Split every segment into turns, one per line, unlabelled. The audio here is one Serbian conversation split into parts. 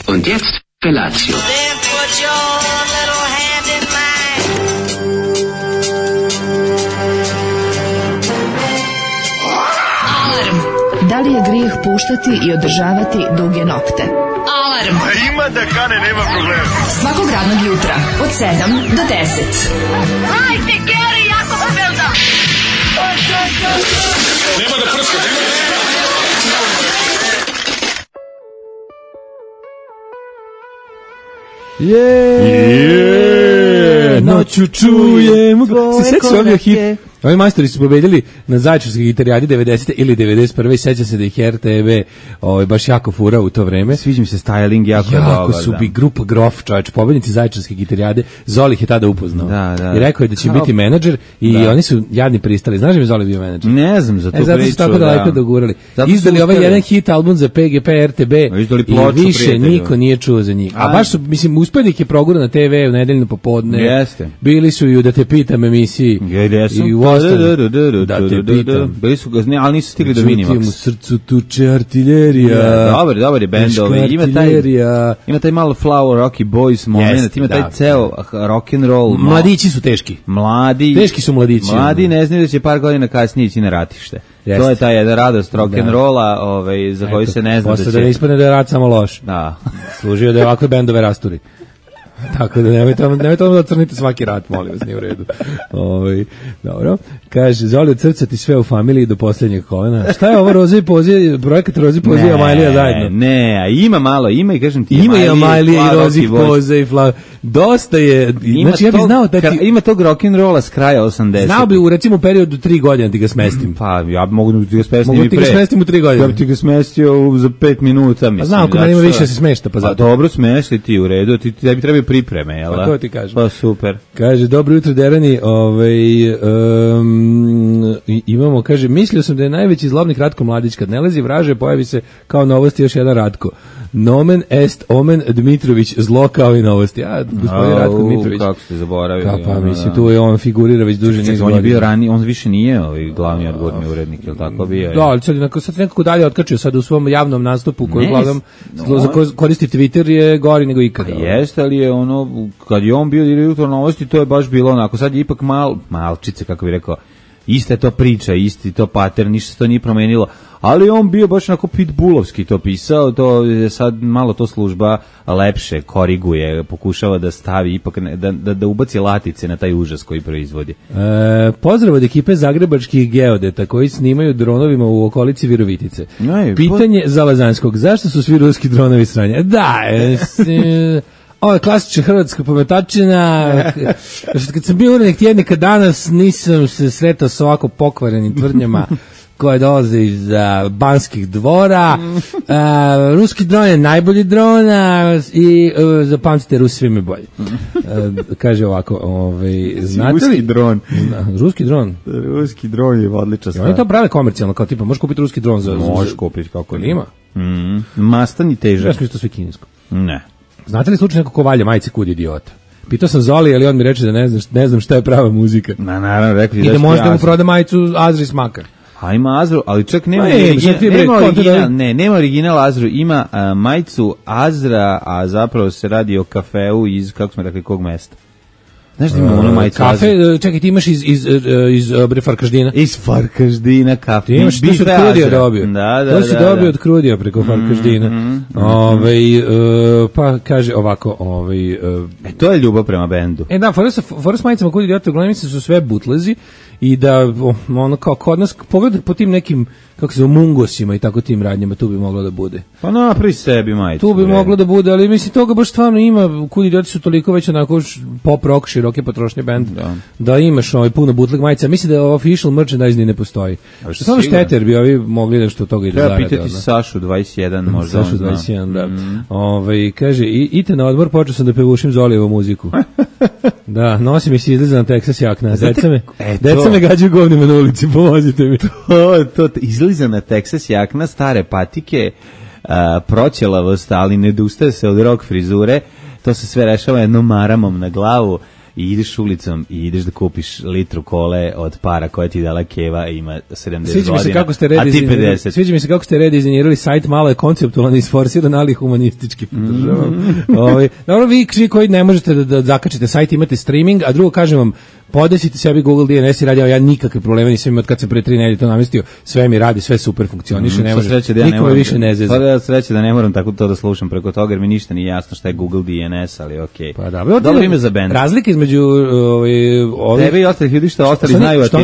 Und jetzt Felatio.
Then put your little hand in mine.
Alarm. Da li je grijeh puštati i održavati duge nokte? Alarm.
Ima da kane, nema problema.
Svakog radnog jutra od 7 do 10.
Hajde, Geri, jako se velda.
Nema da prska, nema da...
Noću čujem. Se sećaš ovdje hit? Ovi majstori su pobedili na Zaječarskoj gitarijadi 90. ili 91. I seća se da ih RTV baš jako furao u to vreme.
Sviđa mi se styling jako dobar.
Jako su bi grupa Grof, čovječ, pobednici Zaječarske gitarijade. Zoli ih je tada upoznao.
Da.
I rekao je da će biti menadžer i oni su jadni pristali. Znaš da mi Zoli bio menadžer?
Ne znam za tu priču.
Zato su tako daleko dogurali. Izdali ovaj jedan hit album za PGP, RTB i više niko nije čuo za njih. A baš su, mislim, uspeli ih je progura na TV u nedeljno popodne.
Jeste.
Bili su i u Da te pitam emisiji. I u Da te pitam.
Bili su gazni, ali nisu stigli do Minimax.
U srcu tuče artiljerija.
Dobar je bend. Ima taj malo Flower Rocky Boys moment, ima taj ceo rock and roll.
Mladići su teški. Teški su mladići.
Mladi ne znaju da će par godina kasnije ići na ratište. To je ta jedna radost rock and rolla, za koju se ne zna da će.
Posle da ne ispadne da je rat samo loš.
Da.
Služio da je ovakve bendove rasturi. Tako da nemojte da crnite svaki rat, molim vas, nije u redu. Dobro. Kaže, Zoli od srca ti sve u familiji do posljednjeg kolena. Šta je ovo Roze i Pozije, projekat Roze i Pozije i Amajlija zajedno?
Ne, ima i kažem ti
ima i Amajlija i Roze i Pozije i Flav. Dosta je, znači ja bih znao da ti...
Ima tog rock'n'rolla s kraja 80.
Znao bi u recimo periodu 3 godine ti ga smestim.
Pa ja mogu da ti ga smestim i pre.
Mogu ti ga smestim u 3 godine.
Ja bi ti ga smestio za 5 minuta, mislim.
Znam, ako ima više se smešta, pa zato.
Dobro, smešti ti u redu, ti bi trebaju pripreme, jel da?
Pa to ti kažem.
Pa super.
Kaže, dobro jutro Derani, imamo, kaže, mislio sam da je najveći zlobnik Ratko Mladić, kad ne lezi vraže, pojavi se kao novosti još jedan Ratko. Nomen est omen Dmitrović, zlo kao i novosti. Gospodin Ratko Dmitrović.
Kako ste zaboravili.
Pa mislim, tu je on figurira već duže niz godina.
On je bio raniji, on više nije glavni odgovorni urednik, je li tako bio?
Da, ali sad nekako dalje otkačio, sad u svom javnom nastupu koji uglavnom koristi Twitter je gori nego ikada.
Jeste, ali je ono, kad je on bio direktor novosti, to je baš bilo onako, sad je ipak malčice, kako bi rekao, ista je to priča, isti to pattern, ništa se to nije promenilo, ali on bio baš onako pitbullovski to pisao, to je sad malo to služba lepše koriguje, pokušava da stavi ipak, da ubaci latice na taj užas koji proizvodi.
Pozdrav od ekipe zagrebačkih geodeta koji snimaju dronovima u okolici Virovitice. Pitanje za Lazanskog, zašto su svi ruski dronovi sranje? Ovo je klasična hrvatska pometačina. Kad sam bio urednik tjednika danas, nisam se sretao sa ovako pokvarenim tvrdnjama koje dolaze iz Banskih dvora. Ruski dron je najbolji dron i zapamtite, Rusi svime bolji. Kaže ovako, znate li...
Ruski dron.
Ruski dron.
Ruski dron je odlična stvar.
Oni to prave komercijalno, kao tipa, možeš kupiti ruski dron za...
Možeš kupiti, kako
ima.
Mastan i težak.
Ja sam isto sve kinesko.
Ne.
Znate li slučaj neko ko valja majice kud idiota? Pitao sam Zoli, ali on mi reče da ne znam šta je prava muzika.
Naravno, rekli
i da možda mu proda majicu Azri Smakar.
A ima Azru, ali čak nema nema original Azru, ima majicu Azra, a zapravo se radi o kafeu iz, kako smo rekli, kog mesta? Znaš da ima ono majicu
kafe, čekaj, ti imaš iz Farkaždina.
Iz Farkaždina kafe.
Ti imaš, to si od Krudija dobio. To si dobio od Krudija preko Farkaždina. Pa kaže ovako,
to je ljubav prema bendu.
Da, fora s majicama kod idiota, uglavnom mislim su sve butlezi i da ono kao kod nas pogledaj po tim nekim, kako se zove, mungosima i tako tim radnjama, tu bi moglo da bude.
Pa napravi sebi majicu.
Tu bi moglo da bude, ali mislim toga baš stvarno ima, kud idioti su toliko već onako pop rock, široke potrošnje band, da imaš puno bootleg majica. Mislim da official merchandise ni ne postoji. Samo šteter bi ovi mogli da što od toga i da zarade.
Treba pitati Sašu 21 možda.
Sašu 21, da. Kaže, ite na odmor, počeo sam da pevušim Zolijevu muziku. Da, nosi mi se izleza na Texas jakna. Deca me gađaju govnima na ulici, pomozite mi.
To izliza na Texas jakna, stare patike, proćelavost, ali ne dustaje se od rock frizure, to se sve rešava jednom maramom na glavu i ideš ulicom i ideš da kupiš litru kole od para koje ti dala Keva, ima 70
Sviđa mi se
godina,
kako ste
a ti 50.
Sviđa mi se kako ste redizajnirali sajt, malo je konceptualno isforsiran, ali humanistički podržavam. Dobro, vi koji ne možete da zakačite sajt, imate streaming, a drugo kažem vam, podesite sebi Google DNS i radio, ja nikakve probleme nisam imao od kad sam pre 3 nedelje to namestio, sve mi radi, sve super funkcioniše, ne može, nikome više ne zezam.
Pa sreće da ne moram tako to da slušam preko toga, jer mi ništa nije jasno šta je Google DNS, ali okej.
Pa da,
dobro ime za bend.
Razlike između
tebe i ostalih ljudi što ostali znaju,
što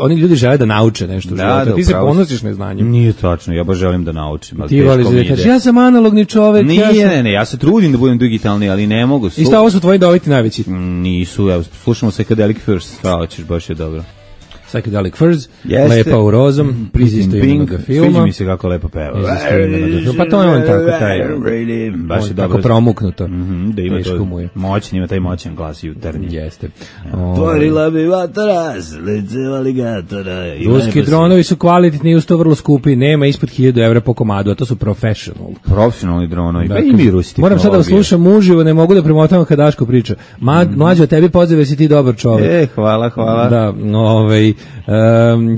oni ljudi žele da nauče nešto u životu. Ti se ponosiš neznanjem.
Nije tačno, ja baš želim da naučim.
Ti voliš da kažeš, ja sam analogni čovek.
Ne, ja se trudim da budem digitalni, ali ne mogu.
I šta ovo su tvoji doviti najveći?
Nisu, evo, slušamo Psychedelic Furs, šta hoćeš, baš je dobro.
Psychedelic Furs, Lepa u rozom, priz istoimenog filma.
Sviđa mi se kako lepo peva.
Pa to je on tako taj,
baš je
tako promuknuto.
Da ima to moćan, ima taj moćan glas jutarnji.
Jeste.
Tvorila bi vataras, lice aligatora.
Ruski dronovi su kvalitetni i usto vrlo skupi, nema ispod 1000 evra po komadu, a to su
profesionalni dronovi. Pa i mi Rusi.
Moram sad da slušam uživo, ne mogu da premotavam kad Daško priča. Mlađo, tebi pozdrav, jesi ti dobar čovek.
Hvala.
Da,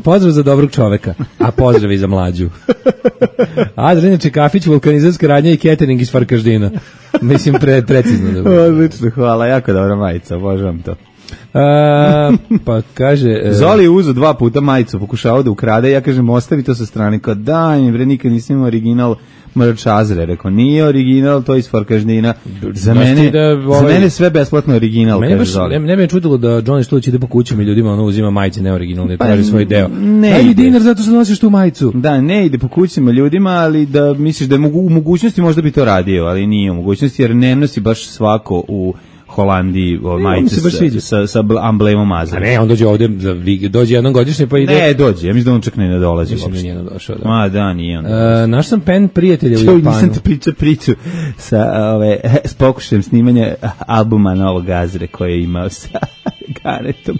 pozdrav za dobrog čoveka, a pozdrav i za Mlađu. Adrenjače, kafić, vulkanizarska radnja i catering iz Farkaždina. Mislim, precizno.
Odlično, hvala, jako dobra majica, obožavam to.
Pa kaže...
Zoli je uzo 2 puta majicu, pokušao da ukrade, ja kažem, ostavi to sa strane, kao daj, bre, nikad nisam imao original Mrčazre, rekao, nije original, to je iz Farkaždina. Za mene sve besplatno original, kaže Zoli.
Ne bi me čudilo da Johnny Štulić ide po kućama i ljudima uzima majice neoriginalne, traži svoj deo. Daj mi dinar zato što nosiš tu majicu.
Da, ne ide po kućama ljudima, ali da misliš da je u mogućnosti možda bi to radio, ali nije u mogućnosti, jer ne nosi baš svako u Holandiji majice sa amblemom Mazda.
Ne, on dođe ovde, dođe jednom godišnje pa ide...
Ne, dođe, ja mislim da on čak ne dolazi
uopšte.
Mislim
da nije došao,
da. Ma da, nije on.
Naš sam pen prijatelja u Japanu.
Nisam te priču s pokušajem snimanja albuma Novog Gazre koje je imao sa Garetom.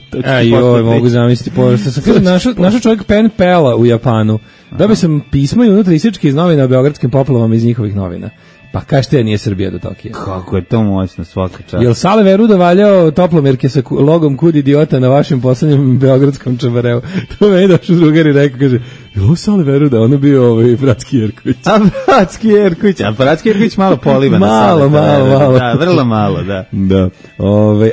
Mogu zamisliti, pošto sam kažem, našao čovjek pen pela u Japanu. Dobio sam pismo i unutra isječke iz novina o beogradskim poplavama iz njihovih novina. Pa kažete, nije Srbija do Tokija.
Kako je to moćno, svaka čast.
Jel Sale Veruda valjao toplomerke sa logom Kud idiota na vašem poslednjem beogradskom čabareu? To me je došao drugar i rekao, kaže, je ovo Sale Veruda? Ono bio Bratski Jerković.
A Bratski Jerković malo poliva na Sale.
Malo.
Da, vrlo malo, da.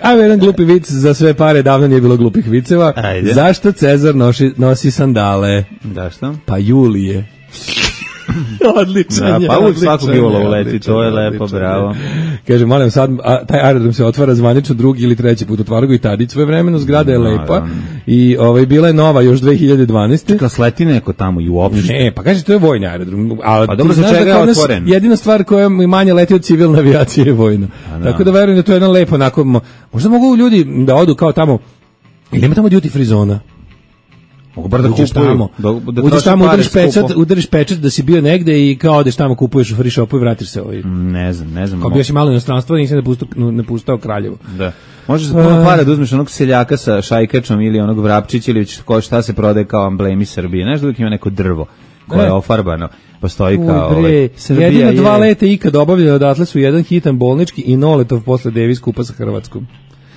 Ajmo jedan glupi vic za sve pare, davno nije bilo glupih viceva.
Ajde.
Zašto Cezar nosi sandale?
Zašto?
Pa Julije. Odličan je.
Pa uvijek svakog jula uleti, to je lepo, bravo.
Kaže, molim sad, taj aerodrom se otvara zvanično 2. ili 3. put, otvara ga i Tadić svoje vremeno, zgrada je lepa i bila je nova još 2012.
Čekala sleti neko tamo i uopšte.
Ne, pa kaže, to je vojni aerodrom.
Pa dobro, za čega je otvoren?
Jedina stvar koja manje leti od civilne avijacije je vojna. Tako da verujem da to je jedan lepo, onako, možda mogu ljudi da odu kao tamo, ili ima tamo duty free zona?
Mogu bar da kupuju.
Uđeš tamo, udariš pečat da si bio negde i kao odeš tamo, kupuješ u free shopu i vratiš se ovaj.
Ne znam.
Kao bio si malo inostranstvo, nisam ne pustao Kraljevo.
Da. Možeš za puno para da uzmeš onog seljaka sa šajkačom ili onog vrapčića ili šta se prodaje kao amblemi Srbije. Znaš da uvijek ima neko drvo koje je ofarbano. Postoji kao
Srbija. Jedino 2 leta ikad obavljeno odatle su jedan hitan bolnički i noletov posle Davis kupa sa Hrvatskom.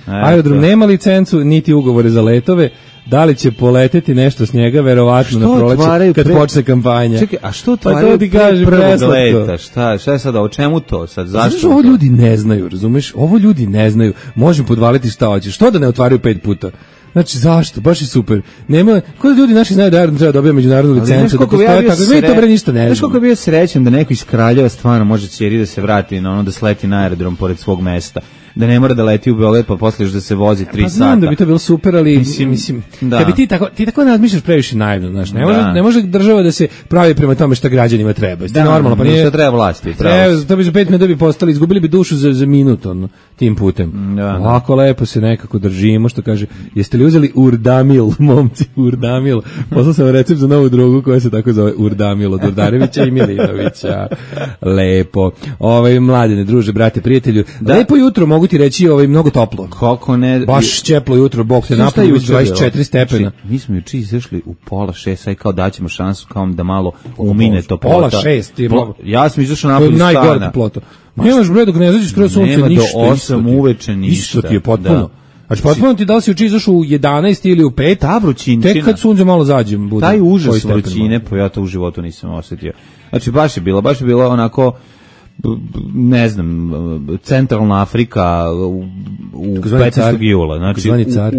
Aerodrom nema licencu, niti ugovore za letove. Da li će poleteti nešto s njega, verovatno na proleće, kad počne kampanja.
Čekaj, a što otvaraju prvog leta? Šta je sada, o čemu to sad? Zašto?
Znaš, ovo ljudi ne znaju, razumeš? Ovo ljudi ne znaju. Možemo podvaliti šta hoće. Što da ne otvaraju 5 puta? Znači, zašto? Baš je super. Nema, ko da ljudi naši znaju da aerodrom treba dobija međunarodnu licencu, da postoje tako, mi to bre ništa ne znamo.
Znaš koliko je bio srećan da neko iz Kraljeva stvarno može ćeri da se vrati, da sleti na aerodrom pored svog mesta. Da ne mora da leti u Beograd pa posle još da se vozi 3 sata.
Znam da bi to bilo super, ali mislim da. Kad bi ti tako razmišljaš previše naivno, znaš, ne može država da se pravi prema tome šta građanima treba. Jeste normalno, pa nije
što treba vlasti.
To bi za 5 minuta bi postali, izgubili bi dušu za minut tim putem. Ovako lepo se nekako držimo, što kaže, jeste li uzeli Urdamil, momci, Urdamil. Poslao sam recept za novu drogu koja se tako zove Urdamil od Urdarevića i Milinovića. Lepo. Mladine, druže, brate, prijatelju. Lepo jutro, mogu mogu ti reći mnogo toplo.
Kako ne?
Baš teplo jutro, Bog te
Šta
napolju,
juče
24
bilo?
stepena.
Znači, mi smo juče izašli u 5:30, sad kao daćemo šansu kao da malo umine toplota.
5:30 je mnogo.
Ja sam izašao
To je
napolju
najgore
stana.
toplota. Nemaš bre dok ne izađeš skroz sunce,
Nema
ništa.
do 8 uveče ništa.
Isto ti je potpuno.
Da.
Znači potpuno ti da li si juče izašao u 11 ili u 5,
Ta vrućinčina.
tek kad sunce malo zađe. Bude
Taj
koji
užas
stepen
vrućine, pa ja to u životu nisam osjetio. Znači baš je bilo onako ne znam, centralna Afrika u
Takozvani
15.
car.
jula, znači
Takozvani car.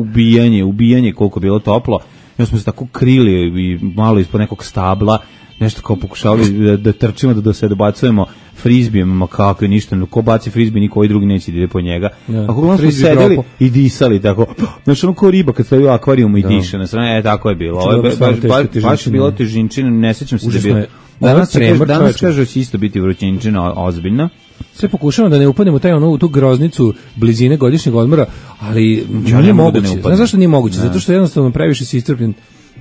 ubijanje koliko je bilo toplo. I onda smo se tako krili i malo ispod nekog stabla, nešto kao pokušavali da trčimo, da se dobacujemo frizbijem, ma kako je ništa, ko baci frizbi, niko ovaj drugi neće da ide po njega.
Ja.
A kako smo
Frizbi
sedeli
dropo.
i disali tako, znači ono ko riba kad stavi u akvarijumu i diše na strane, tako je bilo. Ovo je
Dobro, stvarno teška
baš je
težinčina.
bilo težinčina, ne sećam se da je
Užasno
bilo.
je. Ovo je
Danas
tremor,
danas
čoveče.
kaže da će isto biti vrućinčina ozbiljna.
Sve pokušavam da ne upadnem u u tu groznicu blizine godišnjeg odmora, ali
Ja
nije
ne mogu da
moguće.
ne upadnem.
Znaš zašto nije moguće? Zato što jednostavno previše si iscrpljen.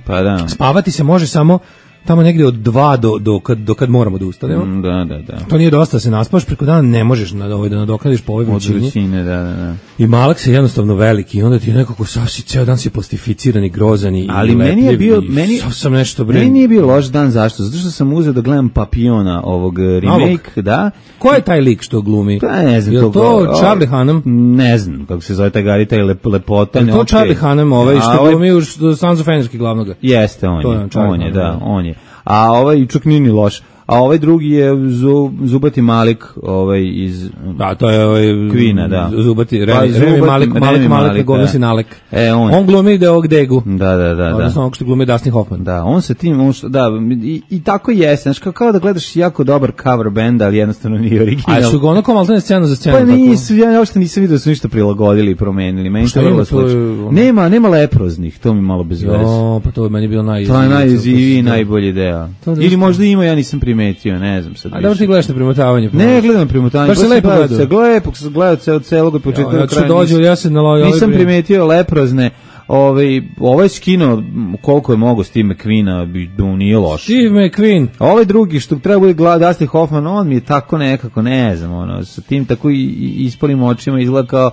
Pa da.
Spavati se može samo tamo negdje od 2 do kad moramo da ustanemo.
Da.
To nije dosta da se naspaš, preko dana ne možeš da nadoknadiš po ovoj
Od
vrućini.
vrućine, da.
I malak se jednostavno veliki i onda ti je nekako sav si ceo dan si plastificiran i grozan i
Ali
i
meni je
lepljiv
bio-
i sav sam nešto
Meni nije bio loš dan, zašto? Zato što sam uzeo da gledam Papiona, ovog remake, da.
Ko je taj lik što glumi?
Pa ne znam.
Je li to Charlie Hunnam?
Ne znam kako se zove taj Gari, taj lepota.
Je li to Charlie Hunnam što
ovaj-
glumi u Sons of Anarchy glavnoga?
Jeste,
To je on, Charlie
on je,
Hunnam,
da,
da.
on je. A ovaj čak nije ni loš. A ovaj drugi je Zubati Malik, iz
Da, to je
Queen-a, da.
Zubati,
Pa,
Remi Malik,
Remi Malik,
glumi
da.
si Nalek.
On.
On glumi ovog Degu.
Da.
Odnosno ovog što glumi Dustin Hoffman.
Da, on se tim, i tako jeste, znači kao da gledaš jako dobar cover band, ali jednostavno nije original.
A su ga ono kao maltene scena za scenu.
Pa
tako?
nisu, ja uopšte nisam vidio da su ništa prilagodili i promenili. Meni
Šta
to vrlo
ima, to je
slično.
ono-
Nema leproznih, to mi malo bez veze.
Jo, pa to je meni bilo
To je najiziviji i najbolji deo.
To da
Ili
isto-
možda ima, ja nisam primetio, ne znam sad
A dobro
više.
ti gledaš na primotavanje.
Ne, gledam primotanje.
Baš se lepo gledao.
Lepo se gledao od celog početka do
Ja
kraja.
ću dođu, ja se nalojao.
Nisam primetio leprozne. Ovaj skino koliko je mogo Steve McQueen-a, nije loš.
Steve McQueen.
Ovaj drugi što treba bude Dustin Hoffman, on mi je tako nekako, ne znam, sa tim tako i ispolim očima izgleda kao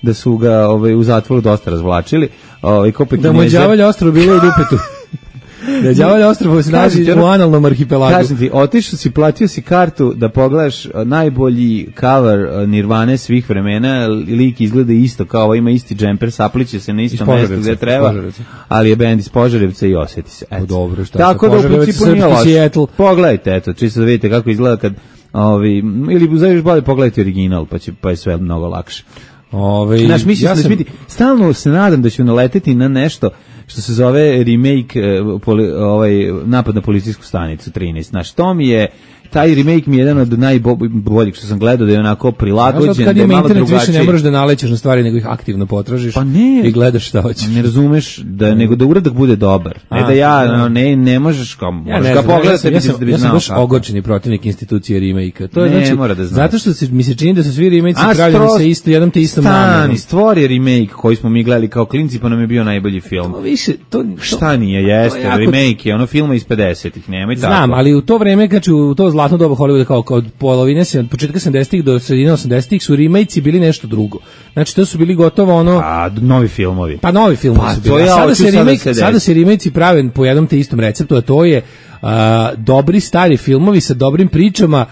da su ga u zatvoru dosta razvlačili.
Da mu je đavolje ostrvo bilo u dupetu. Da je đavolje ostrvo se nalazi u analnom arhipelagu.
Kažem ti, otišao si, platio si kartu da pogledaš najbolji cover Nirvane svih vremena, lik izgleda isto kao ima isti džemper, sapliće se na isto mesto gde treba, ali je bend iz Požarevca i osjeti se.
Dobro, šta
tako da u principu nije loš. Pogledajte, eto, čisto da vidite kako izgleda kad ili zaviš bolje pogledajte original, pa je sve mnogo lakše. Znaš, mislim da će biti, stalno se nadam da ću naleteti na nešto što se zove remake napad na policijsku stanicu 13. Znaš, to mi je, taj remake mi je jedan od najboljih što sam gledao, da je onako prilagođen, da je malo drugačiji.
Kad ima internet više ne moraš da nalećeš na stvari, nego ih aktivno potražiš i gledaš šta hoćeš.
Ne razumeš, nego da uradak bude dobar. Ne da ja, ne možeš kao, možeš ga pogledati da bi znao.
Ja sam baš ogorčeni protivnik institucije remake-a. To je
ne
znači,
mora da znaš.
zato što mi se čini da su svi remake-i pravljeni sa isto, jednom te istom namerom.
Stvori remake koji smo mi gledali kao klinci, pa nam je bio najbolji film. Šta nije, jeste, remake je ono filma iz 50-ih, nemoj tako.
Znam, ali u to vreme, znači u to zlatno doba Hollywooda, kao od polovine, od početka 70-ih do sredine 80-ih su remake-i bili nešto drugo. Znači to su bili gotovo ono...
novi filmovi.
Pa novi filmovi su bili. Sada se remake-i prave po jednom te istom receptu, a to je dobri stari filmovi sa dobrim pričama,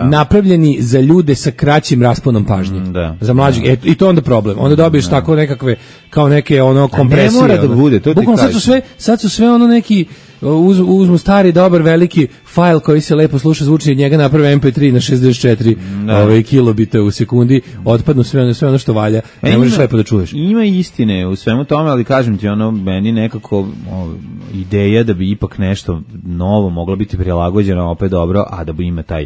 napravljeni za ljude sa kraćim rasponom pažnje. Za mlađih. I to onda problem. Onda dobiješ tako nekakve, kao neke ono kompresije.
Ne mora da bude, to ti kažem.
Sad su sve ono neki, uzmu stari, dobar, veliki fajl koji se lepo sluša zvuči, od njega naprave MP3 na 64 kilobita u sekundi, otpadnu sve ono što valja. Ne možeš lepo da čuješ.
Ima istine u svemu tome, ali kažem ti, meni nekako ideja da bi ipak nešto novo moglo biti prilagođeno opet dobro, a da bi ima taj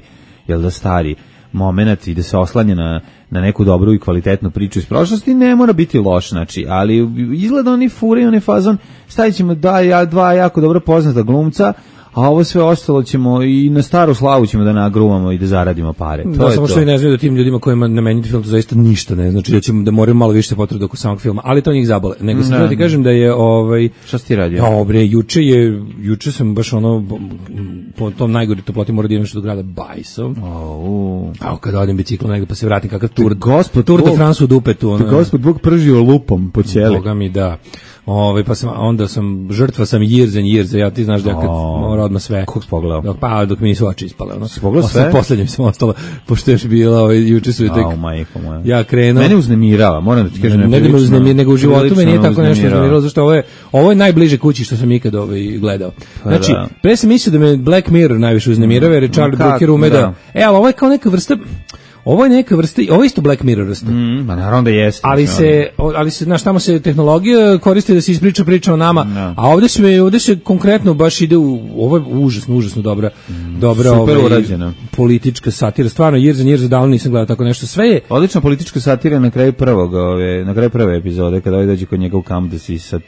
stari moment i da se oslanja na neku dobru i kvalitetnu priču iz prošlosti, ne mora biti loš, znači, ali izgleda oni fure i oni fazon, stavit ćemo dva jako dobro poznata glumca, a ovo sve ostalo ćemo i na staru slavu ćemo da nagruvamo i da zaradimo pare. To je
samo
to.
što i ne znaju da tim ljudima kojima nameniti film to zaista ništa ne znači, da ćemo da moraju malo više potruda oko samog filma, ali to njih zabole. Nego sam ti kažem da je
Šta si ti radio?
Dobre, juče sam baš po tom najgori toploti morao da idem što do grada Bajso. A kada odem biciklom negde pa se vratim kakav Tour de France u dupetu.
Gospod Bog pržio lupom po ćeli.
Boga mi da. Pa onda sam žrtva sam years, ja ti znaš da kad mora odmah sve.
Kako si pogledao?
Dok mi nisu oči ispale.
Si pogledao sve?
Poslednje mi sam ostalo, pošto još bila, juče su tek.
Majko moja.
Ja krenuo.
Mene uznemirava, moram da ti kažem.
Ne da me uznemirava, nego u životu me nije tako nešto uznemiralo, zašto ovo je najbliže kući što sam ikad gledao. Znači, pre sam mislio da me Black Mirror najviše uznemirava, jer je Charlie Brooker ume da. Ali ovo je kao neka vrsta. Ovo je neka vrsta, ovo je isto Black Mirror vrsta.
Ma naravno da jeste.
Ali se, znaš, tamo se tehnologija koristi da se ispriča priča o nama, a ovde se konkretno baš ide ovo je užasno dobra politička satira. Stvarno, Years davno nisam gledao tako nešto. Sve je
odlična politička satira na kraju prve epizode, kada dođe kod njega u kamp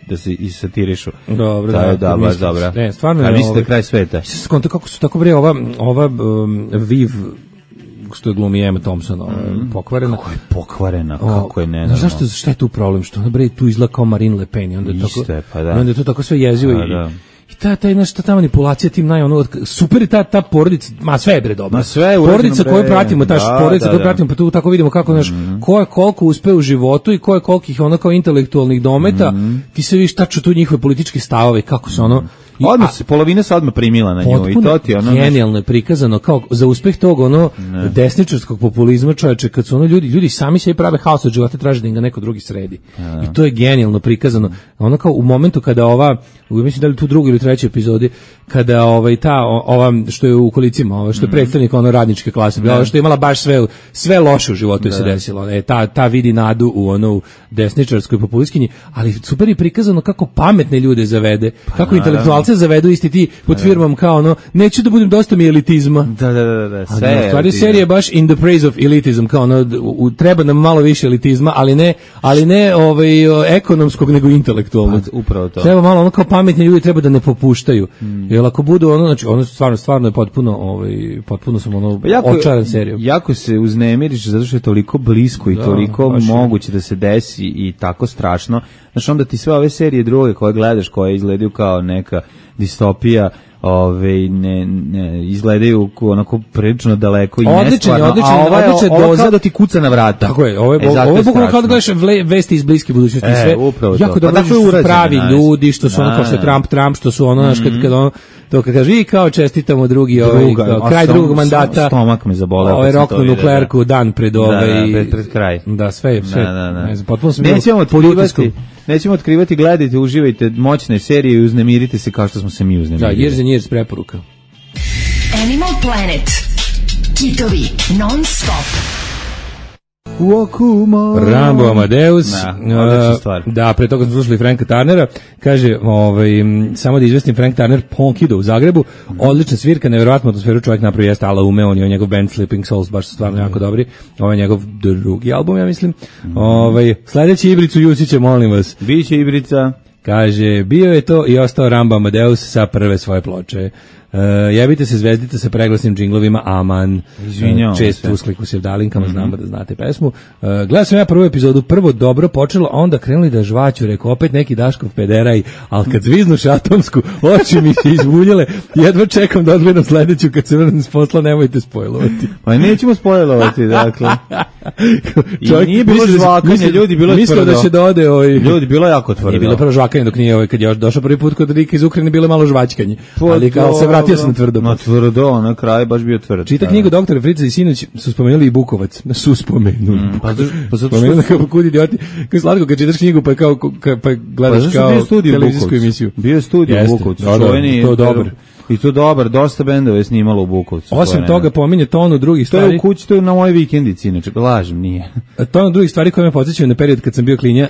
da se isatirišu.
Dobro,
da, baš dobra.
Ne, stvarno.
A misli da kraj sveta.
Skonto kako su tako bre ova Viv što je glumi Emma Thompson, pokvarena.
Kako je pokvarena, kako je nenormalno.
Zašto, šta je tu problem? Što ona bre tu izgleda kao Marine Le Pen i onda je to tako sve jezivo i ta manipulacija tim super je ta porodica, sve je bre dobro. Porodica koju pratimo, pa tu tako vidimo kako, znaš, ko je koliko uspe u životu i ko je kolikih kao intelektualnih dometa, ti se vidiš tačno tu njihove političke stavove, kako se
polovina se odmah primila na nju i to ti
genijalno je prikazano kao za uspeh tog desničarskog populizma, čoveče, kad su ljudi sami sebi prave haos od života, traže da im ga neko drugi sredi. I to je genijalno prikazano. Kao u momentu kada mislim da li tu drugoj ili trećoj epizodi, kada ova što je u kolicima, što je predstavnik radničke klase, što je imala baš sve loše u životu je se desilo. Ta vidi nadu u desničarskoj populistkinji, ali super je prikazano kako pametne ljude zavede, kako intelektualce zavedu isti ti pod firmom kao neću da budem dosta mi elitizma.
Da.
Sve. Stvari serije baš in the praise of elitism, kao treba nam malo više elitizma, ali ne ekonomskog nego intelektualnog.
Upravo to.
Treba malo kao pametni ljudi treba da ne popuštaju. Jer ako budu znači stvarno je potpuno sam očaran serijom.
Jako se uznemiriš zato što je toliko blisko i toliko moguće da se desi i tako strašno. Znači onda ti sve ove serije druge koje gledaš, koje izgledaju kao neka distopija, ne izgledaju onako prilično daleko i nestvarno, a ova kao da ti kuca na vrata.
Tako je, ovo je bukvalno kao da gledaš vesti iz bliske budućnosti. Sve jako dobro su pravi ljudi, što su kao što je Trump, što su znaš, kad kaže i kao čestitamo kraj drugog mandata,
stomak me zaboleo,
roknu nuklearku dan pred
pred kraj.
Da, sve. Potpuno smo
nećemo otkrivati, gledajte, uživajte moćne serije i uznemirite se kao što smo se mi uznemirili.
Da, Years preporuka.
Animal Planet. Kitovi non stop.
Rambo Amadeus.
Odlična stvar.
Da, pre toga smo slušali Franka Turnera. Kaže, samo da izvestim, Frank Turner Ponkido u Zagrebu. Odlična svirka, nevjerovatnu atmosferu čovjek napravio, jeste Ala Ume, on je njegov band Sleeping Souls, baš su stvarno jako dobri. Ovo je njegov drugi album, ja mislim. Sledeći Ibricu Jusića, molim vas.
Biće Ibrica.
Kaže, bio je to i ostao Rambo Amadeus sa prve svoje ploče. Jebite se zvezdice sa preglasnim džinglovima, aman. Često uskliku se dalinkama, znamo da znate pesmu. Gledao sam ja prvu epizodu, prvo dobro počelo, a onda krenuli da žvaću, rekao, opet neki Daškov pederaj, ali kad zviznuš atomsku, oči mi se izvuljele, jedva čekam da odgledam sledeću, kad se vrnem s posla, nemojte spojlovati.
Pa nećemo spojlovati, dakle. I nije bilo žvakanje, ljudi, bilo je tvrdo.
Mislio da će da ode
ljudi, bilo je jako tvrdo.
Nije bilo prvo žvakanje, dok nije kad je došao prvi put kod Rika iz Ukrajine, bilo je malo žvaćkanje. Ali kao se vratio sam na tvrdo.
Na tvrdo, na kraj baš bio tvrd.
Čita knjigu doktora Frica i sinoć su spomenuli i Bukovac. Su spomenuli.
Pa zato
što kao kud idioti. Kao slatko kad čitaš knjigu pa kao pa gledaš kao televizijsku emisiju.
Bio je studio u Bukovcu.
To dobro.
I to dobar, dosta bendova je snimalo u Bukovcu.
Osim toga pominje tonu drugih stvari.
To je u kući, to je na mojoj vikendici, inače, lažem, nije.
Tonu drugih stvari koje me podsjećaju na period kad sam bio klinja,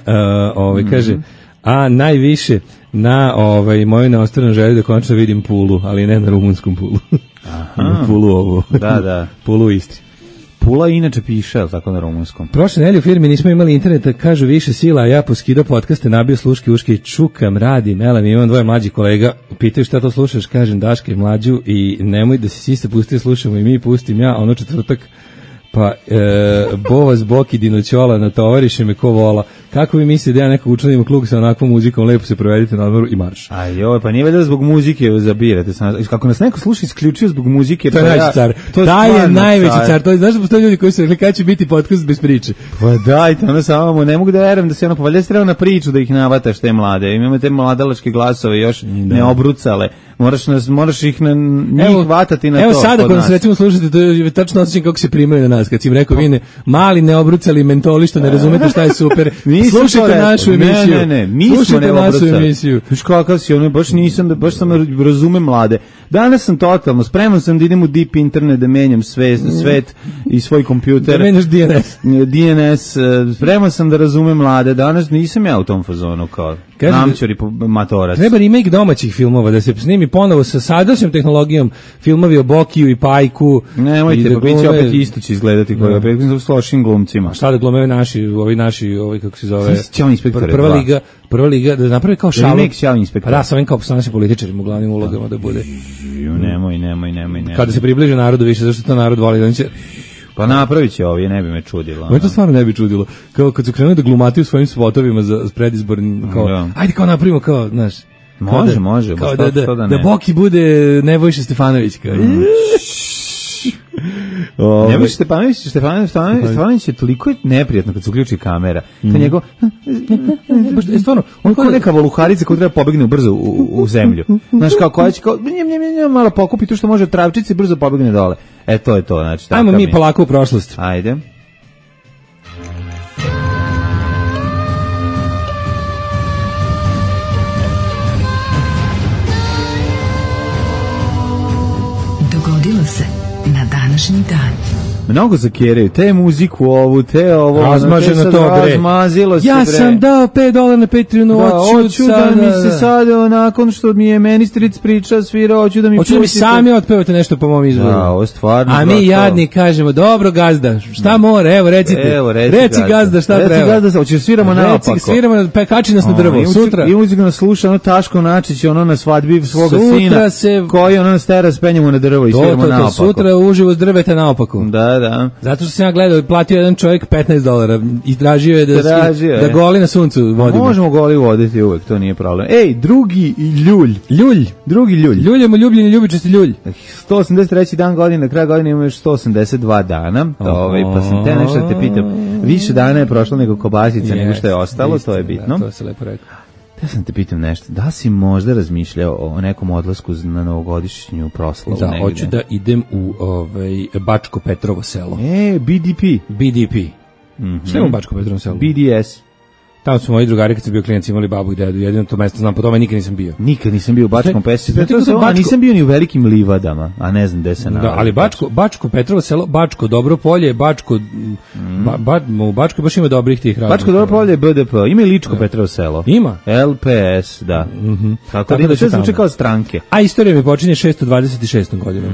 kaže, a najviše na moju neostavljenu želju da konačno vidim Pulu, ali ne na rumunskom Pulu.
Aha.
Pulu ovo.
Da.
Pulu u Istri.
Pula inače piše, ali tako na rumunskom.
Prošle nedelje u firmi nismo imali interneta, kažu više sila, a ja poskidao podcaste, nabio sluške uške i čukam, radim, melam, imam dvoje mlađih kolega, pitaju šta to slušaš, kažem Daška i Mlađu i nemoj da si siste pustio, slušamo i mi, pustim ja, ono četvrtak, pa Bova Zbok i Dinoćola natovariše me ko vola. Kako vi mislite da ja nekog učlanim u klub sa onakvom muzikom, lepo se provedite na odmoru i marš.
A joj, pa nije valjda zbog muzike zabirate. Kako nas neko sluša isključio zbog muzike,
to je najveći car. Taj je najveći car. To je, znaš da postoje ljudi koji su rekli kada će biti podcast bez priče.
Pa dajte, ono samo, ne mogu da verujem da se ono, pa valjda se treba na priču da ih navataš te mlade. Imamo te mladalačke glasove još ne obrucale. Moraš ih na njih vatati na to.
Evo sada kad se recimo slušate, to je tačno osjećam kako se primaju na nas. Kad si im rekao, vi mali neobrucali mentoli što ne razumete šta je super. Slušajte našu emisiju.
Ne, mi smo neobrucali. Viš kakav si, ono, baš sam razumem mlade. Danas sam totalno, spreman sam da idem u deep internet, da menjam svet i svoj kompjuter.
Da menjaš
DNS, spreman sam da razumem mlade. Danas nisam ja u tom fazonu kao namćori matorac.
Treba remake domaćih filmova, da se snimi ponovo sa sadašnjom tehnologijom, filmovi o Bokiju i Pajku.
Nemojte, pa bit će opet isto će izgledati koji opet s lošim glumcima.
Šta da glume naši, kako se zove, prva liga, da napravi kao šalu.
Remake Ćao inspektor.
Da, sa ovim kao našim političarima u glavnim ulogama da bude.
Nemoj.
Kada se približe narodu više, zašto to narod voli, da će...
Pa napravit će ovo, ne bi me čudilo.
Ovo to stvarno ne bi čudilo. Kao kad su krenuli da glumati u svojim spotovima za predizborni, kao, ajde kao napravimo kao, znaš...
Može.
Kao da Boki bude Nebojša Stefanović. Kao.
Nebojša Stefanović je toliko neprijatno kad se uključi kamera. To njegov...
Stvarno,
on kao neka voluharica koja treba pobegne brzo u zemlju. Znaš, kao koja će kao... malo pokupi tu što može travčici i brzo pobegne dole. To je to, znači...
Ajmo mi polako u prošlost.
Ajde.
Dogodilo se na današnji dan.
Mnogo zakeraju, te muziku ovu, te ovo.
Razmaženo to, bre.
Razmazilo se, bre.
Ja sam dao $5 na Patreonu,
hoću da mi se sad, nakon što mi je meni stric priča, svira, hoću da mi
pustite. Hoću da mi sami otpevate nešto po mom izvoru.
Da, ovo stvarno.
A mi jadni kažemo, dobro gazda, šta more, evo recite. Reci gazda, šta treba.
Reci gazda, hoćeš sviramo naopako.
Sviramo, kači nas na drvo, sutra.
I muziku nas sluša, ono Taško Načić, ono na svadbi svoga sina, koji ono nas tera, spenjemo na drvo i sviramo naopako.
Sutra uživo s drveta naopako.
Da.
Zato što sam ja gledao, platio jedan čovjek $15 i tražio je da goli na suncu vodimo.
Možemo goli voditi uvek, to nije problem. Ej, drugi ljulj. Drugi ljulj.
Ljuljemo ljubljeni ljubičasti ljulj.
183. dan godine, na kraju godine imamo još 182 dana. Pa sam te nešto da te pitam. Više dana je prošlo nego kobasica, nego što je ostalo, to je bitno.
To se lepo rekao.
Ja sam te pitam nešto, da si možda razmišljao o nekom odlasku na novogodišnju proslavu negde?
Da, hoću da idem u Bačko Petrovo selo.
BDP.
Šta je u Bačko Petrovo selo?
BDS.
Tamo su moji drugari kad su bio klijenti imali babu i dedu, jedino to mesto znam, po tome nikad nisam bio.
Nikad nisam bio u Bačkom Petrovu, a nisam bio ni u Velikim Livadama, a ne znam gde se nalazi.
Da, ali Bačko Petrovo selo, Bačko Dobro Polje, u Bačkoj baš ima dobrih tih razloga.
Bačko Dobro Polje je BDP, ima i Ličko Petrovo selo.
Ima?
LPS, da. Tako da sve zvuči kao stranke.
A istorija mi počinje 626. godinom.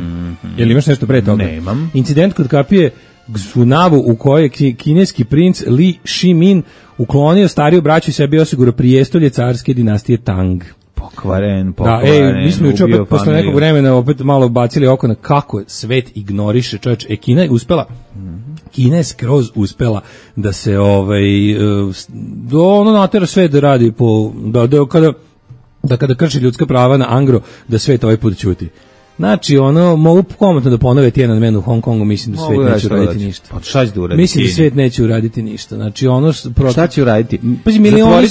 Jel imaš nešto pre toga?
Nemam.
Incident kod kapije Xunavu u kojoj je kineski princ Li Shimin uklonio stariju braću i sebi osigurao prijestolje carske dinastije Tang.
Pokvaren.
Da, mi smo juče opet posle nekog vremena opet malo bacili oko na kako svet ignoriše, čovječ. Kina je uspela, Kina je skroz uspela da se ono natera svet da radi po, kada krši ljudska prava na Angro, da svet ovaj put ćuti. Znači, mogu komotno da ponove Tiananmen u Hong Kongu, mislim da svet neće uraditi ništa.
Pa šta će da uraditi?
Mislim da svet neće uraditi ništa. Znači,
šta će uraditi?
Milioni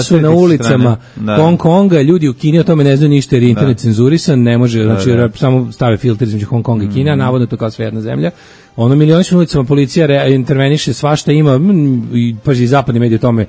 su na ulicama Hong Konga, ljudi u Kini o tome ne znaju ništa jer je internet cenzurisan, ne može, znači, samo stave filter između Hong Konga i Kine, a navodno to kao sve jedna zemlja. Milioni su na ulicama, policija interveniše, svašta ima, i paži, zapadni mediji o tome.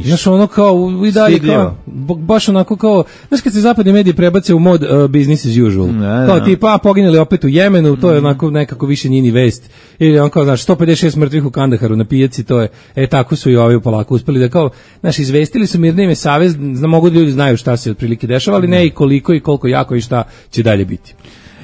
Znaš, kao, i dalje, kao, baš onako kao, znaš, kad se zapadni mediji prebace u mod business as usual, kao tipa, poginuli opet u Jemenu, to je onako nekako više njini vest, ili kao, znaš, 156 mrtvih u Kandaharu na pijaci, to je, tako su i ovi polako uspeli da kao, znaš, izvestili su mirne ime savez, mogu da ljudi znaju šta se otprilike dešava, ali ne i koliko jako i šta će dalje biti.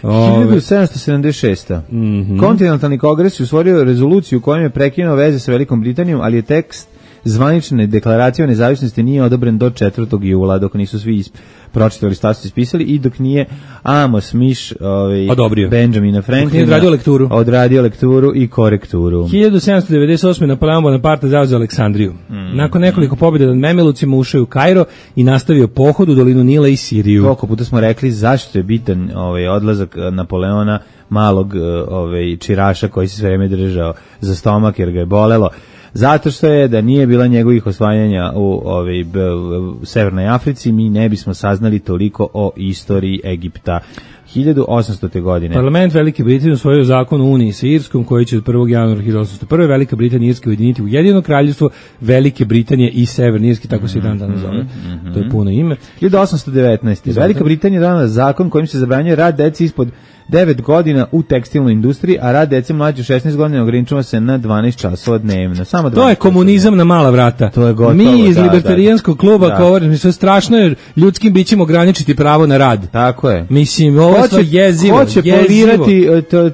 1776. Kontinentalni kongres je usvojio rezoluciju kojom je prekinuo veze sa Velikom Britanijom, ali je tekst zvanične deklaracije o nezavisnosti nije odobren do 4. jula, dok nisu svi pročitali status ispisali i dok nije Amos Mish Benjamina Franklina odradio lekturu i korekturu.
1798. Napoleon Bonaparte zauzeo Aleksandriju. Nakon nekoliko pobjeda nad Memelucima ušao u Kairo i nastavio pohod u dolinu Nila i Siriju.
Koliko puta smo rekli zašto je bitan odlazak Napoleona, malog čiraša koji se sve vreme držao za stomak jer ga je bolelo. Zato što je da nije bila njegovih osvajanja u Severnoj Africi, mi ne bismo saznali toliko o istoriji Egipta. 1800. godine.
Parlament Velike Britanije usvojio zakon o Uniji sa Irskom, koji će od 1. januara 1801. Velika Britanija i Irska ujediniti u jedino kraljevstvo Velike Britanije i Severne Irske, tako se i dan danas zove. To je puno ime.
1819. Velika Britanija donela zakon kojim se zabranjuje rad deci ispod 9 godina u tekstilnoj industriji, a rad dece mlađe 16 godina ograničava se na 12 časova dnevno. Samo 12
to je komunizam na mala vrata.
To je gotovo,
mi iz libertarijanskog kluba govorimo, sve strašno je ljudskim bićima ograničiti pravo na rad.
Tako je.
Mislim, ovo je jezivo.
Hoće polirati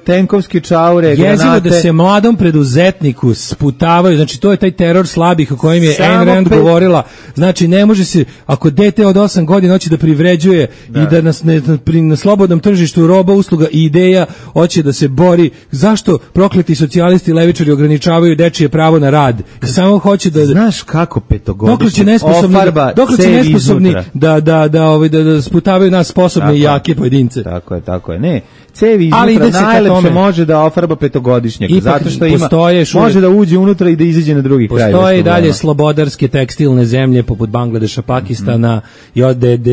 tenkovske čaure, granate.
Jezivo da se mladom preduzetniku sputavaju, znači to je taj teror slabih o kojem je Ayn Rand govorila. Znači ne može se, ako dete od 8 godina hoće da privređuje i da nas na slobodnom tržištu roba, usluga i ideja hoće da se bori, zašto prokleti socijalisti i levičari ograničavaju dečije pravo na rad? Samo hoće da...
Znaš kako petogodišnje
ofarba nesposobni da sputavaju nas sposobne i jake pojedince.
Tako je. Ne, cevi iznutra najlepše može da ofarba petogodišnjaka, zato što može da uđe unutra i da izađe na drugi kraj.
Postoje i dalje slobodarske tekstilne zemlje poput Bangladeša, Pakistana i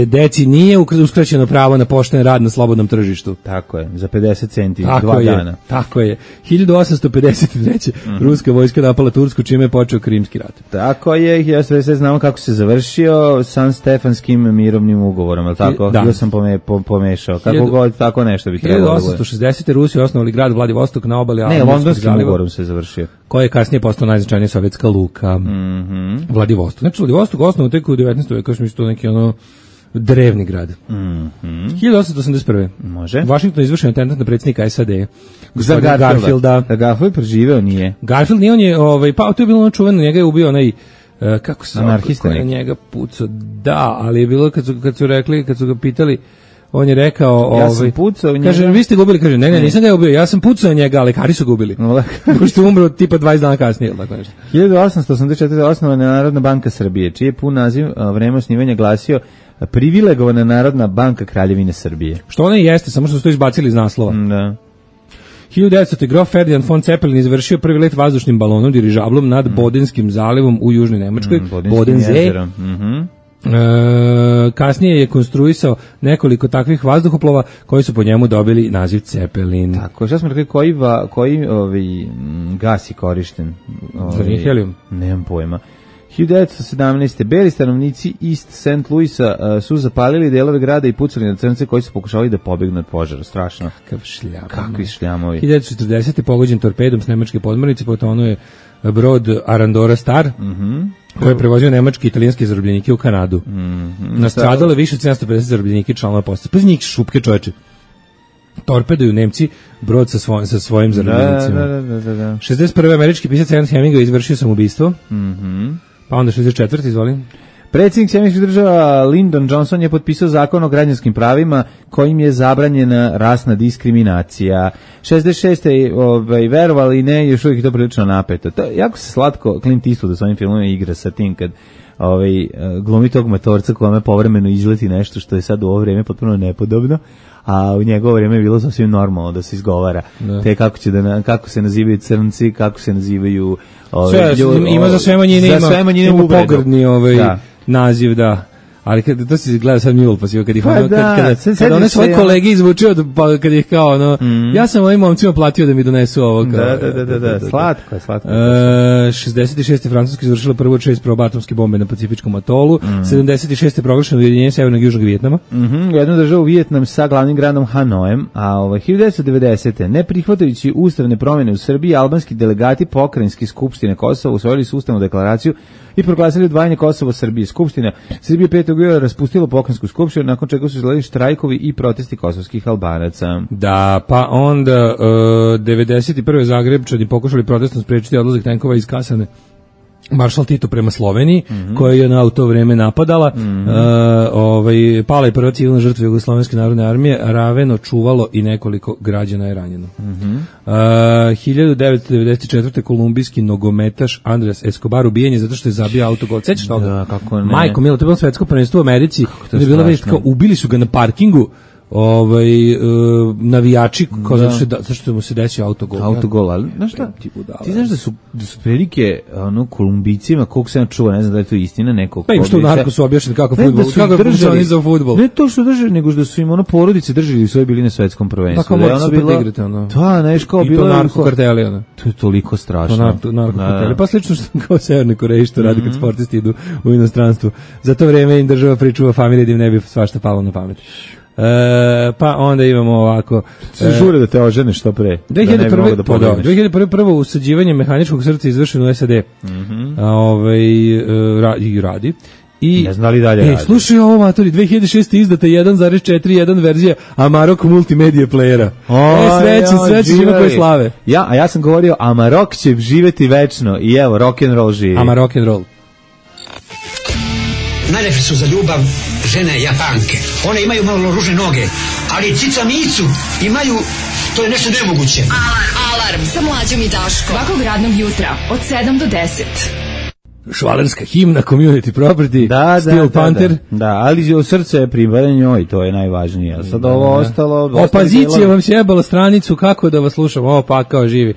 deci nije uskraćeno pravo na pošten rad na slobodnom tržištu.
Tako je, za 50 centi, 2 dana.
Tako je. 1853. Ruska vojska napala Tursku, čime je počeo Krimski rat.
Tako je, 1947. znamo kako se završio San Stefanskim mirovnim ugovorom, je li tako? Da. Ja sam pomešao. Kako god, tako nešto bi trebalo.
1860. Rusi osnovali grad Vladivostok na obali
Albanskog zaliva. Ne, Londonskim ugovorom se završio.
Koji je kasnije postao najznačajnija sovjetska luka. Vladivostok. Znači, Vladivostok osnovan tek u 19. veku, što to neki drevni grad. 1881.
Može.
Washington izvršen atentat na predsjednika SAD.
Za Garfielda. Garfield preživeo nije.
Garfield nije, on je, pa to je bilo čuveno, njega je ubio onaj, kako se
anarhista
je njega pucao. Da, ali je bilo kad su ga pitali, on je rekao,
ja sam pucao njega.
Kaže, vi ste ga ubili, kaže, ne, nisam ga ubio, ja sam pucao njega, ali lekari su ga ubili. Pošto umro tipa 20 dana kasnije, tako nešto.
1884. osnovana je Narodna banka Srbije, čiji je pun naziv vreme osnivanja glasio Privilegovana Narodna banka Kraljevine Srbije.
Što ona i jeste, samo što su to izbacili iz naslova.
Da.
1900. grof Ferdinand von Zeppelin izvršio prvi let vazdušnim balonom, dirižablom nad Bodenskim zalivom u južnoj Nemačkoj. Bodensee. Kasnije je konstruisao nekoliko takvih vazduhoplova koji su po njemu dobili naziv Zeppelin.
Tako, šta smo rekli, koji gas je korišten?
Za nije helium?
Nemam pojma. 1917. Beli stanovnici East St. Louisa su zapalili delove grada i pucali na crnce koji su pokušavali da pobegnu od požara. Strašno. Kakvi šljamovi.
1940. pogođen torpedom s nemačke podmornice, potonuo je brod Arandora Star, koji je prevozio nemačke i italijanske zarobljenike u Kanadu. Nastradalo je više od 750 zarobljenika i članova postave. Pa njih šupke, čoveče. Torpeduju Nemci brod sa svojim zarobljenicima.
Da.
61. američki pisac Ernest Hemingway izvršio samoubistvo. Pa onda 64. izvolim.
Predsjednik Sjedinjenih Država Lyndon Johnson je potpisao zakon o građanskim pravima kojim je zabranjena rasna diskriminacija. 66. Verovali ne, još uvijek je to prilično napeto. To, jako se slatko Clint Eastwood u svojim filmovima igra sa tim kad glumi tog matorca kome povremeno izleti nešto što je sad u ovo vrijeme potpuno nepodobno, a u njegovo vrijeme je bilo sasvim normalno da se izgovara. Te kako se nazivaju crnci, kako se nazivaju
ima za sve manjine ima pogrdni naziv, da. Ali to se gleda sad Mule, pa si kad ih kad one svoje kolege izvučio, kad ih kao, ja sam ovim momcima platio da mi donesu ovo.
Da, slatko.
66. Francuska izvršila prvo 6 probatomske bombe na Pacifičkom atolu, 76. proglašeno ujedinjenje Severnog i Južnog Vijetnama.
Jednu državu Vijetnam sa glavnim gradom Hanojem, a 1990. ne prihvatajući ustavne promjene u Srbiji, albanski delegati Pokrajinske skupštine Kosova usvojili su ustavnu deklaraciju i proglasili odvajanje Kosova Srbije. Skupština Srbije 5. bilo raspustilo pokrajinsku skupštinu, nakon čega su izgledali štrajkovi i protesti kosovskih Albanaca.
Da, pa onda 91. Zagrebčani pokušali protestom sprečiti odlazak tenkova iz Kasane Maršal Tito prema Sloveniji, koja je na to vreme napadala. Pala je prva civilna žrtva Jugoslovenske narodne armije, Raveno čuvalo i nekoliko građana je ranjeno. 1994. kolumbijski nogometaš Andres Escobar ubijen je zato što je zabio autogol. Sećaš toga?
Da, kako ne.
Majko milo, to je bilo svetsko prvenstvo u Americi.
je strašno.
Ubili su ga na parkingu. Navijači zato što mu se desio autogol.
Ali znaš šta? Ti znaš da su prilike Kolumbijcima, koliko se čuva, ne znam da je to istina, nekog.
Pa im što u Narkosu objašnjeni kako fudbal, kako funkcioniše za fudbal.
Ne to što drže, nego da su im porodice držali u svojoj bili na svetskom prvenstvu.
Tako može super da igrate,
Da, znaš kao bilo.
I to narkokarteli, ono.
To je toliko strašno.
To narkokarteli. Pa slično što kao Severnoj Koreji što radi kad sportisti idu u inostranstvo. Za to vreme im država pričuva familije da im ne bi svašta palo na pamet. Pa onda imamo ovako
žure da te ožene što pre
2001. prvo usađivanje mehaničkog srca izvršeno u SAD i radi i
ne znam li dalje radi.
Slušaj ovo, matori, 2006. izdata 1.41 verzija Amarok multimedije playera. Sreći ima koje slave.
A ja sam govorio Amarok će živeti večno i evo rock'n'roll živi.
Amarok''n''roll.
Najlepše su za ljubav žene Japanke. One imaju malo ružne noge, ali cica micu imaju, to je nešto nemoguće.
Alarm sa Mlađom i Daškom. Svakog radnog jutra od 7 do 10.
Švalerska himna, community property, Steel Panther.
Da, ali srce je pripada njoj, to je najvažnije. Sad ovo ostalo...
Opozicija vam sjebala stranicu, kako da vas slušam, ovo pa kao živi.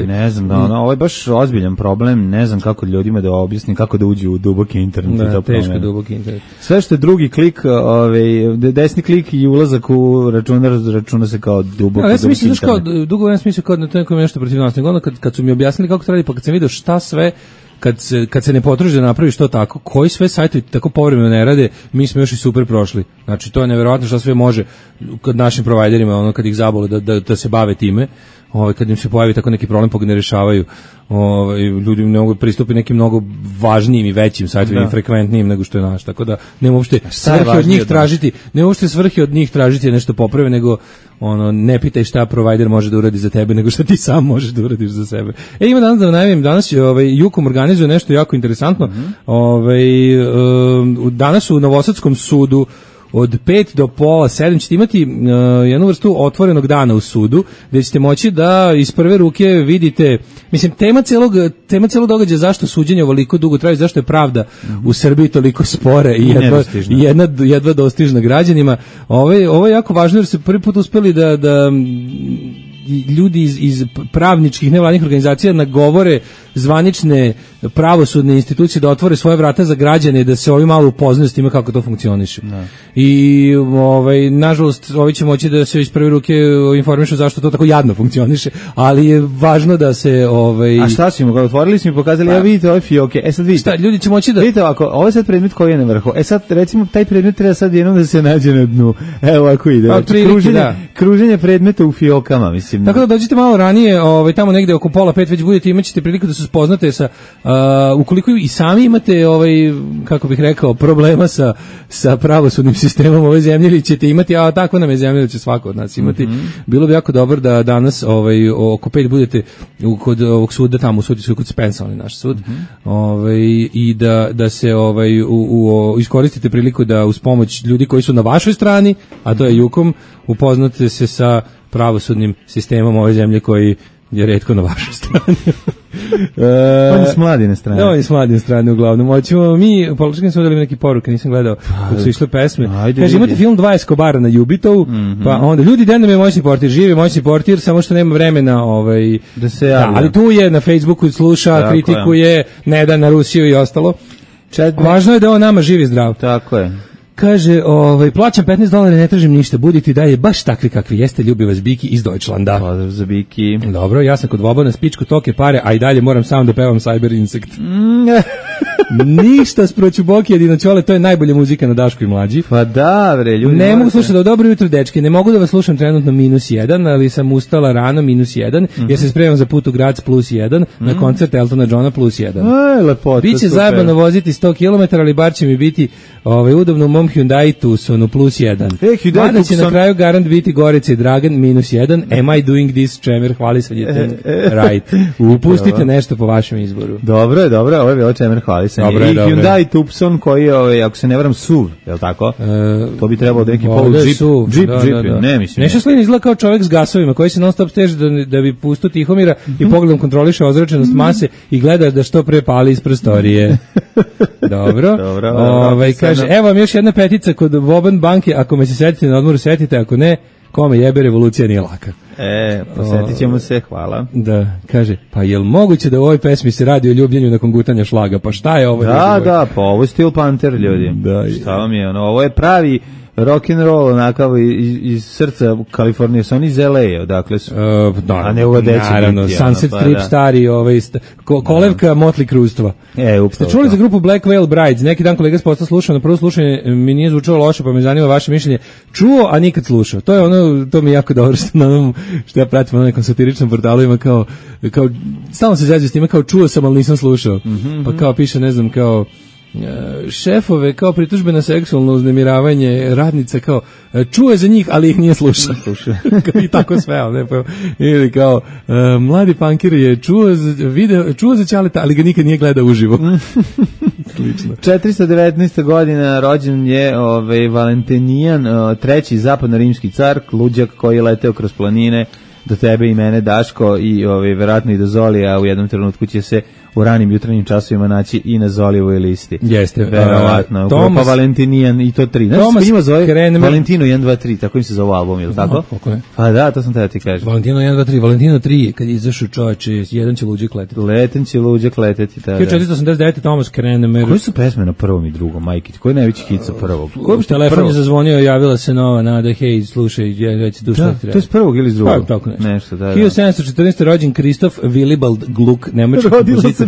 Ne znam, ovo je baš ozbiljan problem, ne znam kako ljudima da objasnim, kako da uđu u duboki internet.
Da, teško duboki internet.
Sve što je drugi klik, desni klik i ulazak u računa se kao duboki internet.
Dugo vremena smislio kao da to je nešto protiv nas, nego kad su mi objasnili kako to radi, pa kad sam vidio šta sve kad se ne potraži da napraviš to tako, koji sve sajtovi tako povremeno ne rade, mi smo još i super prošli. Znači, to je neverovatno što sve može kod našim providerima, kad ih zabole da se bave time, kad im se pojavi tako neki problem pa ga ne rešavaju, ljudi ne mogu pristupiti nekim mnogo važnijim i većim sajtovima i frekventnijim nego što je naš, tako da ne uopšte svrhe od njih tražiti nešto poprave, nego ne pitaj šta provider može da uradi za tebe, nego šta ti sam možeš da uradiš za sebe. Ima danas da najavim, danas Jukom organizuje nešto jako interesantno. Danas u Novosadskom sudu od 5 do pola 7 ćete imati jednu vrstu otvorenog dana u sudu, gdje ćete moći da iz prve ruke vidite, mislim, tema celog događaja zašto suđenje ovoliko dugo traje, zašto je pravda u Srbiji toliko spora i jedva dostižna građanima. Ovo je jako važno jer se prvi put uspeli da ljudi iz pravničkih nevladnih organizacija nagovore zvanične pravosudne institucije da otvore svoje vrata za građane, da se ovi malo upoznaju s time kako to funkcioniše. I nažalost ovi će moći da se iz prve ruke informišu zašto to tako jadno funkcioniše, ali je važno da se
A šta smo ga otvorili, smo pokazali, vidite ove fioke. Sad vidite.
Šta, ljudi će moći da
vidite ovako, ovo je sad predmet koji je na vrhu. Sad recimo taj predmet treba sad jednom da se nađe na dnu. Evo ovako ide. Kruženje predmeta u fiokama, mislim.
Tako da dođite malo ranije, tamo negde oko pola 5 već budete, imaćete priliku da se spoznate sa ukoliko i sami imate kako bih rekao, problema sa pravosudnim sistemom ove zemlje, ili ćete imati, a tako nam je zemlja da će svako od nas imati. Bilo bi jako dobro da danas oko 5 budete kod ovog suda tamo u sudu kod Spensa, on je naš sud. I da se iskoristite priliku da uz pomoć ljudi koji su na vašoj strani, a to je Jukom, upoznate se sa pravosudnim sistemom ove zemlje koji je retko na vašoj strani.
On je s mladine strane.
On je s mladine strane uglavnom. Hoćemo mi, politički smo dali neki poruke, nisam gledao dok su išle pesme. Kaže, imate film 2 Escobara na Jubitovu, pa onda ljudi, da nam je moćni portir, živi moćni portir, samo što nema vremena
da se javlja.
Ali tu je na Facebooku, sluša, kritikuje, ne da na Rusiju i ostalo. Važno je da on nama živi zdrav.
Tako je.
Kaže, plaćam $15, ne tražim ništa, budite dalje baš takvi kakvi jeste, ljubi vas Biki iz Deutschlanda.
Pozdrav za Biki.
Dobro, ja sam kod Vobana, spičku toke pare, a i dalje moram sam da pevam Cyber Insect. Ništa sproću Boki jedino Ćole, to je najbolja muzika na Daško i Mlađi.
Pa da, bre, ljudi.
Ne mogu slušati, dobro jutro, dečki, ne mogu da vas slušam trenutno -1, ali sam ustala rano -1, jer se spremam za put u Graz +1, na koncert Eltona Johna +1.
Aj, lepota.
Biće zajebano voziti 100 km, ali bar će mi biti udobno u mom Hyundai Tucsonu +1.
Hyundai
Mada će
Tucson.
na kraju garant biti Gorica i Dragan -1. Am I doing this, Čemer, hvalisanje right. Pustite nešto po vašem izboru.
Dobro je, ovo je bilo Čemer hvalisanje.
Dobro je,
I
dobro je.
Hyundai Tucson koji je, ako se ne varam, SUV, je li tako? To bi trebalo da neki polu
Ovdje je
džip,
SUV,
džip,
da.
ne mislim.
Neša Slin izgleda kao čovjek s gasovima koji se non stop steže da bi pustio Tihomira i pogledom kontroliše ozračenost mase i gleda da što pre pali iz prostorije. Dobro. Kaže, evo vam još jedna petica kod Voban banke, ako me se setite na odmoru, setite, ako ne, kome jebe, revolucija nije laka.
Posjetit ćemo se, hvala.
Da, kaže, pa jel moguće da u ovoj pesmi se radi o ljubljenju nakon gutanja šlaga? Pa šta je ovo?
Da, pa ovo je Steel Panther, ljudi.
Da,
šta vam je, ovo je pravi rock and roll, onakav iz srca Kalifornije, su oni iz LA, odakle su. A ne uvodeći.
Naravno, Sunset Strip stari, kolevka Motley Crue-stva. Ste čuli za grupu Black Veil Brides? Neki dan kolega s posla slušao, na prvo slušanje mi nije zvučalo loše, pa me zanima vaše mišljenje. Čuo, a nikad slušao. To je to mi je jako dobro što ja pratim na nekom satiričnom portalu, ima kao stalno se zađe s time, kao čuo sam, ali nisam slušao. Pa kao piše, ne znam, kao šefove kao pritužbe na seksualno uznemiravanje radnica, kao čuo je za njih, ali ih nije slušao. I tako sve, ili kao mladi punkir je čuo za Ćaleta, ali ga nikad nije gledao uživo. Slično.
419. godina rođen je Valentinijan, treći zapadno-rimski car, luđak koji je leteo kroz planine do tebe i mene, Daško, i verovatno i do Zolija, u jednom trenutku će se u ranim jutarnjim časovima naći i na Zolijevoj listi.
Jeste.
Verovatno. Grupa Valentinijan i to 3. Znaš se ima zove Valentino 1, 2, 3, tako im se zove album, je li tako? Pa da, to sam tada ti kažem.
Valentino 1, 2, 3, Valentino 3, kad je izašao čovječe, jedan će luđak leteti.
Leten će luđak leteti, tada.
1489. Thomas Krenemer.
Koji su pesme na prvom i drugom, majke? Koji je najveći hit sa prvog?
Telefon je zazvonio, javila se nova nada, hej, slušaj, već duša ti treba.
To je s prvog ili s drugog?
Pa, tako
nešto, da.
1714. rođen Kristof Willibald Gluck, nemački kompozitor.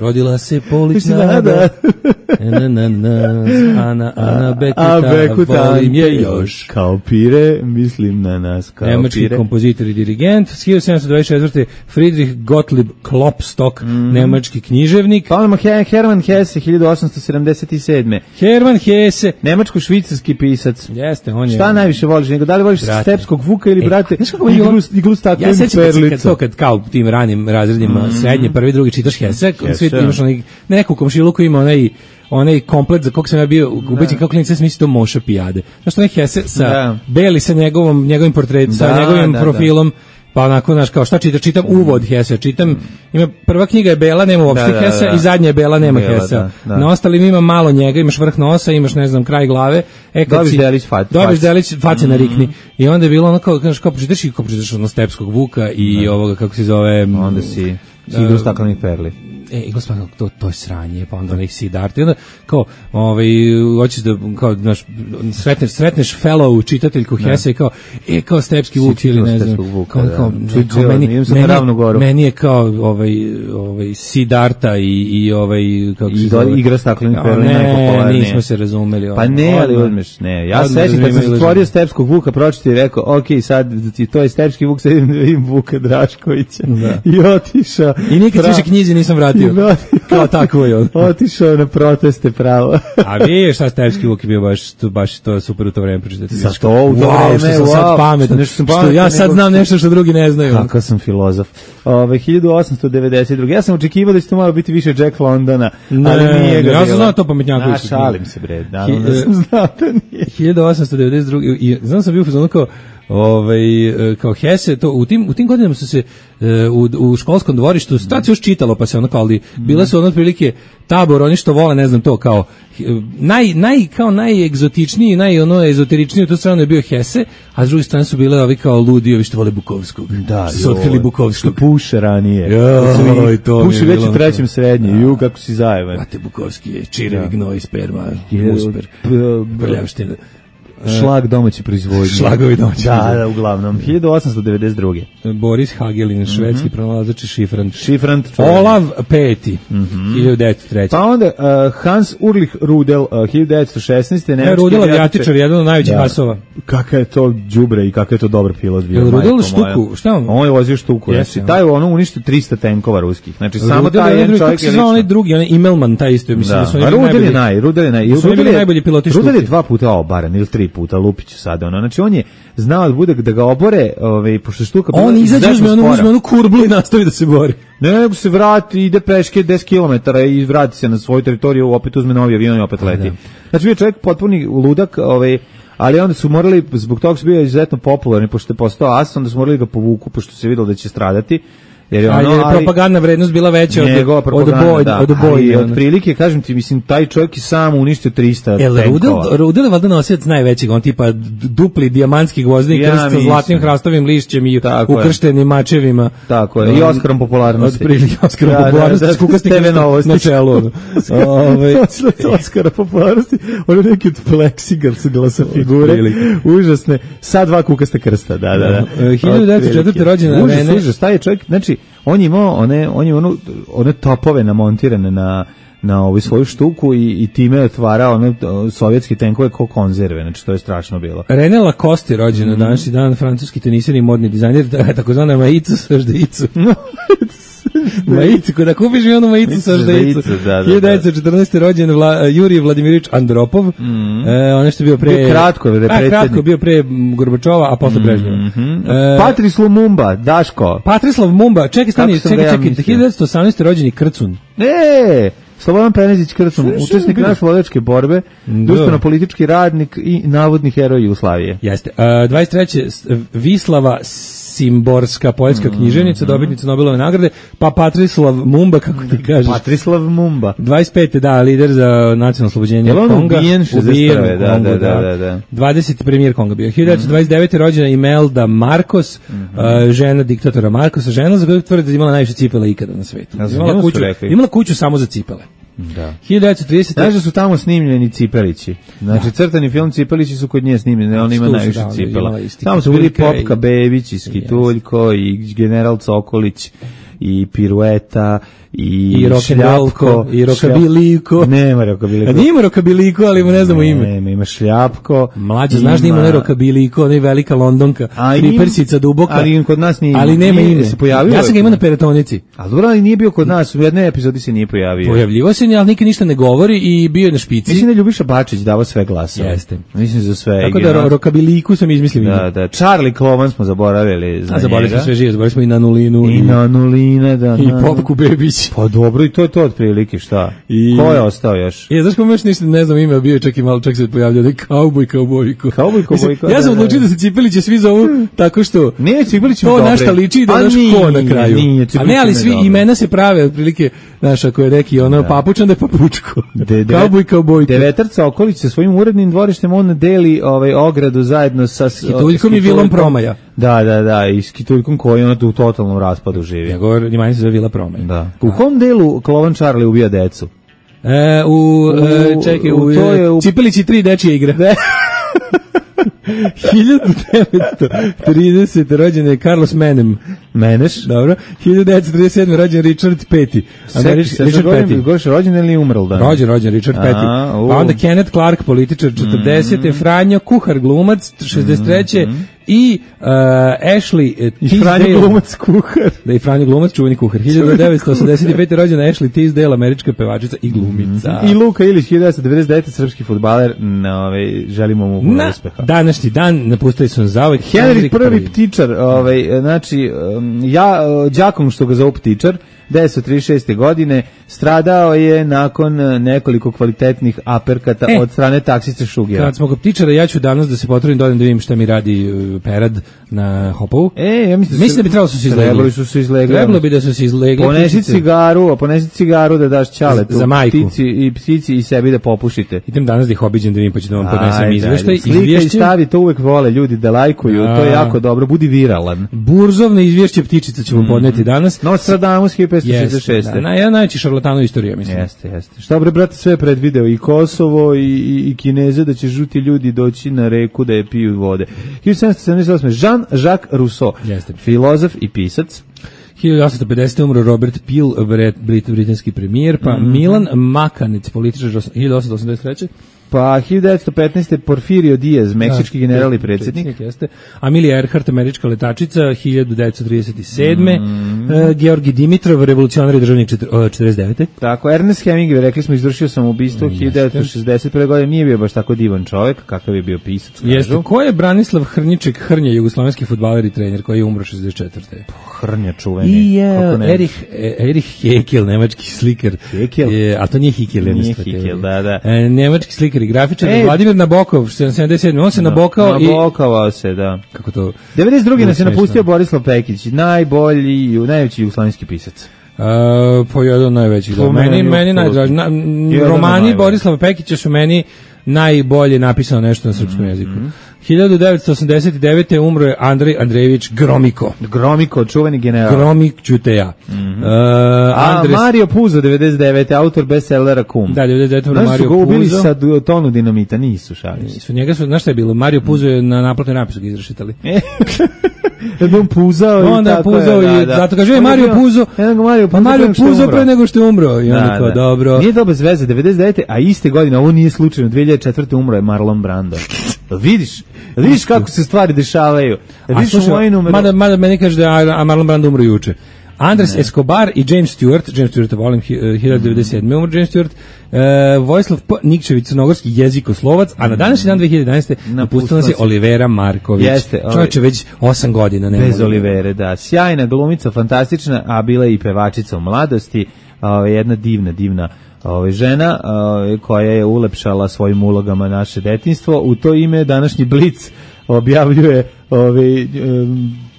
Rodila se Polić Nada. Ana Bekuta, volim je još.
Kao pire, mislim na nas, kao
nemački
pire.
kompozitor i dirigent. 1724. Friedrich Gottlieb Klopstock, nemački književnik.
Hermann Hesse, 1877.
Hermann Hesse,
nemačko-švicarski pisac.
Jeste, on je.
Šta najviše voliš njega? Da li voliš Stepskog Vuka ili, brate, iglu staklenih perlica?
Ja sećam kad kao tim ranim razredima srednje, prvi, drugi čitaš Hesse, svi imaš neku komšiluku ima onaj komplet za kog sam ja bio ubeđen kako klinic misli to Moša Pijade. Znaš, onaj Hesse sa beli sa njegovim portretom, sa njegovim profilom, pa onako, znaš, kao šta čitam uvod Hesse, ima prva knjiga je bela, nema uopšte Hesse, i zadnja je bela, nema Hesse. Na ostalim ima malo njega, imaš vrh nosa, imaš, ne znam, kraj glave. Dobiš delić face na rikni. I onda je bilo ono kao pročitaš ono Stepskog Vuka i ovoga, kako se zove...
Onda si igru staklenih perli.
Gospodin, to je sranje, pa onda ih Siddhartha, i onda kao, hoćeš da, kao, znaš, sretneš fellow čitateljku Hesse i kao Stepski Vuk ili ne znam, kao meni je kao, Siddhartha i kako se zove.
Igra staklenih perli
najpopularnije. Ne, nismo se razumeli.
Pa ne, ali odmeš, ne. Ja sećam kad sam stvorio Stepskog Vuka, pročitao i rekao, ok, sad to je Stepski Vuk, sad vidim Vuka Draškovića. I otišao.
I nikad više knjizi nisam vratio. Kao tako je on.
Otišao na proteste pravo.
A vidiš šta Stepski Vuk je bio baš to super u to vreme pročitati.
Za to u to vreme,
što sam sad pametan, što ja sad znam nešto što drugi ne znaju.
Kakav sam filozof. 1892. Ja sam očekivao da će to malo biti više Jack Londona, ali nije ga bilo.
Ja sam znao to pametnjako.
Šalim se, bre. Da sam znao da nije.
1892. I znam sam bio u fazonu kao Hesse, to u tim godinama su se u školskom dvorištu tad se još čitalo, pa se ono kao, ali bile su ono otprilike tabor, oni što vole, ne znam, to kao najegzotičniji, ezoteričniji u tu stranu je bio Hesse, a s druge strane su bile ovi kao ludi, ovi što vole Bukovskog.
Da,
su otkrili Bukovskog.
Što puše ranije. Puši već u trećem srednje, kako si zajeban.
Mate Bukovski je čirevi gnoj, sperma, usper, prljavština.
Šlag domaći proizvodnje.
Šlagovi domaći.
Da, uglavnom. 1892.
Boris Hagelin, švedski pronalazač šifrant.
Šifrant.
Olav Peti, 1903.
Pa onda Hans Ulrich Rudel, 1916. Nemački
Rudel avijatičar, jedan od najvećih asova.
Kakav je to đubre i kakav je to dobar pilot bio.
Rudel štuku, šta on?
On je vozio štuku. Znači, taj ono uništio 300 tenkova ruskih. Znači, samo
Rudel
taj jedan čovjek
je lično. Onaj drugi, onaj Imelman, taj isto. Mislim da su oni
Rudel je
najbolji piloti štuke.
Rudel je 2 puta obaran ili 3 puta, Lupiću sada. Znači, on je znao da ga obore, pošto štuka...
On izađe, uzme onu kurblu i nastavi da se bori.
Ne, nego se vrati, ide peške 10 km i vrati se na svoju teritoriju, opet uzme novi avion i opet leti. Znači, bio čovjek potpuni ludak, ali onda su morali, zbog toga su bio izuzetno popularni, pošto je postao as, onda su morali ga povuku, pošto se vidjelo da će stradati. Jer je
propagandna vrednost bila veća od bojne.
Od prilike, kažem ti, mislim, taj čovjek je sam uništio 300 tenkova.
Rudel je valjda nosilac najvećeg, on tipa dupli dijamantski gvozdeni krst sa zlatnim hrastovim lišćem i ukrštenim mačevima.
Tako je, i Oskarom popularnosti.
Otprilike Oskarom popularnosti, s kukastim krstom na čelu.
Oskara popularnosti, ono neki od pleksiglasa figure, užasne, sa 2 kukaste krsta, da.
1904. rođena Rene.
Užas, taj je čovjek, znači, on je imao one topove namontirane na ovu svoju štuku i time je otvarao sovjetske tenkove kao konzerve, znači to je strašno bilo.
René Lacoste rođen na današnji dan, francuski teniser i modni dizajner, takozvana majicu sa ždeicu. Majicu, kada kupiš mi onu majicu sa ždeicu. 1914. rođen Jurij Vladimirović Andropov, ono što je bio pre... Kratko bio pre Gorbačova, a posle Brežnjeva.
Patrice Lumumba, Daško.
Patrice Lumumba, čekaj, 1918. rođeni Krcun.
Slobodan Penezić Krcun, učesnik narodnooslobodilačke borbe, društveno-politički radnik i navodni heroj Jugoslavije.
Jeste. 23. Vislava Simborska, poljska književnica, dobitnica Nobelove nagrade, pa Patrislav Mumba, kako ti kažeš.
Patrislav Mumba.
25. da, lider za nacionalno oslobođenje Konga.
Ubijen 61. Da.
20. premijer Konga bio. 1929. rođena Imelda Marcos, žena diktatora Marcosa, žena za koju tvrde da imala najviše cipela ikada na svetu. Imala kuću samo za cipele.
Da.
1930.
Znaš da su tamo snimljeni cipelići. Znači, crtani film Cipelići su kod nje snimljeni, on ima najviše cipela. Tamo su bili Popka Bebić i Skituljko i General Cokolić i Pirueta i Šljapko
i Rokabiliko.
Nema Rokabiliko.
Nima Rokabiliko, ali mu ne znamo ime.
Ima Šljapko.
Mlađe, znaš da ima ne Rokabiliko, ne velika Londonka, Kripersica duboka.
Ali kod nas nije.
Ali nema ime.
Se pojavio.
Ja sam ga imao na Peratonici.
A dobro, ali nije bio kod nas, u jednoj epizodi se nije pojavio.
Pojavljivo se, ali nikad ništa ne govori i bio je na špici.
Mislim da Ljubiša Bačić dava sve glasove.
Jeste.
Mislim za sve.
Tako da Rokabiliku sam izmislio.
Da. Charlie Klovan smo zaboravili.
Zaboravili smo sve žive, zaboravili smo i Nanulinu.
I Nanulina, da.
I Popku Bebić.
Pa dobro, i to je to otprilike, šta? Ko je ostao još?
Znaš ko još ništa ne znam ime, bio je čak i malo, čak se pojavljao da je Kaubojko. Ja sam odlučio da se Cipeliće svi zovu tako što
ne, Cipelići
to našta liči i da daš ko na kraju. A ne, ali svi imena se prave otprilike, znaš, ako je neki papučan da je papučko. Kaubojko.
Devetar Cokolić sa svojim urednim dvorištem on deli ogradu zajedno sa
Skituljkom i Vilom Promaja.
Da, i Skituljkom koji on u totalnom raspadu živi.
Njegov njimanje se zove Vila Promaja.
Da. U kom delu Klovan Charlie ubija decu?
U Cipelići 3 dečije igre. 1930. rođen je Carlos
Meneš.
Dobro. 1937. rođen Richard Petty.
Richard Petty. Goš rođen ili umrl dan?
Rođen Richard Petty. Pa onda Kenneth Clark, političar 40. Franjo Kuhar, glumac 63. I Ashley
Tisdale. I Franjo glumac kuhar.
Da, i Franjo glumac, čuveni kuhar. 1985. rođena Ashley Tisdale, američka pevačica i glumica.
I Luka Ilić, 1999. srpski fudbaler. Želimo mu puno uspeha.
Današnji dan napustili su zauvek
Henrik I ptičar, znači, đakom što ga zovu ptičar, 1936. godine, stradao je nakon nekoliko kvalitetnih aperkata od strane taksiste Šugera.
Kad smo kod ptičara, ja ću danas da se potrudim da vidim šta mi radi Perad na Hopovu.
Ja mislim
da bi trebalo su se izlegli. Trebalo bi da su se izlegli.
Ponesi cigaru da daš čaletu.
Za majku.
Ptici i sebi da popušite.
Idem danas da ih obiđem da vidim, pa ću da vam podnesem izveštaj.
Slika i stavi, to uvek vole ljudi da lajkuju, to je jako dobro, budi viralan.
Burzovne izvješće ptičica ću vam podneti danos.
Nostradamus, 1566.
Jedan najveći šarlatan u istoriji, mislim.
Jeste. Šta bre, brate, sve predvideo, i Kosovo, i Kineze, da će žuti ljudi doći na reku da je piju vode. 1778. Jean-Jacques Rousseau, filozof i pisac.
1850. umro Robert Peel, britanski premijer, pa Milan Makanec, političar 1883.
Pa 1915. Porfirio Diaz, meksički general i predsjednik.
Jeste. Amelia Earhart, američka letačica, 1937. Georgi Dimitrov, revolucionar i državnik 49.
Tako, Ernest Hemingway, rekli smo, izvršio samoubistvo 1961. godine, nije bio baš tako divan čovjek, kakav je bio pisac.
Jeste. Ko je Branislav Hrnjiček Hrnja, jugoslovenski fudbaler i trener koji je umro 64.
Hrnja čuveni.
I Erich Heckel, nemački slikar.
Heckel?
A to nije Heckel.
Nije Heckel, da.
Nemački slikar i grafičar, Vladimir Nabokov, 77. On se nabokao i...
Nabokovao se, da.
Kako to?
92. nas je napustio Borislav Pekić, najveći jugoslovenski pisac.
Po jedan najvećih. Meni najdraži. Romani Borislava Pekića su meni najbolje napisano nešto na srpskom jeziku. 1989. umro je Andrej Andrejević Gromiko.
Gromiko, čuveni general.
Gromik Ćuteja.
Mario Puzo, 99. autor bestsellera Kum.
Da, 99. umro Mario Puzo.
Znaš su ga ubili sa tonu dinamita, nisu šalim.
Njega su, znaš šta je bilo? Mario Puzo je na naplatnoj napisu ga izrešitali.
On puzao i
onda
tako
puzao
je.
I zato kaže Mario Puzo. Mario Puzo pre nego što je umro. I onda kao dobro.
Nije to bez veze, 99. a iste godine, ovo nije slučajno, 2004. umro je Marlon Brando. Vidiš kako se stvari dešavaju.
Mada meni kaže da je Marlon Brando umro juče. Andres Escobar i James Stewart volim 1997. umro James Stewart, Vojislav P. Nikčević, crnogorski jezikoslovac, a na današnji dan 2011. napustila se Olivera Marković. Čovječe, već 8 godina.
Bez Olivere, da. Sjajna glumica, fantastična, a bila je i pevačica u mladosti, jedna divna žena koja je ulepšala svojim ulogama naše detinjstvo. U to ime današnji Blic objavljuje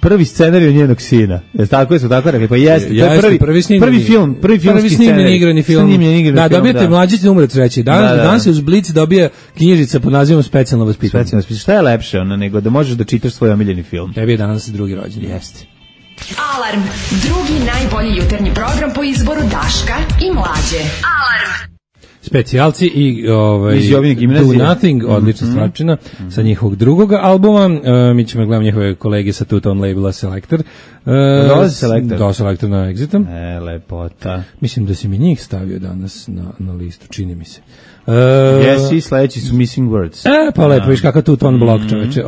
prvi scenarij njenog sina. Tako su tako rekli, pa jeste. To je prvi filmski scenarij.
Igrani film. Da, dobijete mlađić na umret sreći. Danas je uz Blic dobija knjižica pod nazivom Specijalno vaspitanje.
Šta je lepše nego da možeš da čitaš svoj omiljeni film?
Tebi je danas drugi rođen.
Jeste.
Alarm, drugi najbolji jutarnji program po izboru Daška i Mlađe. Alarm.
Specijalci i
Do
Nothing, odlična stvarčina sa njihovog drugog albuma. Mi ćemo gledati njihove kolege sa Two-Tone labela Selector. Selector na Exitom.
Lepota.
Mislim da si mi njih stavio danas na listu, čini mi se.
Jesi, sledeći su Missing Words.
Pa lepo, viš kakav Two-Tone blok, čoveče.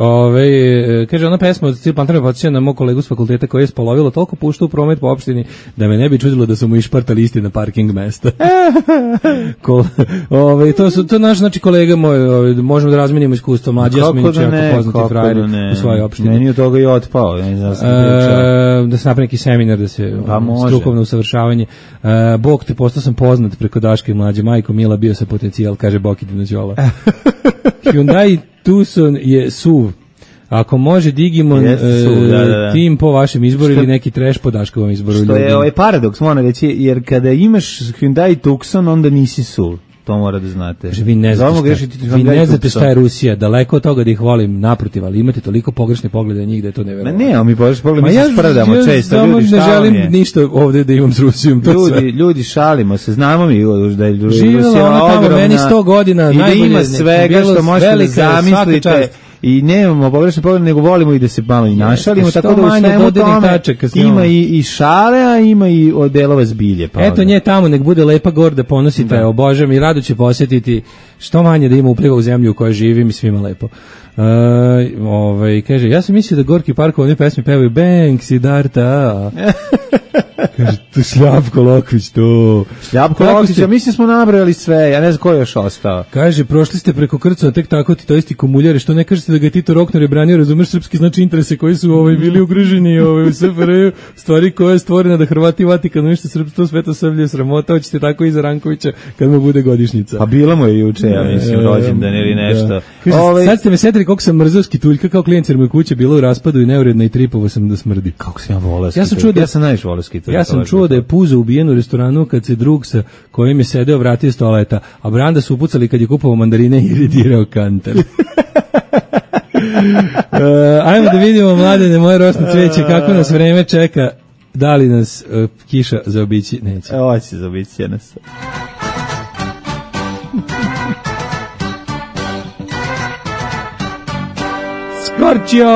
Kaže, ona pesma od Steel Panther me podsjeća na mog kolegu s fakulteta koji je spolovilo toliko pušta u promet po opštini da me ne bi čudilo da su mu išpartali isti na parking mesta. To je naš, znači, kolega moj, možemo da razmenimo iskustvo, Mlađi Jasminić je jako poznati frajer u svojoj opštini.
Meni od toga i otpao,
da se napravi neki seminar, da se strukovno usavršavanje. Bog te, postao sam poznat preko Daške i Mlađe, majko Mila, bio sa potencijal, kaže Boki Dinođola. Hyundai Tucson je SUV. Ako može Digimon tim po vašem izboru ili neki trash po Daškovom izboru.
Što je paradoks, moram reći, jer kada imaš Hyundai Tucson, onda nisi SUV. To mora da znate.
Vi ne znate šta je Rusija, daleko od toga da ih volim, naprotiv, ali imate toliko pogrešne poglede na njih da je to neverovatno.
Ne, mi pogrešne poglede, mi se spredamo često.
Ja ne želim ništa ovdje da imam s Rusijom.
Ljudi, šalimo se, znamo mi da je
Rusija ogromna
meni
100 godina,
i da ima svega što možete da zamislite. I nemamo pogrešne poglede, nego volimo i da se malo i našalimo, tako da u svemu tome ima i šale, a ima i delova zbilje.
Eto nje tamo, nek bude lepa gorda, ponosite, obožavam i rado će posjetiti, što manje da ima upliva u zemlju u kojoj živim i svima lepo. Kaže, ja sam mislio da Gorki Parkov one pesme pevaju Bang, Siddharta. Kaže, to Šljapko Lokvić, to.
Šljapko Lokvić, ja mislim smo nabrali sve, ja ne znam ko je još ostao.
Kaže, prošli ste preko Krcova, tek tako ti to isti komuljari, što ne kažete da ga Tito Rokner je branio, razumeš srpski, znači interese koji su bili ugriženi u SFRJ, stvari koja je stvorena da Hrvati i Vatikan unište srpstvo, sveto srblje, sramota, hoćete tako i za Rankovića kad mu bude godišnjica.
Pa bilo mu je juče, ja mislim, rođendan ili nešto.
Sad ste me setili koliko sam mrzao Skituljka kao klijent, jer mu je kuća bila u raspadu i neuredna i tripovo sam da smrdi.
Kako sam ja volao Skituljka? Ja sam najviše volao Skituljka.
Ja sam čuo da je Puzo ubijen u restoranu kad se drug sa kojim je sedeo vratio iz toaleta, a Branda su upucali kad je kupovao mandarine i redirao kantar. Ajmo da vidimo, mladene, moje rosno cvijeće, kako nas vreme čeka. Da li nas kiša zaobići? Neće.
Hoće zaobići nas.
Skorčio!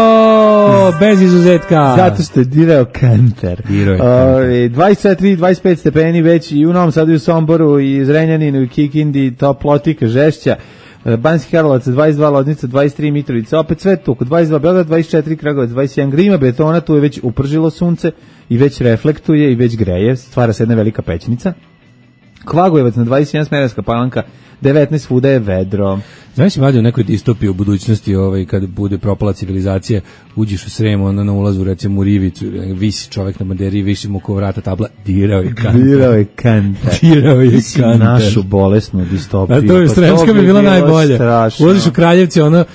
Bez izuzetka!
Zato što je dirao kantar. 24-25 stepeni već i u Novom Sadu i u Somboru i Zrenjaninu i Kikindi, Toplotika, Žešća, Banjski Karlovac 22, Loznica 23, Mitrovica, opet sve tu, oko 22, Beograd 24, Kragujevac 21, grima betona, tu je već upržilo sunce i već reflektuje i već greje, stvara se jedna velika pećnica. Kvagojevac na 21, Smederevska Palanka 19, svuda je vedro.
Znaš, mlađe, u nekoj distopiji u budućnosti, kad bude propala civilizacija, uđeš u Sremu, onda na ulazu, recimo u Rivicu, visi čovek na banderi, visi mu ko vrata tabla, dirao je kantar.
Dirao je kantar.
Dirao je kantar.
Našu bolesnu distopiju.
A to je Sremska bi bila najbolje. Ulaziš u Kraljevce, ono,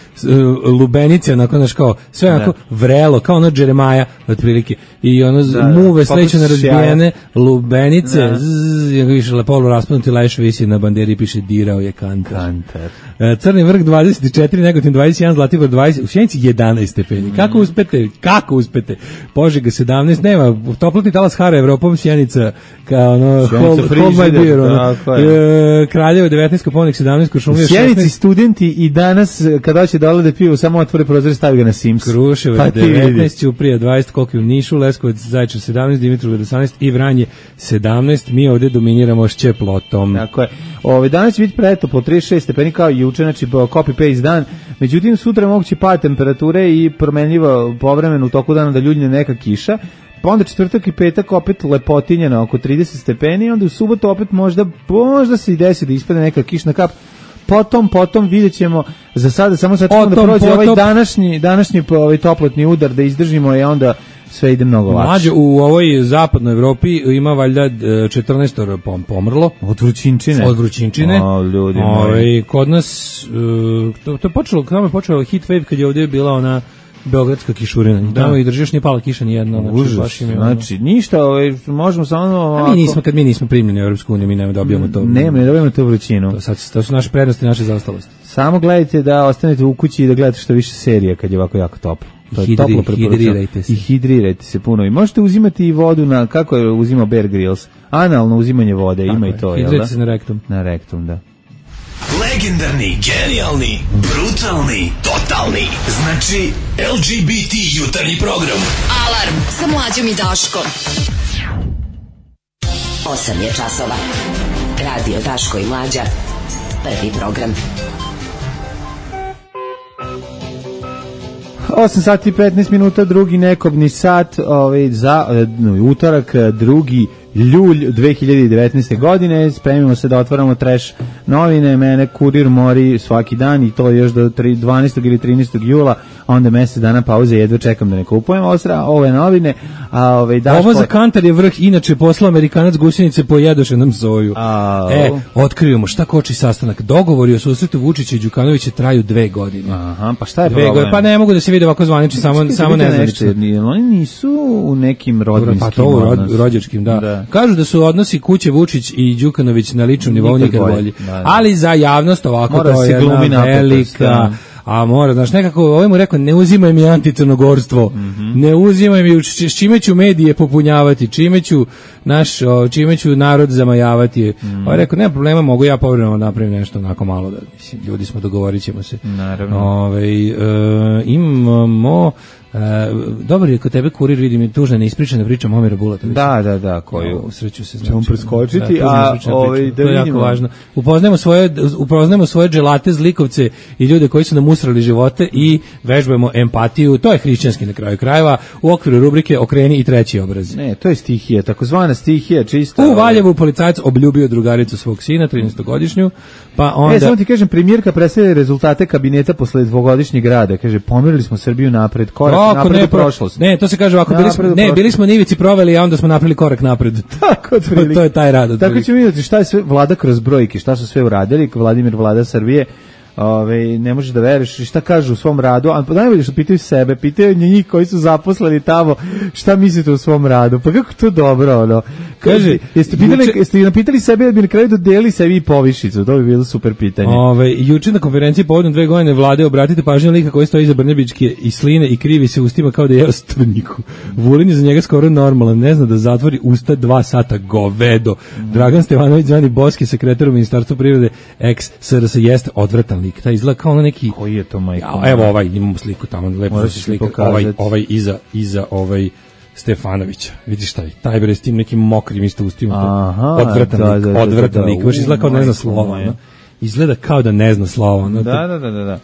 lubenice, onako, znaš, kao, sve onako vrelo, kao ono Džeremaja, otprilike, i ono, muve sleću na razbijene, lubenice, više lepolu raspadnuti leš, visi na banderi, piše dirao je kantar. Crni vrh 24, Negotin 21, Zlatibor 20, u Sjenici 11 stepeni. Kako uspete? Požega 17, nema, toplotni talas hara Evropom, Sjenica kao ono, hold my beer, ono. Kraljevo 19, Koponik 17, Kuršumlija 16. U
Sjenici studenti i danas, kada će dole da piju, samo otvore prozor i stavi ga na Sims.
Kruševac 19, Ćuprija 20, Koliko u Nišu, Leskovac, Zaječar 17, Dimitrovgrad 18 i Vranje 17. Mi ovde dominiramo šćeplotom.
Tako je. Danas će biti pretoplo 36 stepeni kao i juče, znači copy-paste dan. Međutim, sutra je moguće pad temperature i promenljivo povremeno u toku dana da ljuljne neka kiša. Pa onda četvrtak i petak opet lepotinje na oko 30 stepeni, onda u subotu opet možda se i desi da ispade neka kišna kap. Potom vidjet ćemo, za sada samo sačekamo da prođe ovaj današnji toplotni udar, da izdržimo i onda sve ide mnogo lakše.
Mlađe, u ovoj zapadnoj Evropi ima valjda 14 pomrlo.
Od vrućinčine.
O, ljudi moji. Kod nas, to je počelo, kada je počeo heat wave, kad je ovdje bila ona beogradska kišurina. Tamo i držiš, nije pala kiša nijedna.
Znači, ništa, možemo samo...
Kad mi nismo primljeni u Europsku uniju, mi nema dobijamo to.
Ne dobijamo tu vrućinu.
To su naše prednosti, naše zaostalosti.
Samo gledajte da ostanete u kući i da gledate što više serija kad je ovako jako toplo. Hidrirajte se puno. I možete uzimati i vodu kako je uzimao Bear Grylls. Analno uzimanje vode, tako ima i to.
Hidrirajte se na rektum.
Na rektum, da.
Legendarni, genijalni, brutalni, totalni. Znači, LGBT jutarnji program.
Alarm sa Mlađom i Daškom.
8 je časova. Radio Daško i Mlađa. Prvi program.
8 sati i 15 minuta, drugi nekobni sat za utorak, 2. ljulj 2019. godine. Spremimo se da otvaramo trash novine. Mene kurir mori svaki dan i to još do 12. ili 13. jula, a onda mjesec dana pauze, jedva čekam da ne kupujem ove novine.
Ovo za kantar je vrh, inače poslao Amerikanac gusjenice pojedoše nam soju. Otkrivamo šta koči sastanak. Dogovori o susretu Vučića i Đukanovića traju 2 godine.
Aha, pa šta je problem?
Pa ne mogu da se vide ovako zvanični, samo nezvanično.
Oni nisu u nekim rodbinskim
pa to rođačkim, da. Kažu da su odnosi kuće Vučić i Đukanović na ličnom nivou nikad bolji. Ali za javnost ovako mora to je jedna velika... A mora, znaš, nekako, ovaj mu rekao, ne uzimaj mi anticrnogorstvo, ne uzimaj mi, s čime ću medije popunjavati, čime ću narod zamajavati. Ovaj rekao, nema problema, mogu ja povremeno napravim nešto onako malo, da, mislim, ljudi smo, dogovorit ćemo se.
Naravno.
Imamo... dobar je kod tebe kurir, vidim, tužna neispričana priča Momira Bulatovića.
Da, koju
sreću se
ćemo preskočiti,
to je jako važno. Upoznajemo svoje dželate, zlikovce i ljude koji su nam usrali živote i vežbujemo empatiju. To je hrišćanski na kraju krajeva u okviru rubrike Okreni i treći obraz.
Ne, to je stihija, takozvana stihija, čista.
U Valjevu policajac obljubio drugaricu svog sina, 13-godišnju, pa onda...
samo ti kažem, premijerka predstavlja rezultate kabineta posle 2-godišnjeg rada. Kaže, pomerili smo Srbiju napred, napred u prošlost.
Ne, to se kaže ovako, bili smo na ivici proveli, a onda smo napravili korak napred.
Tako,
to je taj rad.
Tako ćemo vidjeti šta je sve vlada kroz brojke, šta su sve uradili, Vlada Srbije, ne možeš da veruješ šta kažu u svom radu, a najbolje što pitaju sebe, pitaju njih koji su zaposleni tamo, šta mislite o svom radu, pa kako to dobro, ono. Kaže, jeste napitali sebe da bi na kraju dodeli sebi i povišicu, to bi bilo super pitanje.
Juče na konferenciji povodom 2 godine vlade obratite pažnju lika koji stoji iza Brnebićke i sline i krivi se ustima kao da je strnjiku. Vulin je za njega skoro normalan, ne zna da zatvori usta 2 sata, govedo. Dragan Stevanović, zvani Boski, sekretar u Ministarstvu privrede, ex-SRS, jeste odvratan lik. Taj izgleda kao neki...
Koji je to, majko?
Evo imamo sliku tamo, lepo se slika. Ovaj iza Stefanovića. Vidiš taj bre s tim nekim mokrim isto ustima. Odvratan lik. Izgleda kao da ne zna slova. Izgleda kao da ne zna slova.
Da.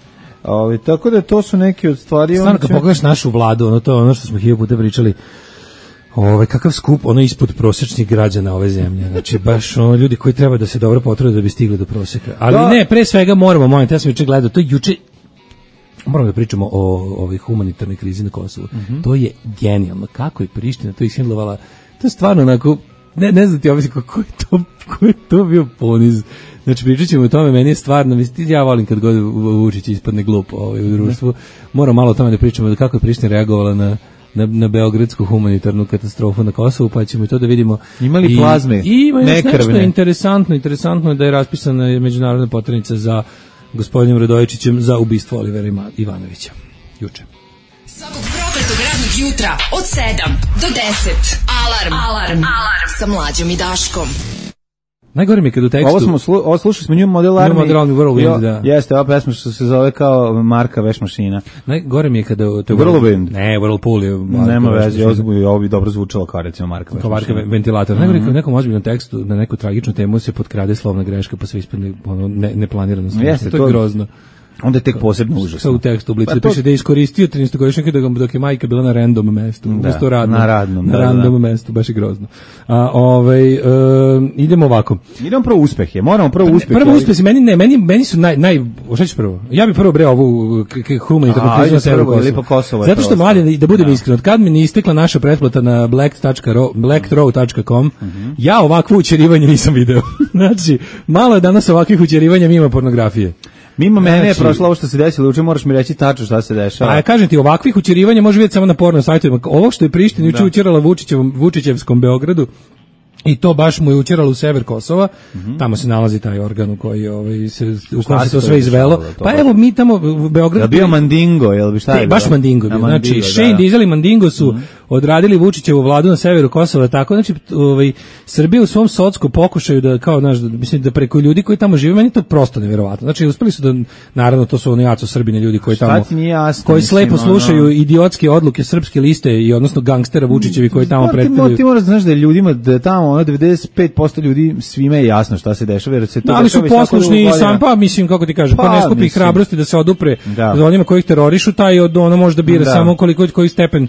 Tako da to su neke od stvari.
Stvarno kad pogledaš našu vladu, to je ono što smo 1000 puta pričali, kakav skup, ispod prosječnih građana ove zemlje. Znači, baš ljudi koji treba da se dobro potrude da bi stigli do prosjeka. Ali ne, pre svega moramo, ja sam juče gledao, to je juče, moramo da pričamo o ovoj humanitarnoj krizi na Kosovu. To je genijalno. Kako je Priština to ishendlovala, to je stvarno onako, ne znam ti obisli ko je to bio poniz. Znači, pričat ćemo o tome, meni je stvarno, ja volim kad god Vučić ispadne glup u društvu, moram malo o tome da pričamo kako je Priština reagovala na beogradsku humanitarnu katastrofu na Kosovu, pa ćemo i to da vidimo.
Imali plazme,
ima nešto interesantno je da je raspisana međunarodna poternica za gospodinom Radojičićem za ubistvo Olivera Ivanovića. Juče.
Svakog prokletog radnog jutra od 7 do 10. Alarm. Sa Mlađom i Daškom.
Najgore mi je kad u tekstu...
Slušali smo New Model Army.
Whirlwind, da.
Jeste, ova pesma što se zove kao Marka veš mašina.
Najgore mi je kada...
Whirlwind.
Ne, Whirlpool je...
Nema veze, ovo bi dobro zvučalo kao recimo Marka veš mašina.
Kao ventilator. Najgore kad u nekom ozbiljnom tekstu na neku tragičnu temu se potkrade slovna greška pa sve ispadne neplanirano.
Jeste,
to je grozno.
Onda je tek posebno užasno.
Sa u tekstu u Blicu piše da je iskoristio 13-godišnjaka dok je majka bila na random mestu.
Na radnom
mestu, baš je grozno. Idemo ovako.
Idemo prvo uspehe. Moramo prvo uspehe.
Prvo uspesi, meni su šta ćeš prvo? Ja bih prvo bre ovu humanitarnu krizu na severu Kosova. Zato što mladi, da budem iskren, od kad mi ne istekla naša pretplata na blackthrow.com, ja ovakvo učerivanje nisam video. Znači, malo je danas ovakvih učerivanja mimo pornografije.
Mimo mene je prošlo ovo što se desilo, uče moraš mi reći tačno šta se dešava.
A ja kažem ti, ovakvih učerivanja može vidjeti samo na porno sajtovima. Ovo što je Priština juče učerala Vučićevskom Beogradu, i to baš mu je učeralo u sever Kosova, tamo se nalazi taj organ u koji u kojem se to sve izvelo. Pa evo mi tamo u Beogradu...
Je bio Mandingo, jel bi šta je bilo?
Baš Mandingo bio. Znači, Shane Diesel i Mandingo su odradili Vučićevu vladu na severu Kosova, tako, znači, Srbija u svom sotskom pokušaju da, kao, mislim, da preko ljudi koji tamo žive, meni to prosto nevjerovatno. Znači, uspeli su da, naravno, to su oni jaco Srbine ljudi koji tamo, koji slepo slušaju idiotske odluke srpske liste i odnosno gangstera Vučićevi koji tamo predstavljaju.
Ti moraš da znaš da ljudima, da tamo 95% ljudi svima je jasno šta se dešava, jer se to
ali su poslušni sam, pa mislim, kako ti kažem, ko ne skupi hrabrosti da se odupre za onima kojih terorišu, taj ono može da bira samo koji stepen,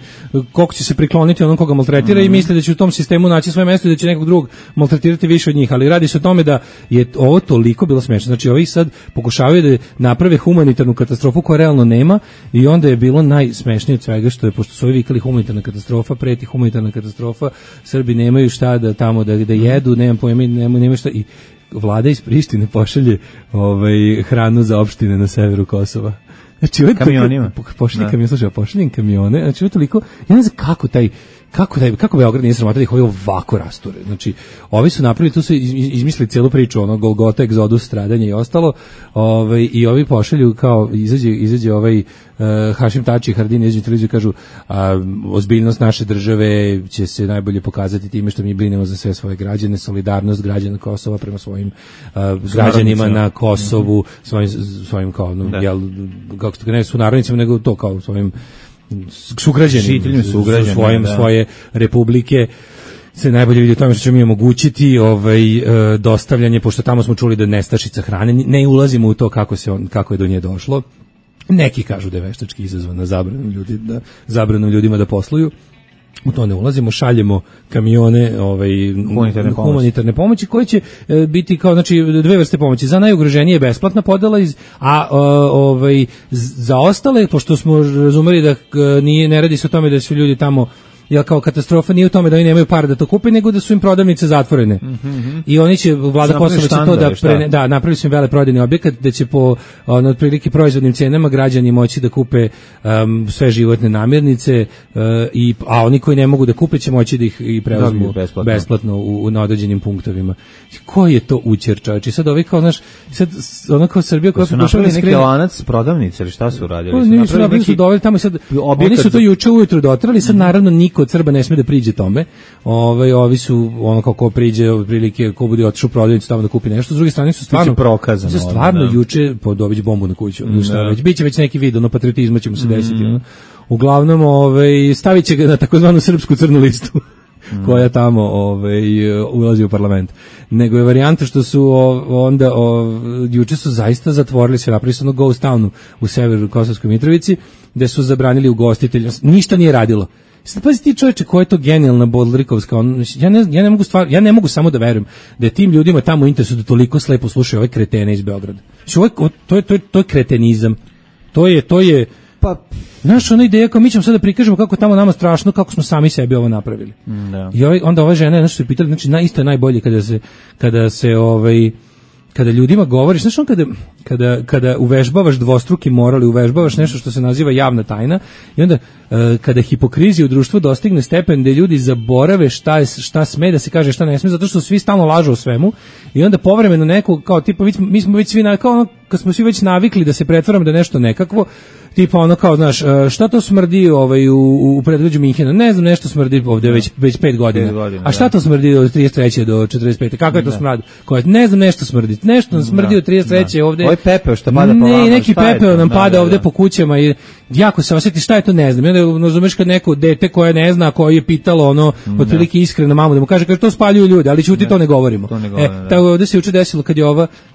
koliko će se prikloniti onom koga maltretira i misle da će u tom sistemu naći svoje mesto i da će nekog drugog maltretirati više od njih, ali radi se o tome da je ovo toliko bilo smešno. Znači, ovi sad pokušavaju da naprave humanitarnu katastrofu koja realno nema i onda je bilo najsmešnije od svega što je, pošto su ovi vikali humanitarna katastrofa, preti humanitarna katastrofa, Srbi nemaju šta da tamo da jedu, nemam pojma, nemaju šta, i vlada iz Prištine pošalje hranu za opštine na severu Kosova. Znači,
kamionima.
Pošaljem kamione, znači ovo je toliko, ja ne znam kako Beograd nije sramota da ih ovi ovako rasture. Znači, ovi su napravili, tu su izmislili cijelu priču, Golgota, egzodus, stradanje i ostalo, i ovi pošalju kao, izađe Hašim Tači i Hardin, izađe televiziju i kažu, ozbiljnost naše države će se najbolje pokazati time što mi brinemo za sve svoje građane, solidarnost građana Kosova prema svojim građanima na Kosovu, svojim kao, kako se ne su narodnicima, nego to kao svojim sugrađanima, svoje republike se najbolje vidi u tome što će mi omogućiti dostavljanje, pošto tamo smo čuli da je nestašica hrane, ne ulazimo u to kako je do nje došlo. Neki kažu da je veštački izazvana zabranom ljudima da posluju. U to ne ulazimo, šaljemo kamione humanitarne pomoći koje će biti kao, znači, dve vrste pomoći. Za najugroženije je besplatna podela, za ostale, pošto smo razumeli da ne radi se o tome da su ljudi tamo Jer kao katastrofa nije u tome da oni nemaju para da to kupe, nego da su im prodavnice zatvorene. I oni će, vlada Kosova će to da napravili su im veleprodajni objekat da će po otprilike proizvodnim cenama građani moći da kupe sve životne namirnice, a oni koji ne mogu da kupe će moći da ih i preuzmu besplatno na određenim punktovima. Koji je to učer, čovječe? Sad ovi kao, znaš, sad ono kao Srbija koja
su napravili neki lanac prodavnice ili šta su uradili?
Nisu su doveli tamo sad, oni su to juče ujutru dotrali, sad naravno niko od Srba ne sme da priđe tome. Ovi su ono kako priđe otprilike ko bude otišao u prodavnicu tamo da kupi nešto. S druge strane su stvarno
prokazano.
Stvarno juče dobiće bombu na kuću. Biće već neki vid, ono patriotizma će mu se desiti. Uglavnom, stavit će ga na takozvanu srpsku crnu listu. koja tamo ulazi u parlament. Nego je varijanta što su onda juče su zaista zatvorili sve, napravili su ono ghost townu u severu Kosovskoj Mitrovici, gde su zabranili ugostitelje, ništa nije radilo. Sad pazi ti čoveče, koja je to genijalna bodlerikovska, ja ne mogu samo da verujem da je tim ljudima tamo u interesu da toliko slepo slušaju ove kretene iz Beograda. To je kretenizam. To je pa naša ona ideja kao mi ćemo sad da prikažemo kako tamo nama strašno, kako smo sami sebi ovo napravili. Da. I onda ova žena nešto su pitali, znači isto je najbolje kada ljudima govoriš, znaš on kada uvežbavaš dvostruki moral i uvežbavaš nešto što se naziva javna tajna i onda kada hipokrizija u društvu dostigne stepen da ljudi zaborave šta sme da se kaže, šta ne sme, zato što svi stalno lažu o svemu i onda povremeno neko kao tipa mi smo već svi kad smo svi već navikli da se pretvaramo da nešto nekakvo, tipa ono kao, znaš, šta to smrdi u predgrađu Minhena? Ne znam, nešto smrdi ovdje već 5 godina. A šta to smrdi od 33. do 45. Kako je to smrad? Ne znam, nešto smrdi. Nešto smrdi od 33. ovdje.
Ovo je pepeo što pada po vama.
Ne, neki pepeo nam pada ovdje po kućama i jako se osjeti šta je to, ne znam. I onda razumeš kad neko dete koje ne zna, koje je pitalo otprilike iskreno mamu da mu kaže to spaljuju ljudi, ali ćuti, to ne govorimo. Tako ovdje se juče desilo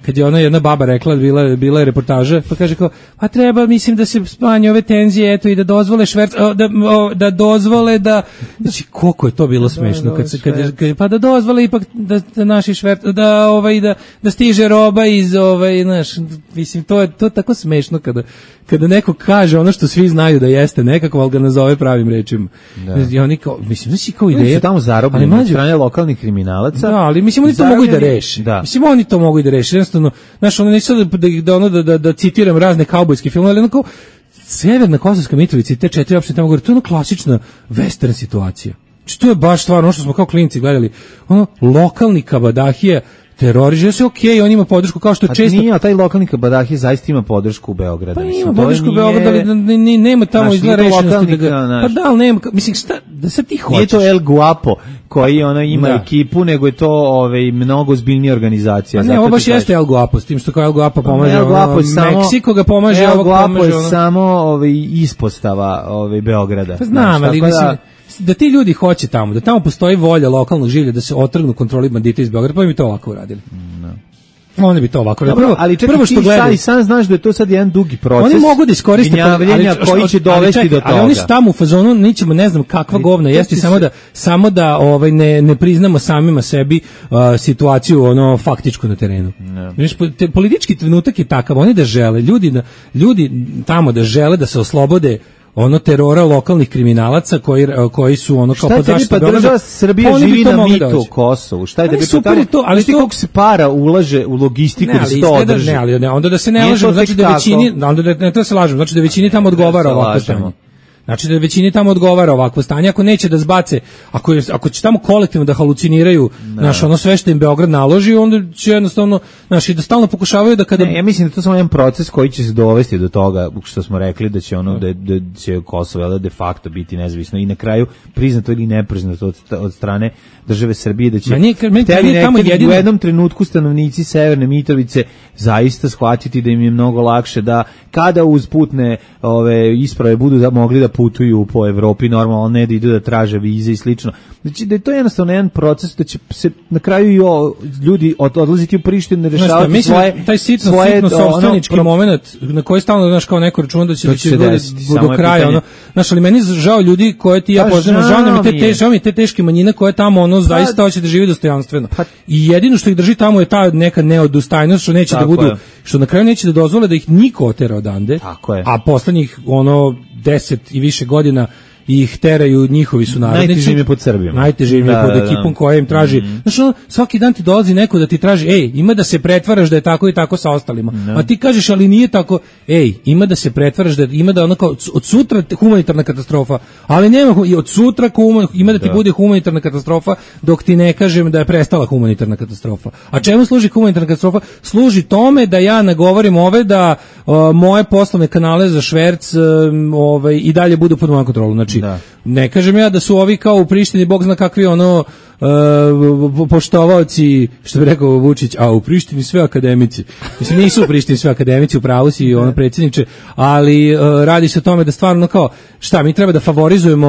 kad je ona jedna baba rekla, bila je reportaža, pa kaže kao, a treba, mislim da se spanje ove tenzije, eto, i da dozvole da dozvole da, znači koliko je to bilo smešno pa da dozvole ipak da naši da stiže roba iz znaš, mislim to je tako smešno kada neko kaže ono što svi znaju da jeste nekako, ali ga nazove pravim rečima. I oni kao, mislim, znači kao ideja.
Oni su tamo zarobljeni od strane lokalnih kriminalaca.
Da, ali mislim oni to mogu i da reši. Mislim oni to mogu i da reši. Jednostavno, znaš, ono neću da citiram razne kaubojske filmove, ali onako Severna Kosovska Mitrovica i te 4 opštine tamo gore, to je ono klasična western situacija. Znači to je baš stvarno ono što smo kao klinci gledali, ono lokalni kabadahije teroriže se, okej, on ima podršku kao što često.
Nije, taj lokalni kabadahije zaista ima podršku u Beogradu.
Pa ima podršku u Beogradu, ali nema tamo izgleda rešenosti da ga. Pa da, ali nema, mislim šta, da sad ti hoćeš.
Nije to El Guapo koji ima ekipu, nego je to mnogo ozbiljnija organizacija.
Ne, ovo baš jeste El Guapo, s tim što kao El Guapo pomaže, Meksiko ga pomaže,
El Guapo je samo ispostava Beograda.
Pa znam, ali mislim da ti ljudi hoće tamo, da tamo postoji volja lokalnog življa da se otrgnu kontroli bandita iz Beograda, pa bi to ovako uradili. Oni bi to ovako uradili.
Ali prvo što gledaju, sam znaš da je to sad jedan dugi proces.
Oni mogu da iskoriste
koji će dovesti do toga.
Ali oni su tamo u fazonu, nećemo, ne znam kakva govna jesti, samo da ne priznamo samima sebi situaciju faktičku na terenu. Politički trenutak je takav, oni da žele, ljudi tamo da žele da se oslobode terora lokalnih kriminalaca koji su kao pod zaštitom Beograda.
Država Srbija živi na mitu Kosovu. Šta je da bi to, ali ti koliko se para ulaže u logistiku da se to održi?
Ne, ali onda da se ne lažemo, znači da većini, onda da ne treba se lažemo, znači da većini tamo odgovara ovako stanje. Znači da većini tamo odgovara ovakvo stanje, ako neće da zbace, ako će tamo kolektivno da haluciniraju, sve što im Beograd naloži, onda će jednostavno, i da stalno pokušavaju da kada...
Ne, ja mislim da to je samo jedan proces koji će se dovesti do toga, što smo rekli, da će da će Kosovo de facto biti nezavisno i na kraju priznato ili nepriznato od strane države Srbije, da će u jednom trenutku stanovnici Severne Mitrovice zaista shvatiti da im je mnogo lakše da kada uz putne isprave budu mogli da putuju po Evropi normalno, ne da idu da traže vize i slično. Znači da je to jednostavno jedan proces da će se na kraju i ljudi odlaziti u Prištinu, rešavati svoje...
Taj sitno sopstvenički moment na koji stalno, kao neko računa da će do kraja, ali meni žao ljudi koje ti ja poznam, žao mi te teške manjine koje tamo zaista hoće da živi dostojanstveno. I jedino što ih drži tamo je ta neka neodustajnost što neće da budu, što na kraju neće da dozvole da ih niko otera odande, a poslednjih 10 i više godina ih teraju njihovi sunarodnici.
Najteže im je pod Srbijom.
Najteže im je pod ekipom koja im traži. Znači, svaki dan ti dolazi neko da ti traži, ima da se pretvaraš da je tako i tako sa ostalima. A ti kažeš, ali nije tako. Ima da se pretvaraš da ima da onako od sutra humanitarna katastrofa, ali nema i od sutra ima da ti bude humanitarna katastrofa dok ti ne kažem da je prestala humanitarna katastrofa. A čemu služi humanitarna katastrofa? Služi tome da ja nagovorim da moje poslovne kanale za šverc i dalje budu pod mojom kontrolom. Znači, ne kažem ja da su ovi kao u Prištini, bog zna kakvi poštovaoci, što bi rekao Vučić, a u Prištini sve akademici. Mislim, nisu u Prištini sve akademici, u pravu si predsjedniče, ali radi se o tome da stvarno kao, mi treba da favorizujemo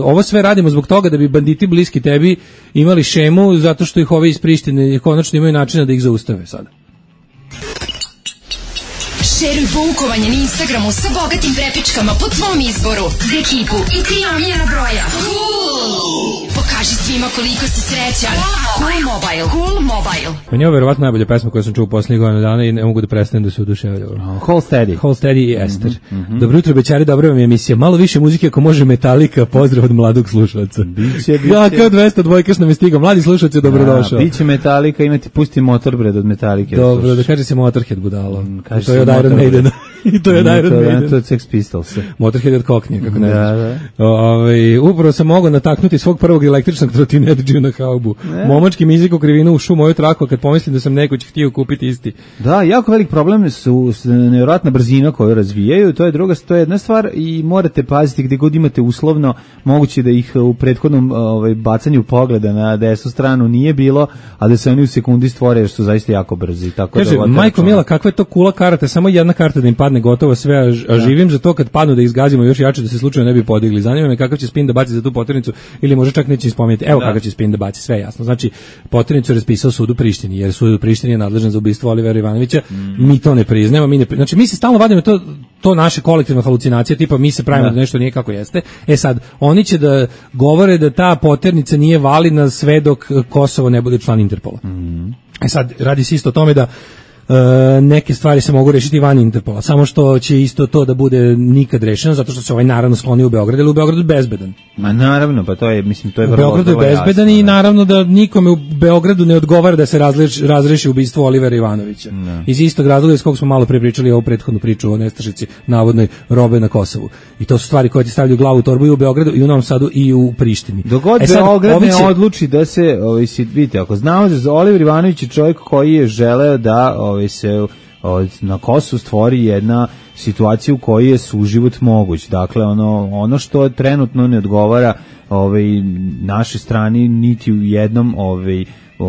ovo sve radimo zbog toga da bi banditi bliski tebi imali šemu, zato što ih ovi iz Prištine konačno imaju načina da ih zaustave sada.
Šeruj poukovanje na Instagramu sa bogatim prepičkama po tvom izboru za ekipu i 3 omiljena broja. Pokaži svima koliko si srećan. Cool Mobile.
Meni je ovo verovatno najbolja pesma koju sam čuo u posljednjih godina dana i ne mogu da prestanem da se oduševljam.
Hold Steady
i Ester. Dobro jutro, bećari, dobra vam je emisija. Malo više muzike ako može, Metallica, pozdrav od mladog slušalca.
Biće.
Ja, kao 202 nam je stigao. Mladi slušalci je dobrodošao.
Biće Metallica, imati pusti Motorbred od Metallice.
Dobro, da kaže se Motorhead budalo. To je od Iron Maiden. I to je od Iron Maiden.
To je Sex Pistols.
Motorhead je od Koknija, kako ne znaš. Upravo sam mogao nataknuti svog prvog električnog trotinetđiju na haubu. Momački mizik u krivinu ušu moju traku kad pomislim da sam nekoć htio kupiti isti.
Da, jako velik problem su nevjerojatna brzina koju razvijaju, to je jedna stvar i morate paziti gdje god imate uslovno, moguće da ih u prethodnom bacanju pogleda na desnu stranu nije bilo, a da se oni u sekundi stvore jer su zaista jako brzi. Tako
kaže, majko mila, kakva je to kula karata, samo jedna karta da im padne gotovo sve, a živim za to kad padnu da ih zgazimo još jače da se slučajno ne bi podigli. Zanima me kakav će spin da baci za tu poternicu ili može čak neće spomenuti. Evo kakav će spin da baci, sve jasno. Znači, poternicu je raspisao sud u Prištini, jer sud u Prištini je nadležan za ubistvo Olivera Ivanovića. Mi to ne priznajemo, znači mi se stalno vadimo to naše kolektivne halucinacije, tipa mi se pravimo da nešto nije kako jeste. Sad, oni će da govore da ta poternica nije validna sve dok Kosovo ne bude član Interpola. Sad, radi se isto o tome da neke stvari se mogu rešiti van Interpola, samo što će isto to da bude nikad rešeno, zato što se naravno skloni u Beograd, ili u Beogradu bezbedan.
Ma naravno, pa to je, mislim, to je
vrlo jasno. U Beogradu je bezbedan i naravno da nikome u Beogradu ne odgovara da se razreši ubistvo Olivera Ivanovića. Iz istog razloga iz kog smo malo prepričali ovu prethodnu priču o nestašici navodnoj robe na Kosovu. I to su stvari koje ti stavljaju glavu u torbu i u Beogradu i u Novom Sadu i u Prištini.
Dogod Beograd ne odluči da se, vidite, ako znamo da Oliver Ivanović je čovjek koji je želeo da se na Kosovu stvori jedna situacija u kojoj je suživot moguć. Dakle, ono što trenutno ne odgovara našoj strani niti u jednom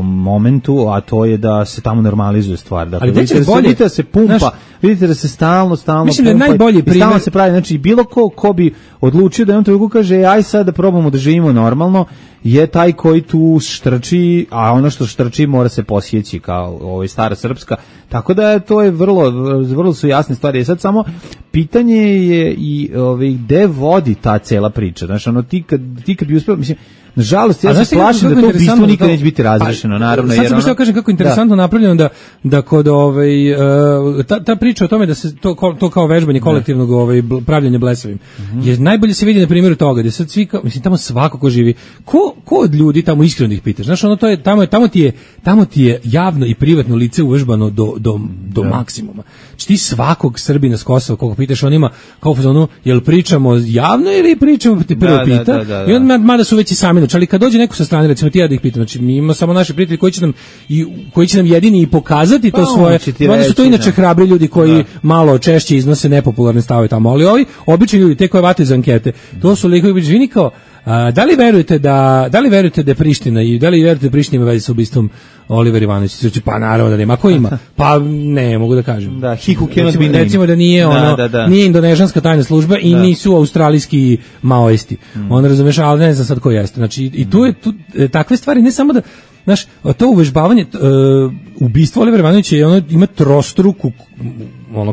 momentu, a to je da se tamo normalizuje stvar. Dakle, vidite da se pumpa, vidite da se stalno
mislim pumpa, da je najbolji primjer.
Stalno se pravi, znači bilo ko bi odlučio da jednom trenutku kaže aj sad da probamo da živimo normalno, je taj koji tu štrči, a ono što štrči mora se posjeći kao stara srpska, tako da to je vrlo su jasne stvari. Sad samo pitanje je i gde vodi ta cela priča. Znači, ti kad bi uspio, mislim, nažalost, ja se plašim da to ubistvo nikad neće biti razrešeno, naravno.
Sad sam kažem kako je interesantno napravljeno da kod ta priča o tome da se to kao vežbanje kolektivnog pravljenja blesavim, je najbolje se vidi na primjeru toga, da sad svi, mislim, tamo svako ko živi, ko od ljudi tamo iskreno ih pitaš, znaš, tamo ti je javno i privatno lice uvežbano do maksimuma. Znači ti svakog Srbina s Kosova, koga pitaš, on ima kao fazonu, jel pričamo javno ili pričamo, ti prvo pita, i on mada su već i sami. Ali kad dođe neko sa strane, recimo ti ja da ih pitam, znači mi imamo samo naši prijatelji koji će nam jedini i pokazati to svoje, onda su to inače hrabri ljudi koji malo češće iznose nepopularne stavove tamo, ali ovi obični ljudi, te koje vate iz ankete, to su likovi biđvini kao, da li verujete da je Priština i da li verujete da Priština ima veze sa ubistvom Oliver Ivanović? Pa naravno da nema. Ako ima? Pa ne, mogu da kažem.
Da,
recimo da nije nije indonežanska tajna služba i nisu australijski maoisti. On razumeš, ali ne znam sad ko jeste. Znači, i tu takve stvari, ne samo da, znaš, to uvežbavanje, ubistvo Olivera Ivanovića ima trostruku,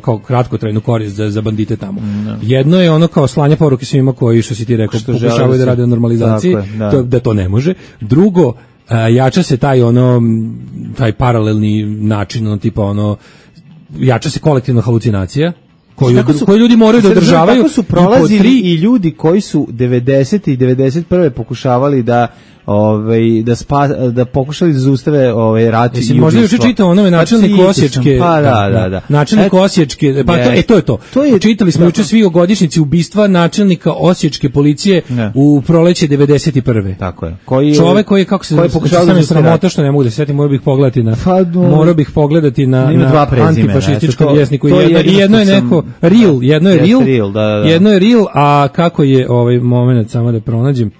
kao kratkotrajnu korist za bandite tamo. Jedno je kao slanje poruke svima koji, što si ti rekao, pokušavaju da rade o normalizaciji, da to ne može. Drugo, jača se taj paralelni način, tipa jača se kolektivna halucinacija, koju ljudi moraju da održavaju.
Kako su prolazili i ljudi koji su 90. i 91. pokušavali da pokušali da zaustave rat i ubistvo.
Možda još čitao onome načelniku Osječke.
Pa da.
Načelnik Osječke, pa to je to. Čitali smo juče svi o godišnjici ubistva načelnika Osječke policije u proleće 91.
Tako je.
Čovek koji je, kako se zove, sramota što ne mogu da se setim, morao bih pogledati na antifašističkom vjesniku. Jedno je neko jedno je real, a kako je moment, samo da pronađem.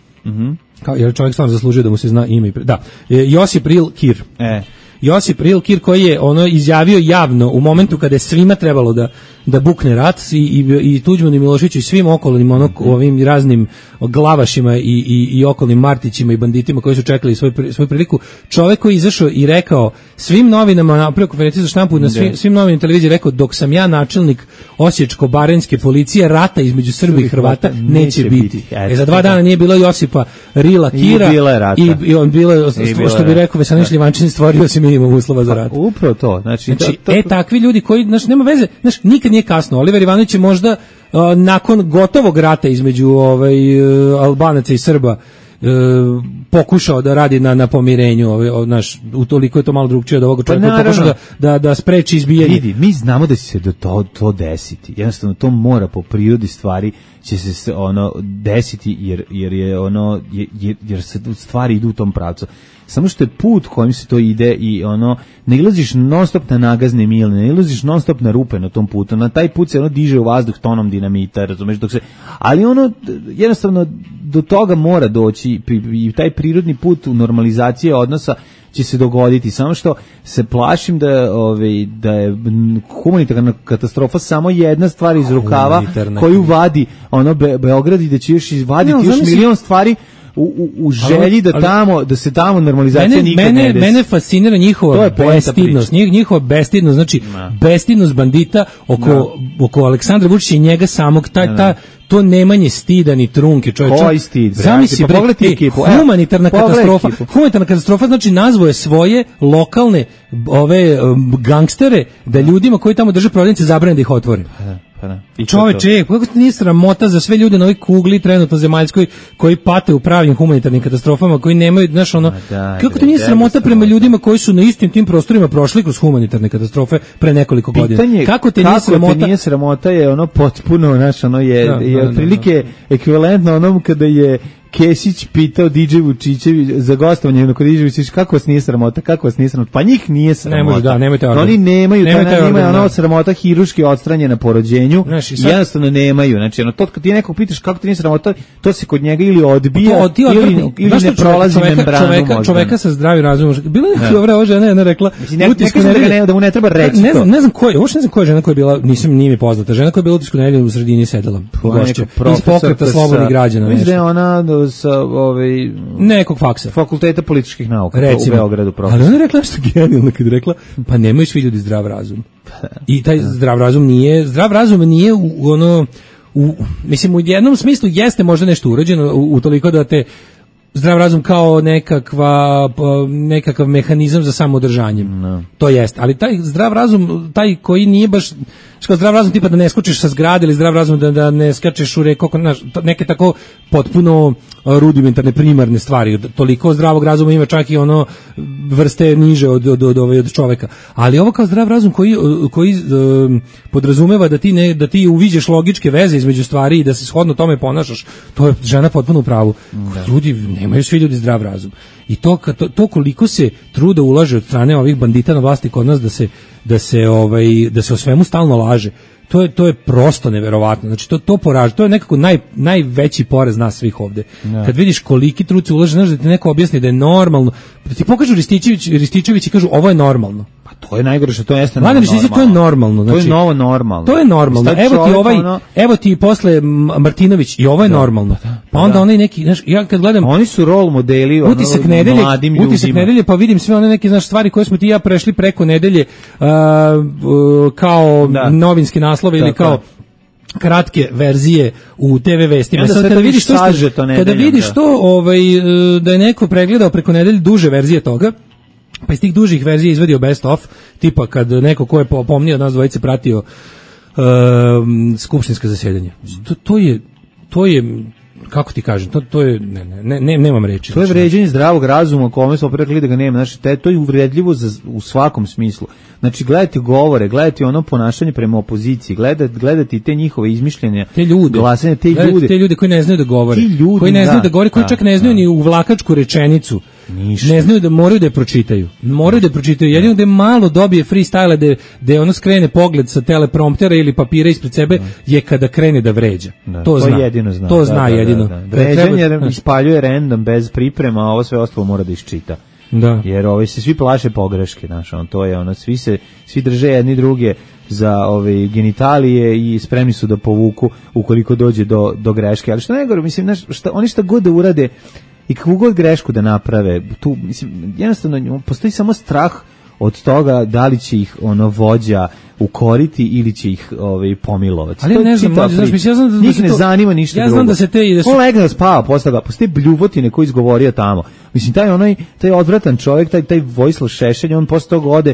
Jer čovjek stvarno zaslužio da mu se zna ime. Josip Ril Kir. Josip Ril Kir koji je izjavio javno u momentu kada je svima trebalo da bukne rat i Tuđmanu i Miloševiću i svim okolnim ovim raznim glavašima i okolnim Martićima i banditima koji su čekali svoju priliku. Čovjek koji je izašao i rekao svim novinama, napravio konferenciju za štampu, na svim novinama televiziji rekao, dok sam ja načelnik Osječko-baranjske policije, rata između Srba i Hrvata neće biti. Za 2 dana nije bilo Josipa Rila Kira i on bilo, što bi rekao Veselin Šljivančanin, stvorio se minimum uslova za rat.
Upravo to. Znači
takvi ljudi koji, nema veze, nikad nije kasno. Oliver Ivanović je možda nakon gotovog rata između Albanaca i Srba pokušao da radi na pomirenju, utoliko je to malo drugčije od ovog čovjeka, pokušao da spreči izbijanje.
Vidi, mi znamo da će se to desiti. Jednostavno to mora po prirodi stvari će se desiti jer se stvari idu u tom pravcu. Samo što je put kojim se to ide i ne ilaziš non stop na nagazne mile, ne ilaziš non stop na rupe na tom putu, na taj put se diže u vazduh tonom dinamita, razumeš, ali jednostavno do toga mora doći i taj prirodni put u normalizacije odnosa će se dogoditi, samo što se plašim da je humanitarna katastrofa samo jedna stvar iz rukava koju vadi Beograd i da će još vaditi još milion stvari u želji da se tamo normalizacija nikad ne desi.
Mene fascinira njihova bestidnost, znači bestidnost bandita oko Aleksandra Vučića i njega samog, to nemanje stida ni trunke, čovječe.
Koji stid?
Zamisli, humanitarna katastrofa, znači nazvao je svoje lokalne gangstere da ljudima koji tamo drže prodavnice zabrane da ih otvore. Čoveče, kako ti nije sramota za sve ljude na ovoj kugli trenutno zemaljskoj koji pate u pravim humanitarnim katastrofama, koji nemaju, kako ti nije sramota prema ljudima koji su na istim tim prostorima prošli kroz humanitarne katastrofe pre nekoliko godina? Kako ti nije
sramota je potpuno, je otprilike ekvivalentno onom kada je Kesić pitao DJ Vučićević za gostovanje kod DJ Vučićević, kako vas nije sramota? Pa njih nije sramota. Oni nemaju, nema sramota hiruški odstranjena po rođenju, jednostavno nemaju. Znači, to kad ti nekog pitaš kako ti nije sramota, to se kod njega ili odbija, ili ne prolazi membranu.
Čoveka sa zdravim razumom. Bila je dobra ova žena, jedna rekla,
da mu ne treba reći to.
Ne znam koja žena koja je bila, nije mi poznata, žena koja je bila u Utisku nedelje u sredini sedela. Iz pokreta slobodnih građana.
Mislim da je ona sa
nekog faksa,
fakulteta političkih nauka u Beogradu.
Ali ona je rekla nešto genijalno kad je rekla, pa nemaju svi ljudi zdrav razum. I taj zdrav razum nije mislim u jednom smislu jeste možda nešto urađeno utoliko da te zdrav razum kao nekakav mehanizam za samoodržanje. To jest, ali taj zdrav razum, taj koji nije baš zdrav razum tipa da ne skočiš sa zgrade ili zdrav razum da ne skačeš u reku, neke tako potpuno rudimentarne primarne stvari. Toliko zdravog razuma ima čak i vrste niže od čoveka. Ali ovo kao zdrav razum koji podrazumeva da ti uviđeš logičke veze između stvari i da se shodno tome ponašaš, to je žena potpuno u pravu. Ljudi, nemaju svi ljudi zdrav razum. I to koliko se truda ulaže od strane ovih bandita na vlasti kod nas da se o svemu stalno laže. To je prosto neverovatno. Znači to poraža. To je nekako najveći poraz nas svih ovde. Kad vidiš koliki trud se ulaže, znaš, da ti neko objasni da je normalno. Da ti pokažu Rističević i kažu ovo je normalno.
Pa to je najgore što to jeste normalno.
To je normalno.
Znači, to je novo normalno.
To je normalno. Evo ti posle Martinović i ovo je normalno. Pa onda onaj neki, znaš, ja kad gledam,
oni su rol modeli mladim ljudima.
Utisak nedelje, pa vidim sve one neke, znaš, stvari koje smo ti i ja prešli preko nedelje kao novinski naslove ili kao kratke verzije u TV vestima. Kada vidiš to da je neko pregledao preko nedelje duže verzije toga, pa iz tih dužih verzija izvadio best of, tipa kad neko ko je pomnio od nas dvojice pratio skupštinska zasedanja. To je kako ti kažem, to je nemam reči.
To je vređanje zdravog razuma, kome smo rekli da ga nema. Znači, to je uvredljivo u svakom smislu. Znači, gledati govore, gledati ono ponašanje prema opoziciji, gledati te njihove izmišljenja,
te ljude,
glasanje, te ljude
koji ne znaju da govore, koji čak ne znaju ni uvlakačku rečenicu.
Ništa.
Ne znaju da moraju da je pročitaju. Jedino da malo dobije freestyle da ono skrene pogled sa telepromptera ili papira ispred sebe je kada krene da vređa. To zna.
Jedino zna.
To zna jedino.
Vređanje ispaljuje random bez priprema, a ovo sve ostalo mora da iščita.
Da.
Jer se svi plaše pogreške, znaš, to je ono, svi drže jedni druge za genitalije i spremni su da povuku ukoliko dođe do greške. Ali što najgore, mislim, oni šta god da urade i kakvu god grešku da naprave, tu, mislim, jednostavno postoji samo strah od toga da li će ih vođa ukoriti ili će ih pomilovati.
Ali ne znam, ja znam da
njih ne zanima ništa drugo.
Ja znam da se
on legne da spava posle toga, postoje bljuvotine koji izgovorio tamo. Mislim, taj odvratan čovjek, taj Vojislav Šešelj, on posle toga ode,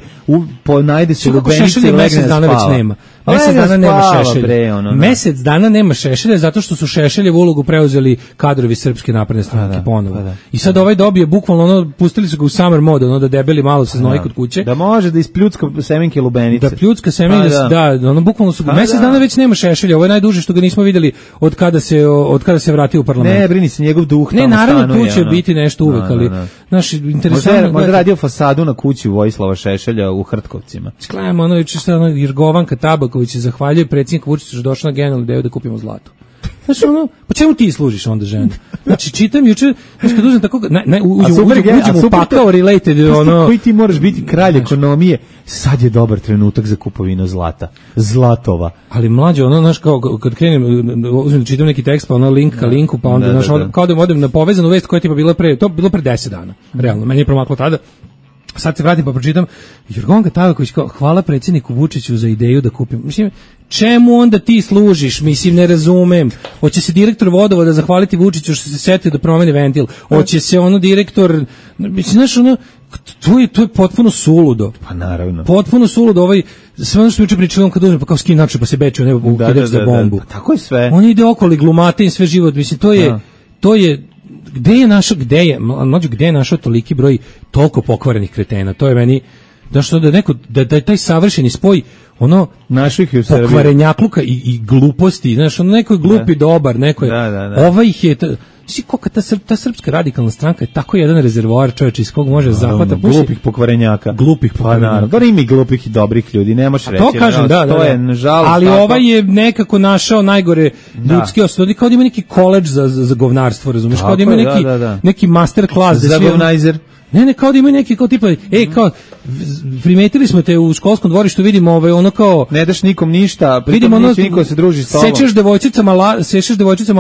najde se u lubenice i legne da spava.
Mesec dana nema Šešelja. Mesec dana nema Šešelja zato što su Šešeljevu ulogu preuzeli kadrovi Srpske napredne stranke ponovo. I sad dobije bukvalno, pustili su ga u summer mode, da debeli malo se znoji kod kuće.
Da može da ispljucka semenke lubenice.
Da pljucka semenke, bukvalno su mesec dana već nema Šešelja. Ovo je najduže što ga nismo vidjeli od kada se vratio u parlament.
Ne, brini se, njegov duh tamo stanuje.
Ne, naravno tu će biti nešto uvek, ali naš interesantno.
Možda radio fasadu na kući Vojislava Šešelja u Hrtkovcima.
Sklanjamo Jergovanka Tabaković zahvaljuje predsjedniku Vučiću što je došao na genijalnu ideju da kupimo zlato. Znači, pa čemu ti služiš onda žena? Znači, čitam juče, znači kad uzem tako, uđem u pakao related,
koji ti moraš biti kralj ekonomije, sad je dobar trenutak za kupovinu zlatova.
Ali mlađe, znaš, kao kad krenem, uzmem da čitam neki tekst, pa link ka linku, pa onda, kao da odem na povezanu vest koja je tipa bilo pre 10 dana, realno, meni je promaklo tada. Sad se vratim pa pročitam, Jergovanka Tabaković kao, hvala predsjedniku Vučiću za ideju da kupim. Mislim, čemu onda ti služiš? Mislim, ne razumem. Hoće se direktor vodovoda zahvaliti Vučiću što se setio da promeni ventil. Hoće se direktor, mislim, znaš, to je potpuno suludo.
Pa naravno.
Potpuno suludo, sve ono što juče pričali, kad uzme, pa kao skin način, pa se beče u nebo, kada za bombu.
Pa tako je sve.
On ide okolo, glumate im sve život, mislim, to je gde je našao toliki broj toliko pokvarenih kretena? To je meni da taj savršeni spoj pokvarenjakluka i gluposti, znaš, neko je glupi dobar, neko je ih je ta srpska radikalna stranka je tako jedan rezervoar, čovječ, iz kog može zahvata
glupih pokvarenjaka. Pa naravno, ima i glupih i dobrih ljudi, ne možeš reći.
To kažem, to je nažalost. Ali je nekako našao najgore ljudske osobe, kao da ima neki koledž za govnarstvo, razumiješ, kao da ima neki master class
za govnajzer.
Ne, kao da imaju neki kao tipa, kao primetili smo te u školskom dvorištu, vidimo kao
ne daš nikom ništa, vidimo niko se druži s tobom.
Sečeš devojčicama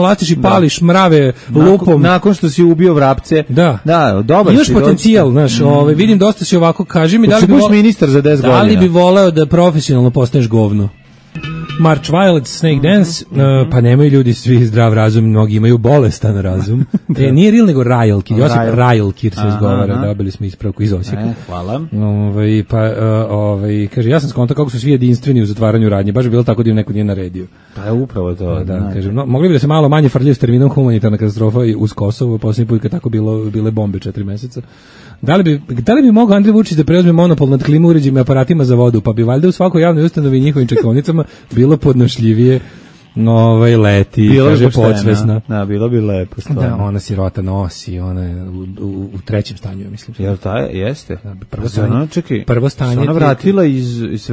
lastiš i pališ mrave lupom.
Nakon što si ubio vrapce.
Da,
dobar si.
Imaš potencijal, znaš, vidim dosta si ovako, kaži mi
da li bi ministar za 10 godina.
Da li bi voleo da profesionalno postaneš govno? March Violet, Snake Dance, pa nemaju ljudi svi zdrav razum, mnogi imaju bolestan razum. Nije real, nego Rajelkir, Josip Rajelkir se izgovara, dobili smo ispravku iz Osijeka.
Hvala.
Kaže, ja sam skontao kako su svi jedinstveni u zatvaranju radnje, baš bi bilo tako da im neko nije naredio.
Pa je upravo to.
Kaže, mogli bi da se malo manje frljaju s terminom humanitarna katastrofa uz Kosovo, posljednji put kad tako bile bombe 4 meseca. Da li bi mogao Andrej Vučić da preuzme monopol nad klima uređajima i aparatima za vodu, pa bi valjda u svakoj javnoj ustanovi i njihovim čekaonicama bilo podnošljivije leti,
bilo
kaže podsvesna.
Da, bilo bi lepo.
Da, ona sirota nosi, ona je u trećem stanju, mislim.
Jel jeste?
Prvo stanje.
Ona se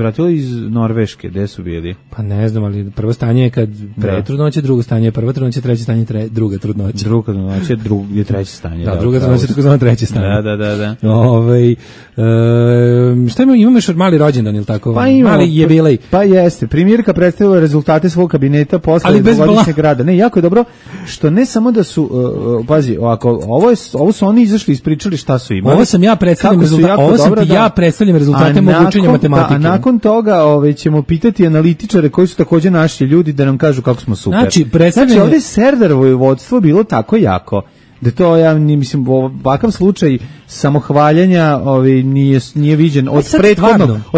vratila iz Norveške, gde su bili?
Pa ne znam, ali prvo stanje je kad pre trudnoće, drugo stanje je prva trudnoća, treće stanje je druga trudnoća.
Druga trudnoća je treće stanje.
Da, druga trudnoća je tako zvano treće stanje.
Da.
Šta imamo još od mali rođendan, ili tako?
Pa imamo.
Mali jubilej.
Pa jeste. Premijerka predstavila rezultate svog kabineta posle dvogodišnjeg rada. Ne, jako je dobro što ne samo da su pazi, ovo su oni izašli ispričali šta su imali.
Ovo sam ja predstavljam rezultate mog učenja matematike.
A nakon toga ćemo pitati analitičare koji su također naši ljudi da nam kažu kako smo super.
Znači
ovdje Serdarovo vodstvo bilo tako jako Da to ja mislim ovakav slučaj samohvaljenja nije viđen od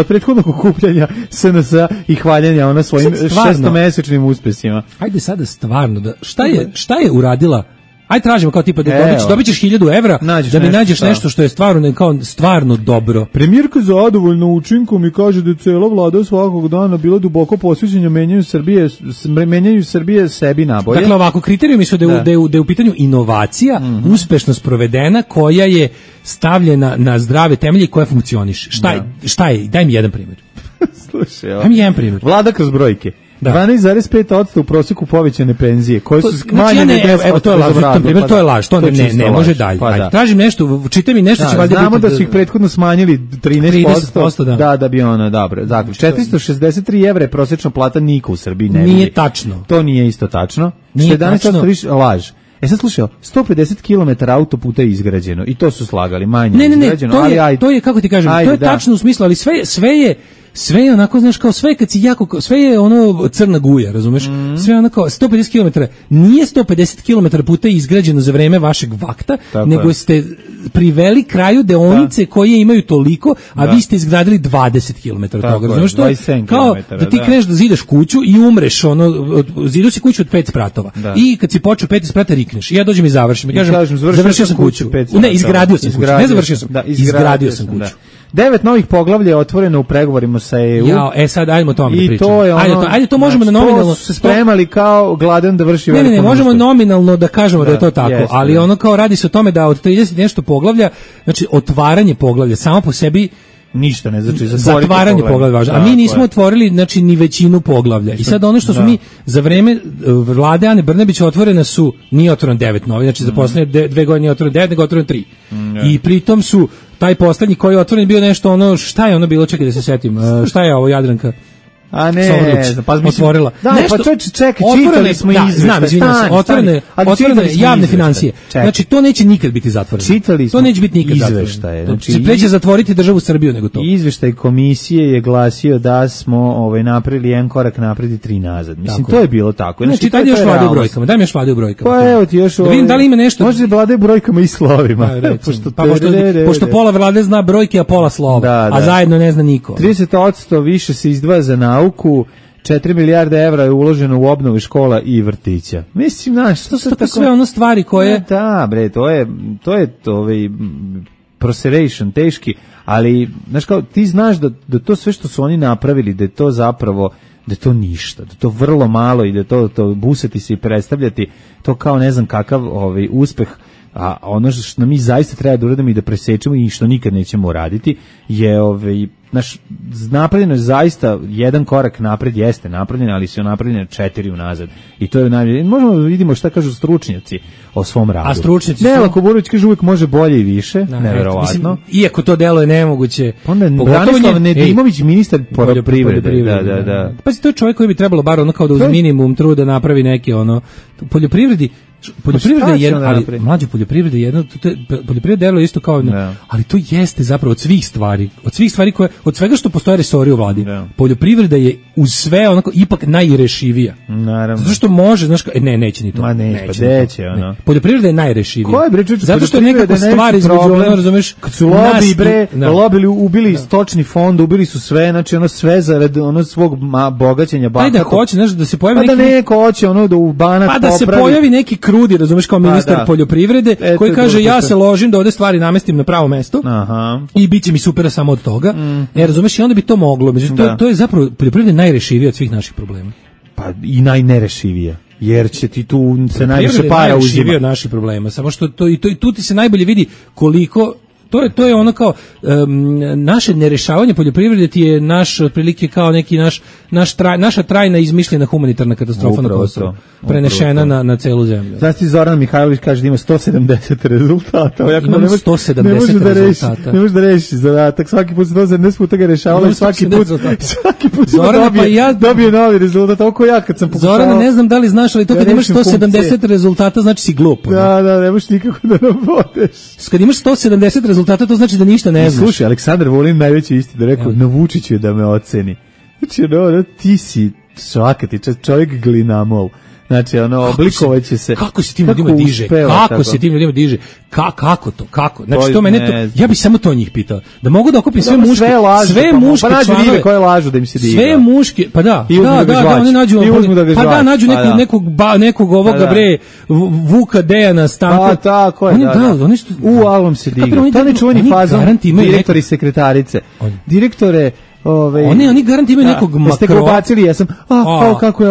prethodnog okupljanja SNS i hvaljenja ona svojim šestomesečnim uspesima.
Ajde sada stvarno da šta je uradila? Aj tražimo kao tipa da dobit ćeš 1000 evra da mi nađeš nešto što je stvarno dobro.
Premijerka zadovoljna učinkom i kaže da je cela vlada svakog dana bila duboko posvećena menjanju Srbije sebi nabolje.
Dakle, ovako, kriterijumi su da je u pitanju inovacija, uspešno sprovedena, koja je stavljena na zdrave temelje i koja funkcioniše. Šta je? Daj mi jedan primjer.
Slušaj,
daj mi jedan primjer.
Vlada kroz brojke. 12,5% u prosjeku povećane penzije, koje su smanjene 10%.
To je laž, to ne može dalje. Tražim nešto, čitaj mi nešto će valjda biti.
Znamo da su ih prethodno smanjili 13%, da bi ono, dobro. 463 evra je prosječna plata, niko u Srbiji ne vidi.
Nije tačno.
To nije isto tačno.
Nije tačno.
Više laž. Sad slušaj, 150 km autoputa je izgrađeno i to su slagali, manje izgrađeno.
To je, kako ti kažem, to je tačno u smislu, ali sve je onako, znaš, kao sve kad si sve je ono crna guja, razumeš? Sve je onako 150 km. Nije 150 km puta izgrađeno za vreme vašeg vakta, nego ste priveli kraju deonice koje imaju toliko, a vi ste izgradili 20 km toga, razumeš? To je kao da ti kreneš da zidaš kuću i umreš, zidu si kuću od 5 spratova. I kad si počeo 5 sprata rikneš. I ja dođem i završim. Kažem, završio sam kuću. Ne, izgradio sam kuću. Ne završio sam. Izgradio sam kuću.
9 novih poglavlja je otvoreno u pregovorima sa EU.
Sad ajdemo o tome da pričamo.
Ajde,
to možemo nominalno
se spremali kao gladan da vrši veliko.
Ne, možemo nominalno da kažemo da je to tako, ali ono kao radi se o tome da od 30 nešto poglavlja, znači otvaranje poglavlja samo po sebi
ništa ne znači
zatvaranje poglavlja važno. A mi nismo otvorili znači ni većinu poglavlja. I sad ono što smo mi za vreme vlade Ane Brnabić otvorena su nije otvoreno 9 novi, znači za poslednje 2 godine nije otvoreno 9, nego otvoreno 3. I pritom su taj poslednji koji je otvoren bio nešto ono, šta je ono bilo, čekaj da se setim, šta je ovo Jadranka?
A ne,
otvorila.
Pa čekaj, čitali smo izveštaj.
Otvorene javne financije. Znači, to neće nikad biti zatvoreno. To neće biti nikad zatvoreno. Znači, preće zatvoriti državu Srbiju nego to.
Izveštaj komisije je glasio da smo napravili jedan korak napred i 3 nazad. Mislim, to je bilo tako.
Znači, daj mi još vlade u brojkama. Daj mi još vlade u brojkama.
Pa evo ti još...
Da vidim da li ima nešto...
Može vlade u brojkama i slovima.
Pošto pola vlade zna brojke, a pola slova. A zajedno ne zna niko.
30% više se izdvaja za nauku, 4 milijarde evra je uloženo u obnovu škola i vrtića. Mislim, znaš,
to su tako sve ono stvari koje...
Da, bre, to je proseration, teški, ali, znaš, kao, ti znaš da to sve što su oni napravili, da je to zapravo, da je to ništa, da je to vrlo malo i da je to busati se i predstavljati, to kao ne znam kakav uspeh, a ono što mi zaista treba da uradimo i da presečemo i što nikad nećemo uraditi je napravljeno je zaista jedan korak napred, jeste napravljeno, ali su napravljene 4 unazad. I to je najbolje. Možemo da vidimo šta kažu stručnjaci o svom radu.
A stručnjaci
Nela Kuburović kaže uvijek može bolje i više, neverovatno.
Iako to delo je nemoguće.
Onda Branislav Nedimović, ministar poljoprivrede. Da.
Pa to je čovjek koji bi trebalo bar ono kao da uz minimum truda napravi neke poljoprivreda je jedno, ali mlađe poljoprivreda je jedno, poljoprivreda delo je isto kao ali to jeste zapravo od svih stvari koje, od svega što postoje resori u vladi. Poljoprivreda je uz sve onako ipak najrešivija.
Naravno.
Zato što može, znaš, neće ni to.
Ma neće, ono.
Poljoprivreda je najrešivija.
Zato
što je nekako stvari između, ono, razumeš,
kad su ubili stočni fond, ubili su sve, znači ono sve zarad svog bogaćenja bahata.
Ajde, hoće, znaš, da se pojavi
neki... neko hoće ono da u banak popravi.
Pa da se pojavi neki krudi, razumeš, kao ministar poljoprivrede, koji kaže ja se ložim da ovde stvari namestim na pravo mesto i bit će mi super samo od toga. Razumeš, i onda bi to moglo. Međutim, to je zapravo poljoprivreda najrešivija od svih naših problema.
Pa i najnerešivija. Jer će ti tu se najviše para uzima.
Od naših problema. Samo što tu ti se najbolje vidi koliko... To je ono kao naše nerešavanje poljoprivrede ti je naš otprilike kao neki naša trajna izmišljena humanitarna katastrofa na Kosovu, prenešena na celu zemlju.
Znači Zoran Mihajlović kaže da ima 170 rezultata.
Imam 170 rezultata.
Ne možeš da rešiš zadatak. Svaki put 170 puta ga rešavalo i svaki put dobije novi rezultat. Oko ja kad sam pokušao.
Zoran, ne znam da li znaš, ali to kad imaš 170 rezultata znači si glup.
Da, ne možeš nikako da navodeš.
Kad imaš 170 rezultata, to znači da ništa ne znaš.
Slušaj, Aleksandar Vulin najveći istinu rekao, na Vučiću je da me oceni. Znači, ti si svaka ti čovjek glinamol. Znači, oblikovaće se.
Kako se tim ljudima diže? Kako se tim ljudima diže? Kako to? Kako? Znači, to mene ja bih samo to njih pitao. Da mogu da okupim sve muške, sve muške članove
koje lažu da im se diga.
Sve muške, pa da, oni nađu, pa da, nađu nekog ovoga bre, Vuka Dejana Stanka.
Pa tako je,
oni su
alom se diga. To ne čuveni fazon, direktori sekretarice. Direktore
oni garanti imaju nekog makroa.
Ste ga ubacili, jesam, kako je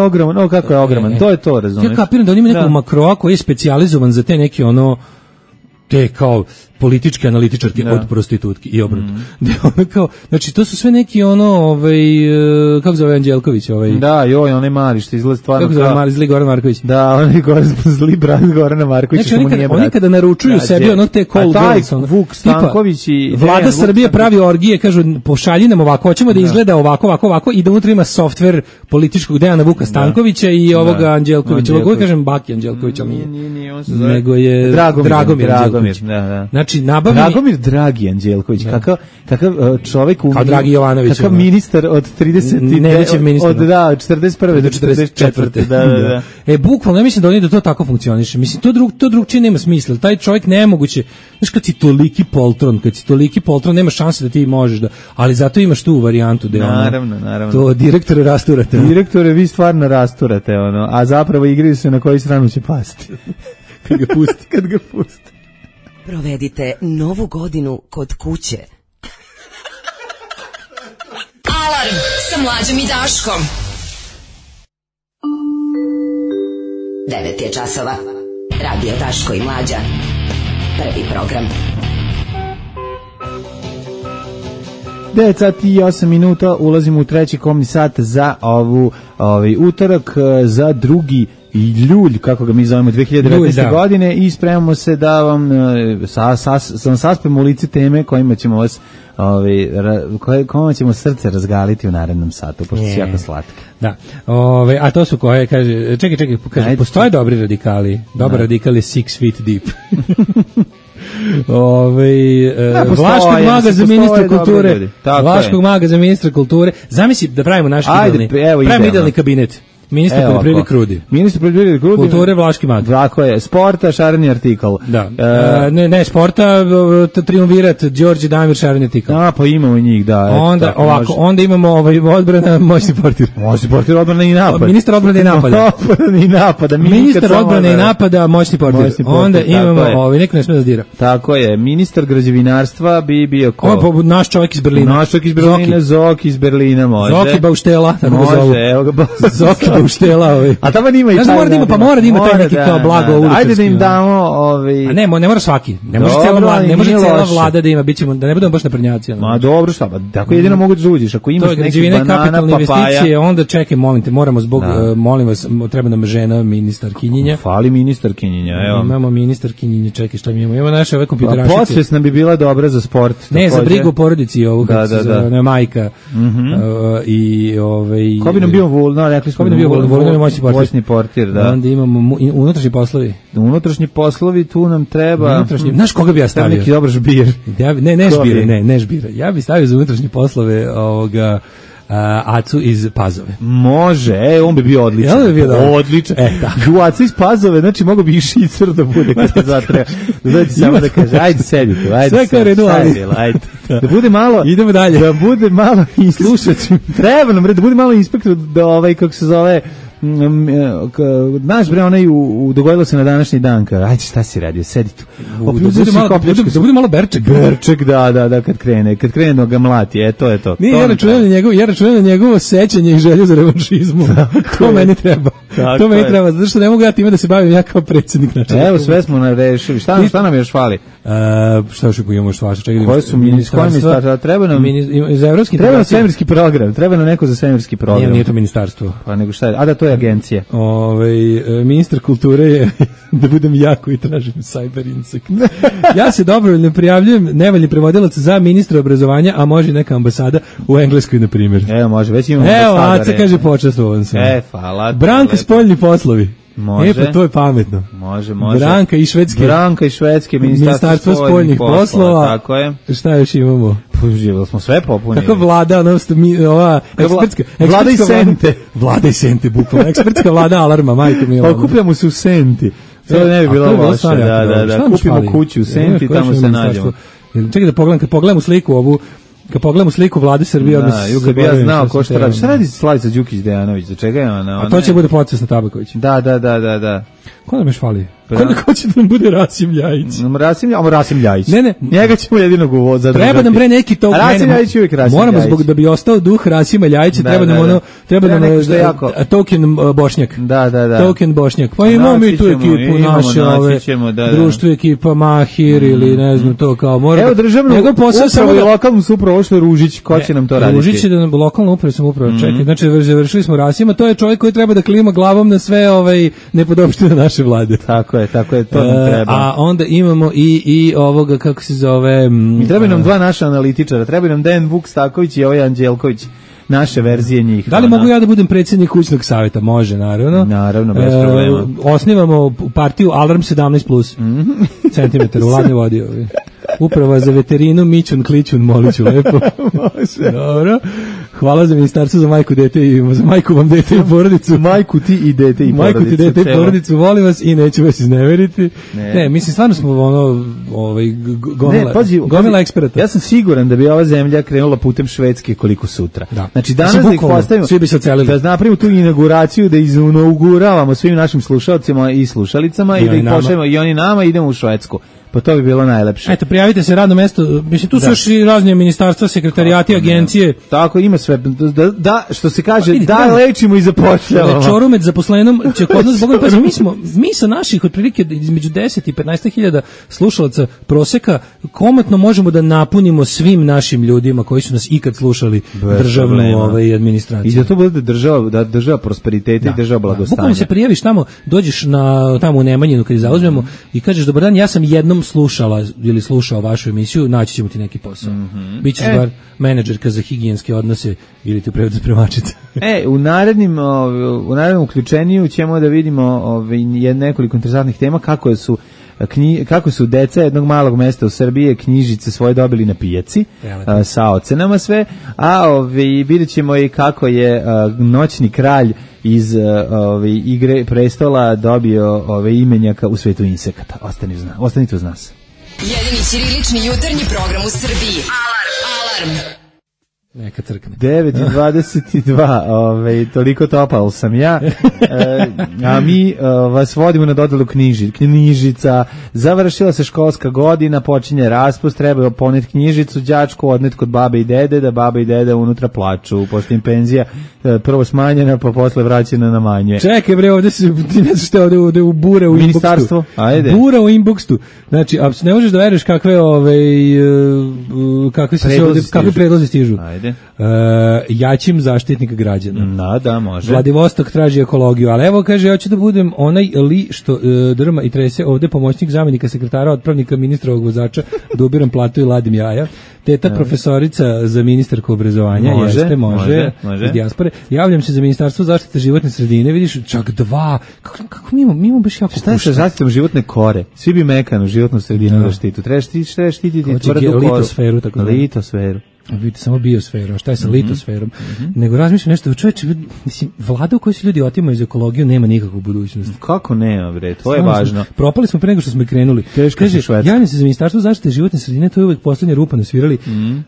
ogroman, to je to, razumiješ.
Ja kapiram da oni imaju nekog makroa koji je specijalizovan za te neke te kao političke analitičarke od prostitutki i obrnuto. Znači to su sve neki kako zove Anđelković
Da, onaj mali što izgleda stvarno
kako zove zli Goran Marković.
Da, onaj zli brat Gorana Markovića.
Znači oni kada naručuju sebi te call girls,
Vuk Stanković i
Vlada Srbije pravi orgije, kažu pošalji nam ovako, hoćemo da izgleda ovako i da unutra ima softver političkog Dejana Vuka Stankovića i ovoga Anđelkovića. Ovo kažem Baki Anđelković, ali nije, nego je Dragomir Anđelković. Znači
Dragomir Dragi Anđelković, kakav čovjek
kao Dragi Jovanović,
kakav ministar od 30 od 41. do 44. Da.
Bukvalno ja mislim da oni da to tako funkcioniše. Mislim to drugčije nema smisla. Taj čovjek nemoguće. Znaš kad si toliki poltron, nema šanse da ti možeš da, ali zato imaš tu varijantu da
naravno.
To direktore rasturate.
Direktore vi stvarno rasturate a zapravo igraju se na koju stranu će pasti.
Kad ga pusti.
Provedite novu godinu kod kuće.
Alarm sa Mlađom i Daškom.
9 je časova. Radio Daško i Mlađa. Prvi program.
9 sati i 8 minuta. Ulazimo u treći komni sat za utorak, za 2. ljulj, kako ga mi zovemo, 2019. godine i spremamo se da vam saspemo u lice teme kojima ćemo vas kojima ćemo srce razgaliti u narednom satu, pošto su jako slatke.
Da. A to su koje, kaže, čekaj, kaže, postoje dobri radikali. Dobar radikal je 6 feet deep. Vlaškog maga za ministra kulture. Vlaškog maga za ministra kulture. Zamisli da pravimo naš idealni kabinet. Ministar poljoprivrede Krudi.
Ministar poljoprivrede Krudi.
Kulture Vlaški mag.
Tako je. Sporta šareni artikal.
Da. Ne sporta, triumvirat Đorđe Damir šareni artikal.
Pa imamo njih, da.
Onda imamo odbrana moćni portir.
Moćni portir, odbrana i napad.
Ministar odbrane i napada. Ministar odbrane i napada, moćni portir. Onda imamo, neko ne sme da dira.
Tako je. Ministar građevinarstva bi bio ko?
Naš čovjek iz Berlina.
Zoki iz Berlina može.
Zoki Bauštela.
Može, evo ga.
Zoki Bauštela.
A tamo ima i taj.
Mora da ima taj neki kao blago uličarski.
Ajde da im damo
A ne mora svaki. Ne može cela vlada da ima, bićemo da ne budemo baš naprednjaci.
Ma dobro, šta, tako jedino mogu da uđeš ako imaš neki banana,
investicije, onda čekaj, molim te, moramo zbog molim vas, treba nam žena ministarkinja.
Fali ministarkinja, evo.
Imamo ministarkinja, čekaj, šta mi imamo? Imamo naše ove kompjuterašice.
Podsvesna bi bila dobra za sport.
Ne, za brigu o porodici ovog, ne majka. I
ko bi nam bio Vulno, rekli smo
Vulno je moćni
portir, da.
Onda imamo unutrašnji poslovi.
Unutrašnji poslovi, tu nam treba.
Znaš koga bi ja stavio?
Neki dobar žbir.
Ne žbira. Ja bih stavio za unutrašnje poslove ovoga Acu iz Pazove.
Može, on bi bio odličan. Odličan. U Acu iz Pazove, znači mogo bi i Šicer da bude kada zatreba. Znači samo da kaže, ajde sedi tu, ajde.
Sve kao redu,
ajde. Da bude malo,
idemo dalje.
Da bude malo i slušat ću. Treba nam, da bude malo inspektor, da kako se zove, znaš bre, onaj dogodilo se na današnji dan, ajde šta si radio, sedi tu.
Da bude malo Berček.
Berček, da, kad krene da ga mlati, to je to.
Nije, ja računam na njegovo sećanje i želju za revanšizmu. To meni treba. To meni treba, zato što ne mogu ja time da se bavim ja kao predsjednik.
Evo, sve smo rešili. Šta nam još fali?
Šta još imamo što vaša?
Koje su ministarstva? Treba nam svemirski program. Treba nam neko za svemirski program.
Nije to ministarstvo.
Pa nego šta je? A da, to je agencija.
Ministar kulture je da budem jako i tražim cyber insekt. Ja se dobrovoljno prijavljujem nevaljni prevodilac za ministra obrazovanja, a može neka ambasada u Engleskoj, na primjer.
Evo, može, već imamo ambasadore.
Aca kaže počastvovan sam.
Hvala.
Branka spoljni poslovi.
Može.
Pa to je pametno.
Može.
Branka i Švedske, Ministarstvo spoljnih poslova.
Tako je.
Šta još imamo?
Živjeli smo sve popunili.
Kako vlada, ova ekspertska
vlada i sente.
Vlada i sente, bukvalno. Ekspertska vlada alarma, majko mila.
Okupljamo se u Senti. To ne bi bilo loše. Da. Kupimo kuću u Senti, tamo se nađemo.
Čekaj da pogledam, kad pogledam u sliku vlade Srbije,
kad bi ja znao ko šta radi. Šta radi Slavica Đukić-Dejanović? Za čega je ona?
A to će bude Procesna Tabaković.
Da.
Ko nam još fali? Ko će da nam bude Rasim Ljajić?
Rasim Ljajić.
Ne.
Njega ćemo jedinog zadržati.
Treba nam bre neki to.
Rasim Ljajić uvijek Rasim Ljajić.
Moramo da bi ostao duh Rasima Ljajića, treba nam token Bošnjak.
Da.
Token Bošnjak. Pa imamo mi tu ekipu naše, društvo ekipa Mahir ili ne znam to kao mora.
Evo državnu upravu i lokalnu upravu, što je Ružić, ko će nam to raditi?
Ružić će da nam lokalnu upravu samoupravu čeka. Znači završili smo Rasima, to je čovjek koji treba da klima glavom na sve nepodopštine naše vlade.
Tako je, to nam treba.
A onda imamo i ovoga, kako se zove...
I treba nam dva naša analitičara, treba nam Dejan Vuk-Staković i Anđelković, naše verzije njih.
Da li mogu ja da budem predsjednik kućnog savjeta? Može, naravno.
Naravno, bez problema.
Osnivamo partiju Alarm 17+, centimetar u ladne vodi. Uprava za veterinu, Mićun, Klićun, Moliću, lepo.
Može.
Dobro. Hvala za ministarstvo za majku, dete i za majku vam, dete i porodicu.
Majku ti i dete i porodicu.
Majku ti, dete i porodicu, volim vas i neću vas izneveriti. Ne, mislim, stvarno smo gomila eksperata.
Ja sam siguran da bi ova zemlja krenula putem Švedske koliko sutra.
Da.
Znači, danas da ih postavimo,
svi bi se ocelili.
Da napravimo tu inauguraciju, da inauguravamo svim našim slušalcima i slušalicama i da ih pošaljemo i oni nama, idemo u Švedsku. Pa to bi bilo najlepše.
Eto, prijavite se radno mesto. Mislim, tu su još i razne ministarstva, sekretariati, agencije.
Tako, ima sve. Da, što se kaže, lečimo i zapošljavamo.
Čorumet zaposlenom će kod nas, Bogom, pazi, mi sa naših otprilike između 10 i 15.000 slušalaca proseka komotno možemo da napunimo svim našim ljudima koji su nas ikad slušali državnu administraciju.
I da to bude država prosperiteta i država blagostanja.
Bukvalno se prijaviš tamo, dođeš tamo u Nemanjinu kad zauzmemo i kažeš, dobar dan, ja sam jednom slušala ili slušao vašu emisiju, naći ćemo ti neki posao. Bićeš bar menadžerka za higijenske odnose ili ti prevodu spremačica.
U narednim uključeniju ćemo da vidimo nekoliko interesantnih tema kako su deca jednog malog mesta u Srbiji knjižice svoje dobili na pijaci sa ocenama sve, a vidjet ćemo i kako je noćni kralj iz Igre prestola dobio imenjaka u svetu insekata. Ostanite uz nas.
Jedini ćirilični jutarnji program u Srbiji. Alarm.
Neka crkne.
9:22, toliko topal sam ja. A mi vas vodimo na dodelu knjižica. Završila se školska godina, počinje raspust, treba poneti knjižicu, đačku odnet kod babe i dede, da baba i dede unutra plaču. Posle im penzija prvo smanjena, pa posle vraćena na manje.
Čekaj bre, ovde se ti ne znaš šta ovde u bure u
ministarstvo. Ajde.
Bura u inboxu. Znači, ne možeš da veruješ kakve kakve predlozi stižu.
Ajde.
Jačim zaštitnika građana.
Da, može.
Vladivostok traži ekologiju, ali evo kaže, ja ću da budem onaj li što drma i trese ovde pomoćnik zamenika sekretara, otpravnika ministrovog vozača, da ubiram platu i ladim jaja. Teta profesorica za ministarku obrazovanja, može. Iz dijaspore. Javljam se za ministarstvo zaštite životne sredine, vidiš, čak 2. Kako mi imamo baš jako
šta je sa zaštitom životne kore? Svi bi mekanu životnu sredinu da štitu. Treba štititi tvrdu koru.
Litosferu, tako da.
Litosferu.
Vidite samo biosferu, a šta je sa litosferom? Nego razmišljam nešto, čovječe, mislim, vlada u kojoj se ljudi otimaju iz ekologiju nema nikakvu budućnost.
Kako nema, bre, to je važno.
Propali smo pre nego što smo krenuli. Kaže, javljam se za ministarstvo zaštite životne sredine, to je uvek poslednja rupa na svirali,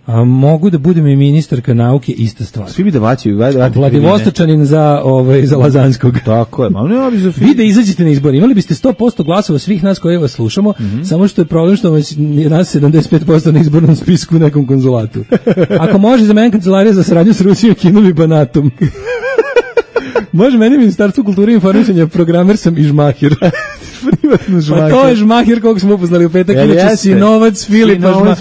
a mogu da budem i ministarka nauke, ista stvar.
Svi bi da vaćaju.
Vladivostočanin za Lazanskog.
Tako je,
vi da izađete na izbor, imali biste 100% glasova svih nas koji vas slušamo, samo što je problem što vas nas 75% na izbornom spisku u nekom konzulatu. Ako može za mene kancelarija za saradnju s Rusijom, Kinom i Banatom. Može meni ministarstvo kulture i informisanja, programer sam i žmahir.
Privatno žmahir.
Pa to je žmahir kog smo upoznali u petak, inače Sinovac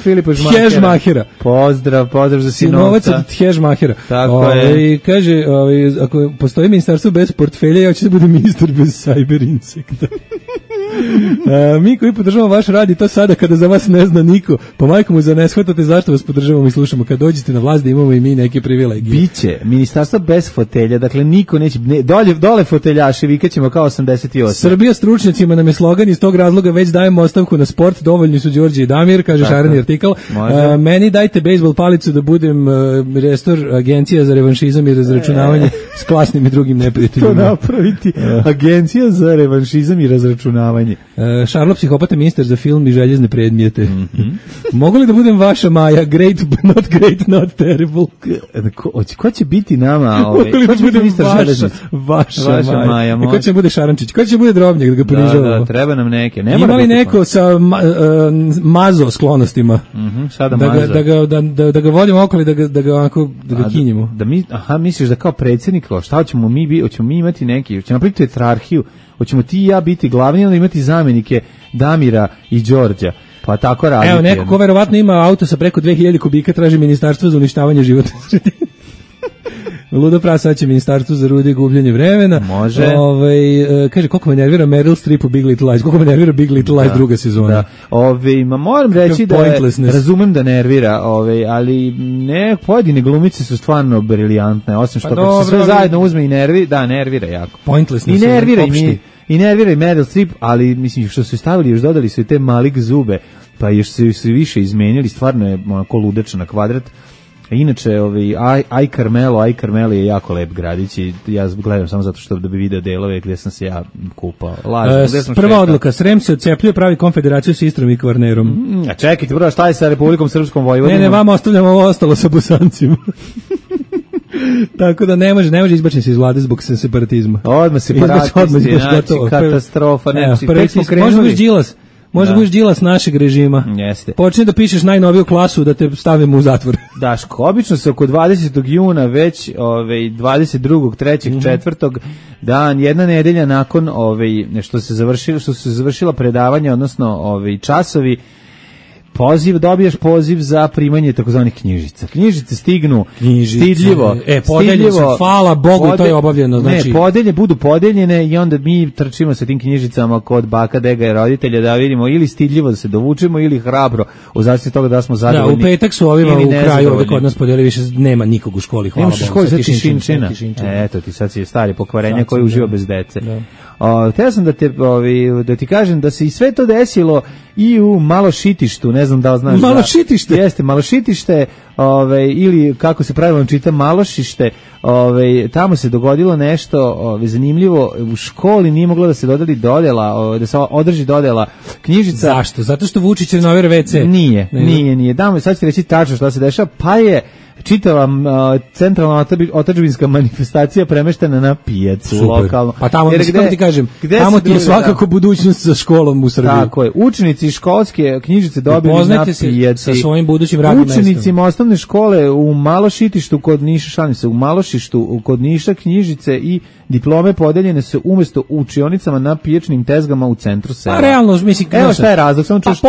Filipa Žmahira.
Pozdrav za
Sinovac od Žmahira.
Tako je.
I kaže, ako postoji ministarstvo bez portfelja, ja ću da budem ministar bez cyber insekta. Mi koji podržavamo vaš rad i to sada kada za vas ne zna niko, pa majko mu za ne shvatate zašto vas podržavamo i slušamo. Kad dođete na vlast da imamo i mi neke privilegije.
Biće ministarstvo bez fotelja, dakle niko neće, dole foteljaši, vikaćemo kao 88.
Srbija stručnjacima nam je slogan, iz tog razloga već dajemo ostavku na sport, dovoljni su Đorđe i Damir, kaže šareni artikal. Meni dajte bejsbol palicu da budem restor agencija za revanšizam i razračunavanje s klasnim i drugim neprijateljima.
To napraviti agencija za revanšizam i razračunavanje.
Šarlo psihopata ministar za film i željezne predmijete. Mogu li da budem vaša Maja? Great, not terrible.
Ko će biti nama?
Mogu li da budem vaša Maja? Ko će bude Šarančić? Ko će bude Drobnjak da ga ponižavamo?
Da, treba nam neke.
Ima li neko sa mazo sklonostima?
Sada mazo.
Da ga vodimo okolo i da ga kinjimo.
Misliš da kao predsjednik, šta hoćemo mi imati neki, hoćemo napraviti tetrarhiju, hoćemo ti i ja biti glavni, onda imati zamenike Damira i Đorđa. Pa tako raditi.
Evo, neko ko verovatno ima auto sa preko 2000 kubika traži ministarstvo za uništavanje životne sredine. Ludo prasa će ministarstvo za rude i gubljenje vremena.
Može.
Kaže, koliko me nervira Meryl Streep u Big Little Lies, koliko me nervira Big Little Lies druga sezona.
Moram reći da razumem da nervira, ali ne, pojedine glumice su stvarno briljantne, osim što kad se sve zajedno uzme i nervira jako.
Pointlessness.
I nervira i Meryl Streep, ali mislim što su stavili, još dodali su i te malik zube, pa još su više izmenili, stvarno je onako ludača na kvadrat. Inače, Aj Carmelo je jako lep gradić i ja gledam samo zato što da bi video delove gdje sam se ja kupao.
Prva odluka, Srem se odcepljuje, pravi konfederaciju s Istrom i Kvarnerom.
A čekajte, prvo šta je sa Republikom Srpskom Vojvodinom?
Ne, vama ostavljamo ovo ostalo sa Bosancima. Tako da ne može izbačen se iz vlade zbog separatizma.
Odmah separatisti, znači katastrofa.
Može biti Đilas. Možda budeš Đilas našeg režima.
Jeste.
Počne da pišeš najnoviju klasu da te stavimo u zatvor.
Daško, obično se oko 20. juna već 22. 3. 4. dan, jedna nedelja nakon što se završila predavanja, odnosno časovi, dobiješ poziv za primanje takozvanih knjižica. Knjižice stignu stidljivo.
Podeljene su, hvala Bogu, to je obavljeno. Znači...
Ne, budu podeljene i onda mi trčimo sa tim knjižicama kod baka, dega i roditelja da vidimo ili stidljivo da se dovučemo ili hrabro u zavisnosti toga da smo zadovoljni.
Da, u petak su ovima u kraju ovdje kod nas podelili, više nema nikog u školi, hvala Bogu.
Nemaš u školi za tišinčina. Eto ti sad si stari pokvarenja koji uživa bez dece. Htio sam da ti kažem da se i sve to desilo i u Malošitištu, ne znam da li znaš.
Malošitište?
Jeste, Malošitište, ili kako se pravilno čita Malošište, tamo se dogodilo nešto zanimljivo, u školi nije moglo da se dodela, da se održi dodela knjižica.
Zašto? Zato što Vučić renovira WC?
Nije. Damo, sad ću reći tačno što se dešava, pa je čitava centralna otadžbinska manifestacija premeštena na pijacu lokalno.
Pa tamo, kako ti kažem, tamo ti je svakako budućnost sa školom u Srbiji.
Tako je, učenici školske knjižice dobili na pijaci.
Sa svojim budućim radnim mestom.
Učenicima osnovne škole u Malošitištu kod Niša, u Malošištu kod Niša knjižice i diplome podeljene su umjesto u učionicama na pijačnim tezgama u centru sela.
A realno, mislim,
evo šta je razlog, samo čuš,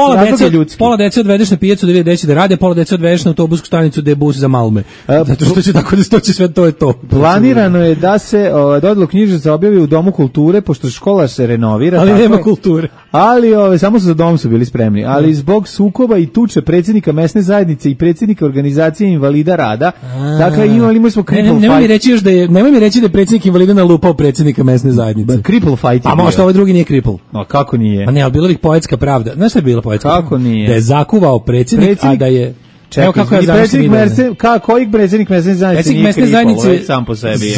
pola dece odvedeš na pijacu da vidi gde će da rade, pola dece odvedeš na autobusku stanicu da je bus za Malme. Zato što će tako da stoći sve, to je to.
Planirano je da se dodelu knjižica objavi u Domu kulture, pošto škola se renovira.
Ali nema kulture.
Ali samo za dom su bili spremni. Ali zbog sukoba i tuče predsjednika mesne zajednice i predsjednika organizacije invalida rada, dakle imali smo cripple fight.
Nemoj mi reći da je predsjednik invalida nalupao predsjednika mesne zajednice.
Cripple fight.
A možda ovaj drugi nije cripple.
A kako nije?
A ne, ali bila bi poetska pravda. Znaš šta je bila poetska pravda?
Kako nije?
Da je zakuvao predsjednik, a da je...
Čekaj, kako ja kojeg predsjednik mesne zajednice nije cripple, sam po sebi.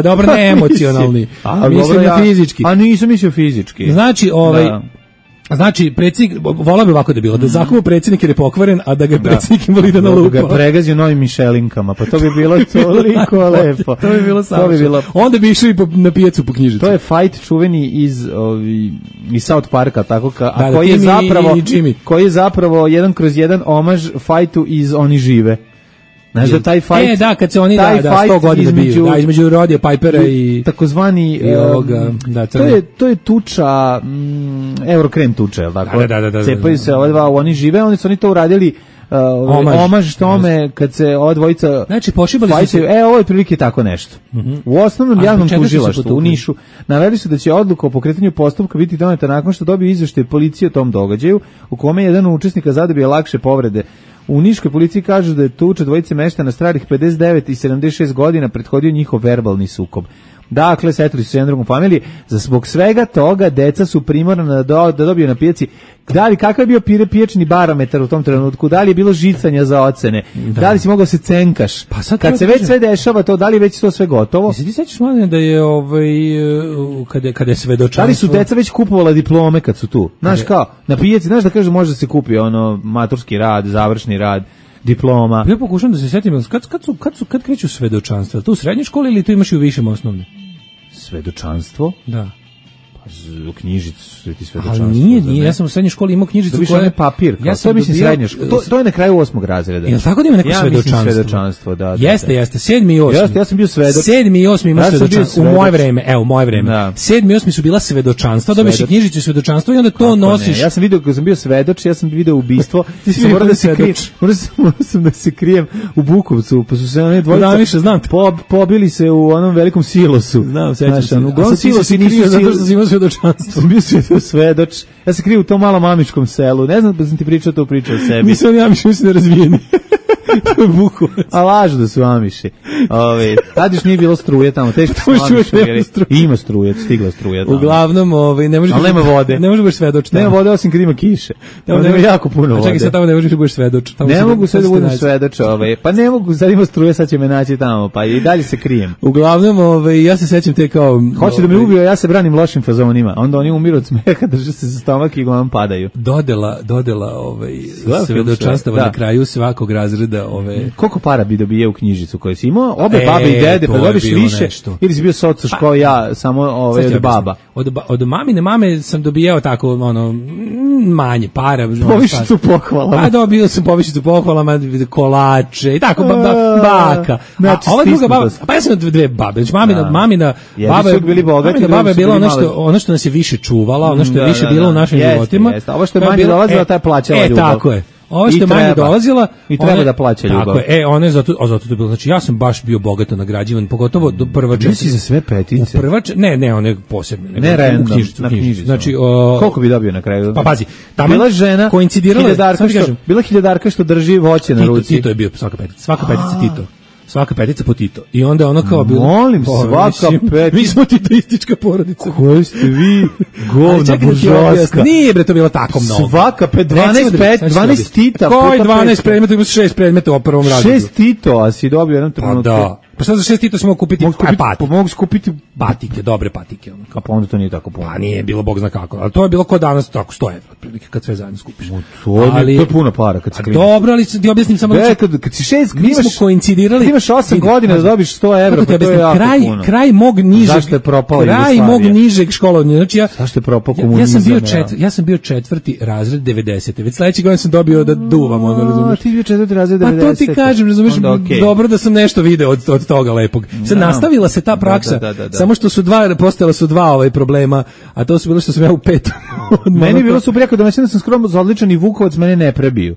Dobro, ne emocionalni. Mislim na fizički.
A nisam mislio fizički.
Znači, predsjednik, volao bi ovako da bilo, da zakuva predsjednik jer je pokvaren, a da ga predsjednik invalida nalupao.
Da ga pregazio novim mišelinkama, pa to bi bilo toliko lepo.
To bi bilo savršeno. Onda bi išao i na pijacu po knjižicu.
To je fight čuveni iz South Parka, tako a koji je zapravo 1/1 omaž fajtu iz Oni žive. Znaš da taj fight...
da, kad se oni 100 godina biju, između Rodija Pipera i...
Takozvani... to je tuča, Eurokrem tuča, je li tako?
Da.
Cepaju se ova dva, Oni žive, oni su to uradili omaž tome kad se ova dvojica
znači pošibali su se.
Ovo je prilike tako nešto. U osnovnom javnom tužilaštvu u Nišu naveli su da će odluka o pokretanju postupka biti doneta nakon što dobije izveštaj policije o tom događaju u kome jedan od učesnika zadobio lakše povrede. U niškoj policiji kažu da je tuča dvojice meštana starih 59 i 76 godina prethodio njihov verbalni sukob. Dakle, setili su se jedan drugom familiji. Zbog svega toga, deca su primorana da dobiju na pijaci. Da li, kakav je bio piječni barometar u tom trenutku? Da li je bilo žicanja za ocene? Da li si mogao se cenkaš? Pa sad kad se već sve dešava to, da li je već to sve gotovo?
Ti sećaš, Mladene, da je kada je svedočanstvo...
Da li su deca već kupovala diplome kad su tu? Znaš kao, na pijaci, znaš da kaže može da se kupi ono maturski rad, završni rad, diploma.
Ja pokušam da se setim, kad kreću svedočanstva? To u srednjoj školi ili to imaš i u višem osnovne?
Svedočanstvo?
Da.
U knjižicu ti svedočanstvo.
Ali nije, ja sam u srednjoj školi imao knjižicu
koja je papir. Ja sam mislim srednja škola. To je na kraju 8. razreda.
Jel tako da ima neko
svedočanstvo? Da.
Jeste, 7. i 8.
Ja sam bio svedok.
7. i 8. ima svedočanstvo. U moje vreme, u moje vreme. 7. i 8. su bila svedočanstva, dobiješ knjižicu i svedočanstvo i onda to nosiš.
Ja sam video, kad sam bio svedoč, ja sam video ubistvo. Ti si morao da se kriješ. Morao sam da se krijem u Bukovcu, pa su se one dvojice pobili se u onom velikom silosu.
Znam, sećam se.
U silosu nisu
zato što si imao svedočanstvo.
Bio svedoč. Ja se kriju u tom malom amičkom selu. Ne znam da sam ti pričao to pričao o sebi.
Nisam oni amiši, mislim nerazvijeni. To je Bukovac.
A lažu da su amiši. Tad još nije bilo struje tamo. Teško su amiši. Ima struje, stigla struja tamo.
Uglavnom, ne može.
Ali nema vode.
Ne može baš svedoč.
Nema vode osim kad ima kiše. Tamo nema jako puno vode.
Čekaj, sad tamo ne možeš baš svedoč.
Ne mogu sad da budem svedoč. Pa ne mogu, sad ima struje, sad će me naći tamo. Pa i dalje se krijem.
Uglavnom, ja se sećam te kao...
Hoće da me ubio, ja se branim lošim fazonima. Onda oni umiru od smeha, drže se za stomak i uglavnom padaju.
Dodela svedočanstava na kraju svakog razreda.
Koliko para bi dobijao u knjižicu koju si imao? Obe babe i dede, pa dobiš više? Nešto. Ili si bio socuš kao ja, samo od baba?
Od mamine mame sam dobijao tako, manje para.
Povišicu pohvala.
Pa dobio sam povišicu pohvalama, kolače i tako, baka.
Znači,
ova druga baba, pa ja sam dve babe. Znači, mamina baba je bila ono što nas je više čuvala, ono što je više bilo u našim životima.
Ovo što je manje dolazila, ta je plaćala ljubav.
Tako je. Ovo što je manje dolazila
i treba da plaća ljubav.
Tako je. Ona je zato to bilo. Znači ja sam baš bio bogato nagrađivan, pogotovo do prva četiri.
Nisi za sve petice.
Ne, one posebne.
Ne random, na knjižicu.
Znači
koliko bi dobio na kraju?
Pa pazi,
bila žena
koincidirala,
bila hiljadarka što drži voće na ruci.
Tito je bio svaka petica Tito. Svaka petica po Tito. I onda ono kao bilo...
Molim, svaka petica...
Mi smo titoistička porodica.
Koji ste vi govna buržoaska?
Nije bre to bilo tako mnogo.
Svaka 12 Tita.
Koji 12 predmeta? Ima 6 predmeta u prvom razredu.
6 Tito, a si dobio jedan trenutku.
Pa da. Pa šta za 6 Tito smo kupiti?
Mogu skupiti
patike, dobre patike.
A pa onda to nije tako puno.
Pa nije bilo bog zna kako. Ali to je bilo kod danas tako 100 evra, otprilike, kad sve zajedno skupiš.
To je puno para kad se kliniš.
Dobro, ali ti objasnim samo...
Kad si 6,
mi smo koincidirali...
Imaš 8 godina da dobiš 100 evra, pa to je jako puno.
Kraj mog nižeg...
Zašto je propala Jugoslavija?
Kraj mog nižeg školovanja. Znači
zašto je propao komunizam?
Ja sam bio 4. razred 90. Već sledeće godine sam dobio da duvam, ono, razumeš?
Ti bio 4. razred 90.
Pa to ti kažem, razumeš, dobro da sam nešto video od toga lepog. Sad nastavila se ta praksa, samo što su postala su dva problema, a to su bilo što sam ja u 5.
Meni je bilo super, jako domaćin da sam skroz odličan i Vukovac mene ne prebiju.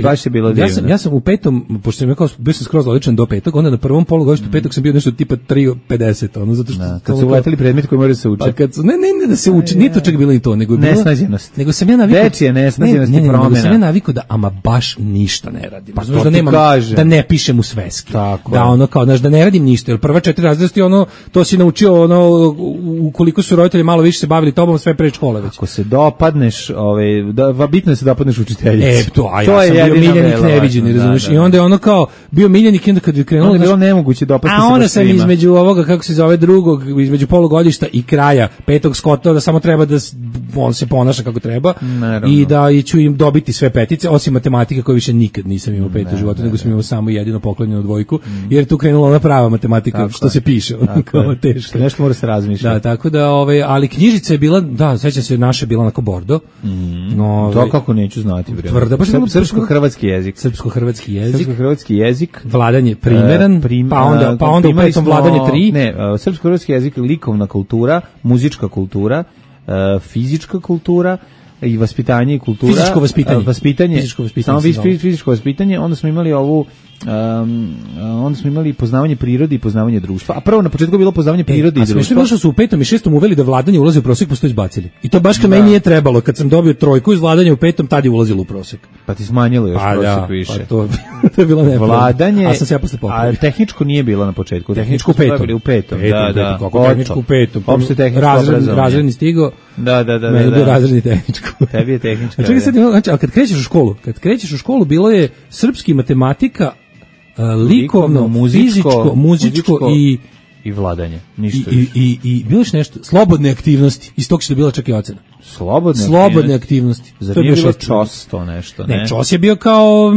Baš je bilo divno.
Ja sam u 5. pošto sam rekao bio sam skroz odličan do 5. onda na prvom polugodištu 5. sam bio nešto tipa 3,50, ono zato što
kad su uleteli predmeti koji moraju se učiti.
Pa kad ne da se uči, ni to čak bilo ni to, nego je bilo
nesnađenost.
Nego sam ja navikao
dečije nesnađenost i promena.
Nego sam ja navikao da ama baš ništa ne radim. Pa da nemam da ne pišem u sveski. Da ono kao da ne radim ništa, jer prva 4 razreda ono to si naučio ono ukoliko su roditelji malo više se bavili tobom sve pre škole već.
Ako se dopadneš, bitno je se dopadneš učiteljici.
To je bio miljenik neviđeni, razumiješ? I onda je ono kao bio miljenik i onda kad je krenulo...
bilo nemoguće dopasti se
baš svima. A onda sam između ovoga, kako se zove, drugog, između polugodišta i kraja 5. skotova, da samo treba da on se ponaša kako treba i da ću im dobiti sve petice, osim matematike koju više nikad nisam imao 5 u životu, nego sam imao samo jedino poklonjenu dvojku, jer je tu krenula ona prava matematika, što se piše, kao teško.
Nešto mora se razmišljati.
Da, tako da, ali knjižica je bila, da, sećam se, naša je bila onako bordo.
To kako neću znati, bre.
Tvrda, baš
srpsko-hrvatski jezik.
Srpsko-hrvatski jezik.
jezik.
Vladanje primeran, pa onda u petom vladanje 3.
Ne, srpsko-hrvatski jezik, likovna kultura, muzička kultura, fizička kultura, i vaspitanje i kultura.
Fizičko vaspitanje.
Samo fizičko vaspitanje, onda smo imali ovu onda smo imali poznavanje prirode i poznavanje društva. A prvo na početku je bilo poznavanje prirode i društva.
A sve što su u 5. i 6. uveli da vladanje ulazi u prosek, pa su to izbacili. I to baš kad meni nije trebalo. Kad sam dobio 3 iz vladanja u 5. tad je ulazilo u prosek.
Pa ti smanjilo još prosek više.
Pa to je bilo nepravda.
Vladanje,
a sam se ja posle popravio.
A tehničko nije bilo na početku.
Tehničko u 5.
U 5. Da.
Kako tehničko u 5.
Opšte tehničko obrazovanje.
Razredni stigo.
Da.
Meni je bio razredni tehničko.
Tebi je tehničko.
Čekaj sad, znači, kad krećeš u školu, bilo je srpski, matematika, likovno, fizičko, muzičko
i vladanje, ništa
i bilo je nešto, slobodne aktivnosti, iz tog što je bila čak i ocena. Slobodne aktivnosti.
Zar nije bilo čos to nešto?
Ne, čos je bio kao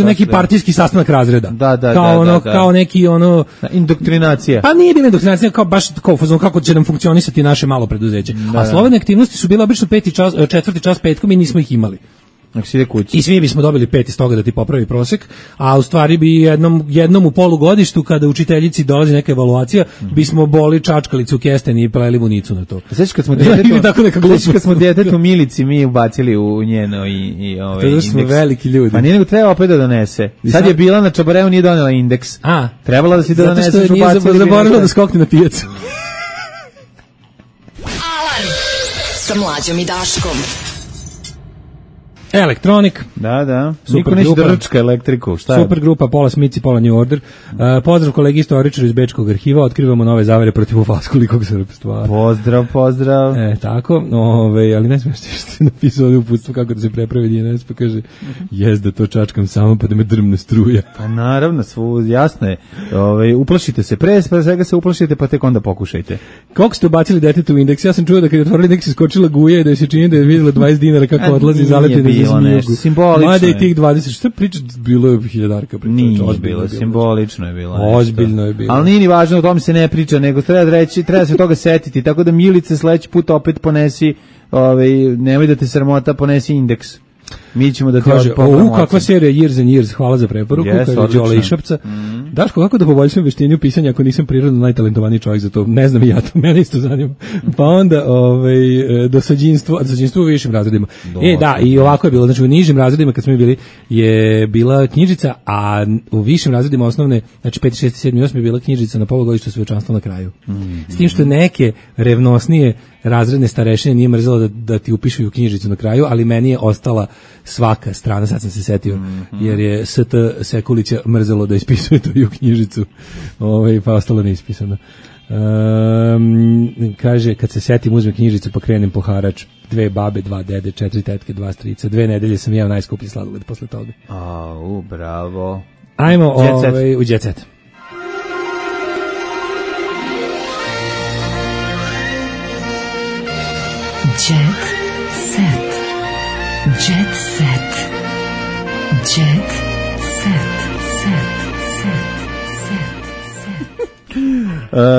neki partijski sastanak razreda.
Da.
Kao neki ono...
Indoktrinacija.
Pa nije bila indoktrinacija, kao baš kako će nam funkcionisati naše malo preduzeće. A slobodne aktivnosti su bile obično 4. čas petkom i nismo ih imali. I svi bismo dobili 5 iz toga da ti popravi prosek, a u stvari bi jednom u polugodištu kada učiteljici dolazi neka evaluacija, bismo boli čačkalicu u kesten i pleli vunicu na to.
Sveći kad smo djetetu Milici mi ubacili u njeno i
indeks. Smo veliki ljudi.
Pa nije nego treba opet da donese. Sad je bila na Čabareu, nije donela indeks. Trebala da si da doneseš ubacili.
Zato što nije zaboravila da skokne na pijacu.
Alarm sa Mlađom i Daškom.
Elektronik.
Da. Niko neće da rčka elektriku. Šta je?
Super grupa, pola Smith i pola New Order. Pozdrav kolegi istoričara iz Bečkog arhiva, otkrivamo nove zavere protiv ufaskolikog srpstva.
Pozdrav.
Tako, ali ne smiješ što je napisao ovdje uputstvo kako da se prepravi DNS, pa kaže, da to čačkam samo pa da me drmne struja.
Pa naravno, jasno je. Uplašite se, pre svega se uplašite, pa tek onda pokušajte.
Koliko ste ubacili detetu u indeks? Ja sam čuo da kad je otvorili indeks iskočila guja i da se čini da je vidjela 20 dinara kako odlazi i zaleti
simbolično.
Mada i tih 20, što priča, bilo je hiljadarka.
Nije bilo, simbolično je bilo.
Ozbiljno je bilo.
Ali nije ni važno, o tom se ne priča, nego treba se toga setiti, tako da Milice sledeći put opet ponesi, nemoj da te sramota, ponesi indeks. Mi ćemo da
kaže, kakva serija Years and Years, hvala za preporuku, kaže Đole Išapca. Daško, kako da poboljšam veštinu pisanja ako nisam prirodno najtalentovaniji čovjek za to? Ne znam i ja to, mene isto zanima. Pa onda dosađinstvo u višim razredima. I ovako je bilo, znači u nižim razredima kad smo bili je bila knjižica, a u višim razredima osnovne, znači 5, 6, 7, 8 je bila knjižica na polugodištu svečanstvo na kraju. S tim što neke revnosnije razredne starešine nije mrzelo da ti upišu u knjižicu na kraju, ali meni je ostala svaka strana, sad sam se setio, jer je ST Sekulića mrzelo da ispisuje to i u knjižicu, pa ostalo neispisano. Kaže, kad se setim, uzmem knjižicu pa krenem po harač, 2 babe, 2 dede, 4 tetke, 2 strica, 2 nedelje sam jeo najskuplji sladoled posle toga.
Bravo.
Ajmo u Jet Set.
Jet set. Jet set. Jet set.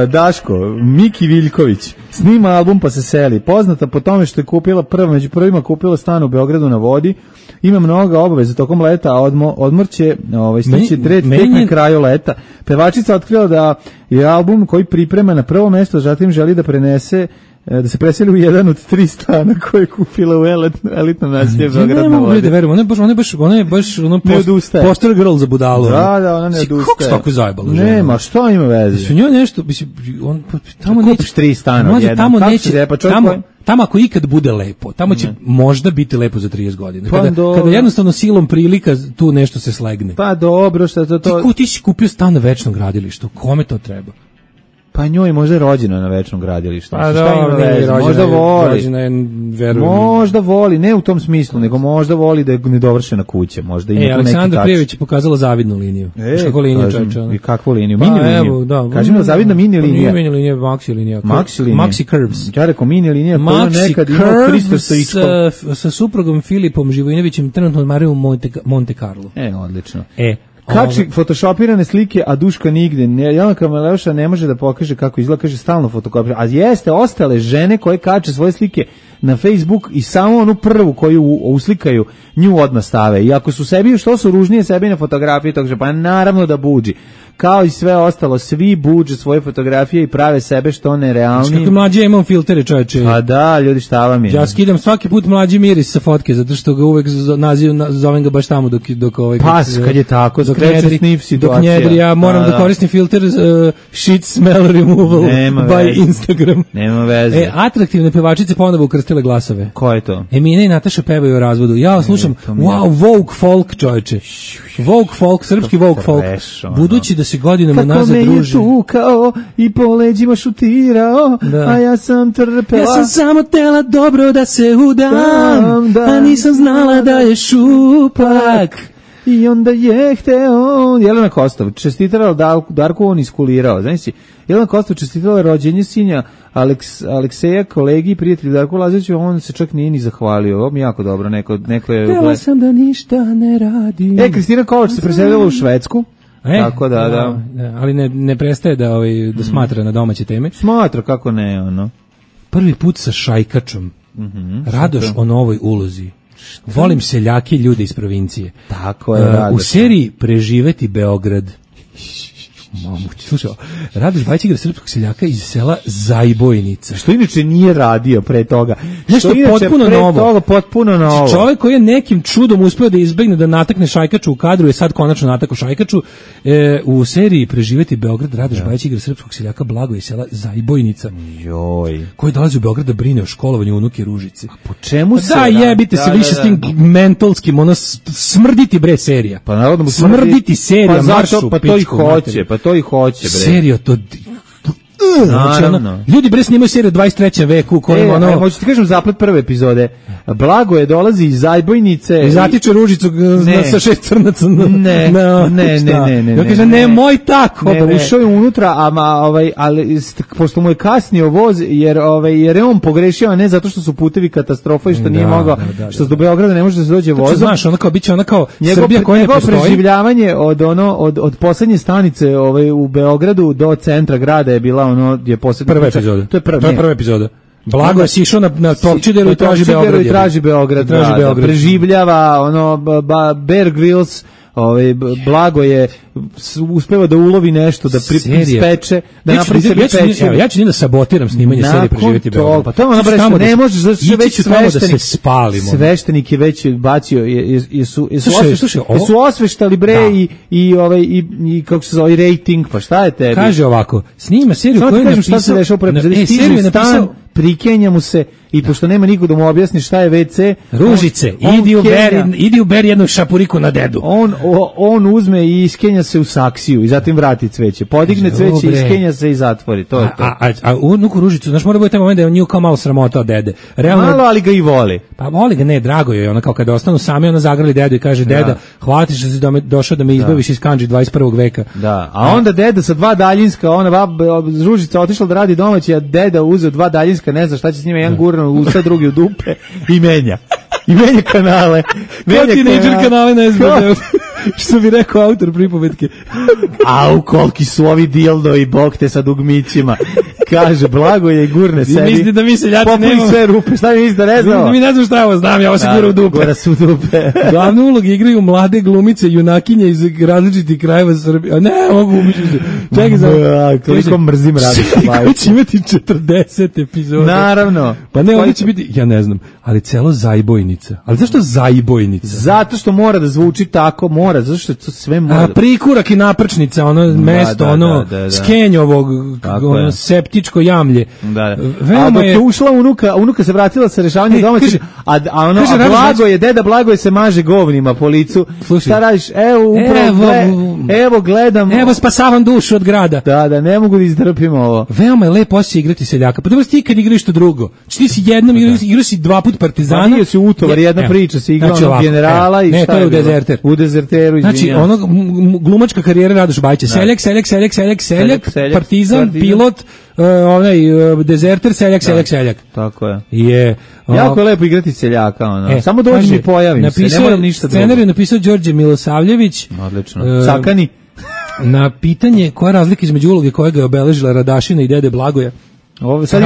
Daško, Miki Viljković snima album pa se seli. Poznata po tome što je kupila među prvima kupila stan u Beogradu na vodi. Ima mnogo obaveza tokom leta, a odmor će stići tek na kraju leta. Pevačica otkrila da je album koji priprema na prvo mesto, zatim želi da se preseli u jedan od 3 stana koje je kupila u elitnom naselju Beograd na vodi.
Ona je baš poster girl za budalu.
Da, ona ne odustaje.
Kako se tako zajebala?
Nema, što ima veze?
Su njoj nešto, tamo neće...
Kupiš 3 stana odjednom.
Tamo ako ikad bude lepo, tamo će možda biti lepo za 30 godina. Kada jednostavno silom prilika tu nešto se slegne.
Pa dobro, što je to...
Ti si kupio stan na večnom gradilištu, kome to treba?
Pa njoj možda je rođena na večnom gradilištu. Možda voli, ne u tom smislu, nego možda voli da je nedovršena kuća.
Aleksandra Prijević je pokazala zavidnu liniju. Kako liniju čovječe?
I kakvu liniju? Mini liniju. Kaži mi, zavidna mini linija.
Nije mini linija, maxi linija. Maxi curves.
Ja rekao mini linija, to je nekad imao Hristo Stoičkov.
Sa suprugom Filipom Živojinovićem trenutno odmaraju u Monte Carlo.
Odlično. Kači photoshopirane slike, a Duška nigde. Jelena Maleoša ne može da pokaže kako izgleda, kaže stalno fotokopira. A jeste, ostale žene koje kače svoje slike na Facebook i samo onu prvu koju uslikaju nju odmah stave. I ako su sebi, što su ružnije sebi na fotografiji, tog pa naravno da buđi. Kao i sve ostalo, svi buđe svoje fotografije i prave sebe što nerealni.
Kako mlađe imam filtere, čoveče.
Pa da, ljudi, šta vam je?
Ja skidam svaki put mlađi miris sa fotke, zato što ga uvek zovem ga baš tamo dok ovaj...
Pas, kad je tako, skreće snif situacija.
Dok njedri, ja moram da koristim filter shit smell removal by Instagram.
Nema veze.
Atraktivne pevačice ponovo ukrstile glasove.
Ko je to?
Emina i Nataša pevaju o razvodu. Ja slušam, wow, Vogue folk, čoveče. Vogue folk, srpski Vogue folk. Budući da se godinama nazad druži.
Kako me je tukao i po leđima šutirao, a ja sam trpela.
Ja sam samo tela dobro da se udam, a nisam znala da je šupak.
I onda je hteo... Jelena Kostov čestitala Darku, on iskulirao. Znaš si, Jelena Kostov čestitala rođenje sinja Alekseja, kolegi i prijatelju Darku Lazoviću, on se čak nije ni zahvalio. Ovo mi jako dobro, neko je...
Htela sam da ništa ne radim.
Kristina Kovač se preselila u Švedsku. Tako da.
Ali ne prestaje da smatra na domaće teme.
Smatra, kako ne, ono.
Prvi put sa šajkačom. Radoš o novoj ulozi. Volim seljake i ljude iz provincije.
Tako je, Radoš.
U seriji Preživeti Beograd. Slušaj, Radoš Bajić igra srpskog seljaka iz sela Zajbojnica.
Što inače nije radio pre toga.
Nešto potpuno novo.
Potpuno novo.
Čovjek koji je nekim čudom uspeo da izbegne da natakne šajkaču u kadru, je sad konačno natakao šajkaču. U seriji Preživeti Beograd Radoš Bajić igra srpskog seljaka Blago iz sela Zajbojnica.
Joj.
Koji dolazi u Beograd da brine o školovanju unuke Ružice.
Po čemu se
da, jebite se više s tim mentalskim, ono smrditi bre serija.
Pa naravno mu
smrditi serija, maršu,
pa to i hoće, pa to i hoće, bre.
Serio, to...
Naravno.
Ljudi bre snimaju seriju 23. veku u kojem ono...
Hoću ti kažem zaplet prve epizode. Blago je dolazi iz Zajbojnice
i zatiče Ružicu sa 6 crnaca.
Ne.
Ja kažem, ne, moj tako.
Ušao je unutra, ali pošto mu je kasnio voz, jer je on pogrešio, a ne zato što su putevi katastrofa i što nije mogao, što do Beograda ne može da se dođe vozom.
Znaš, ono kao biće ona kao Srbija koja ne postoji.
Preživljavanje od poslednje stanice u Beogradu do centra grada je bila ono je poslednja
prva epizoda. To je prva epizoda. Blago je sišao na Topčideru i traži Beograd.
Preživljava Bear Grylls, Blago je uspeva da ulovi nešto, da ispeče, da napravi sebi peče.
Ja ću da sabotiram snimanje serije Preživeti Beograd.
Pa to ne možeš, zato što već sveštenik je već bacio, jesu osveštali bre i kako se zove, rating, pa šta je tebi?
Kaže ovako, snima seriju koju je napisao...
Šta se dešao pre seriju je napisao... Prikenja mu se i pošto nema niko da mu objasni šta je WC,
Ružice, idi u beri jednu šapuriku na dedu.
On uzme i iskenja se u saksiju i zatim vrati cveće. Podigne cveće, iskenja se i zatvori. To je to.
A unuku Ružicu, znaš, mora biti taj moment da je on nju kao malo sramota od dede.
Realno, malo, ali ga i voli.
Pa voli ga, ne, drago je. Ona kao kada ostanu sami, ona zagrali dedu i kaže, deda, hvala ti što si došao da me izbaviš iz kandži 21. veka.
Da, a onda deda sa 2 daljinska, Ružica otišla da radi domaći, a deda uzeo 2 daljinska, ne zna šta će s njima, jedan gurno u usta, drugi u dupe i menja kanale.
Teenager kanale na SBD. Što bi rekao autor pripovetke.
Au, koliki su ovi dildo i bog te sa dugmićima. Kaže, Blago je i gurne sebi.
Misli da mi seljaci nemamo.
Popoj sve rupe, šta mi misli da ne znamo?
Mi ne znam šta je ovo, znam, ja ovo se gura u dupe.
Gura se u dupe.
Glavne uloge igraju mlade glumice, junakinje iz različitih krajeva Srbije. Ne, mogu umišljati se. Čekaj za...
Koliko mrzim raditi.
Koji će imati 40 epizoda.
Naravno.
Pa ne, ovdje će biti, ja ne znam, ali celo Zajbojnica. Ali zašto Zajbojnica?
Zato što mora da zvuči tako, zato što to sve mora.
Prikurak i naprčnica, mesto, Skenjovog, septičko jamlje.
A dok je ušla unuka se vratila sa rešavanjem domaćih, a deda Blago je se maže govnima po licu. Šta radiš? Evo gledam.
Evo spasavam dušu od grada.
Da, ne mogu da izdrpim ovo.
Veoma je lepo osjećaj igrati seljaka. Pa dobro ti kad igraš to drugo. Ti si jednom igrao si 2 puta Partizana.
Pa si Utovar, jedna priča se igrao generala i šta je.
Ne, to je u Dezerter.
U Dezerteru,
izvinjam. Znači, glumačka karijera Radoš Bajića. Seljak, Partizan, pilot, Dezerter, seljak.
Tako je. Jako je lepo igrati seljaka, samo dođi mi pojavim se, ne moram ništa drugo.
Scenarij je napisao Đorđe Milosavljević.
Odlično. Sakani.
Na pitanje koja je razlika između uloge koja ga je obeležila Radašina i dede Blagoja,
Sad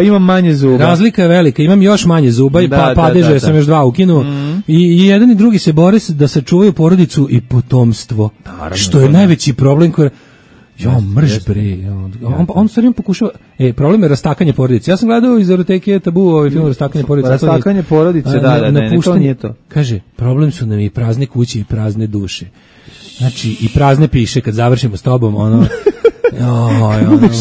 imam manje zuba,
Razlika je velika, imam još manje zuba i padeže sam još 2 ukinuo. I jedan i drugi se bore da sačuvaju porodicu i potomstvo. Naravno, što je najveći problem koji mrš bre. On stvarno pokušava. Problem je rastakanje porodice. Ja sam gledao iz Eroteke Tabu ovaj film Rastakanje porodice.
Rastakanje porodice, to nije to.
Kaže, problem su nam i prazne kuće i prazne duše. Znači, i prazne piše kad završimo s tobom,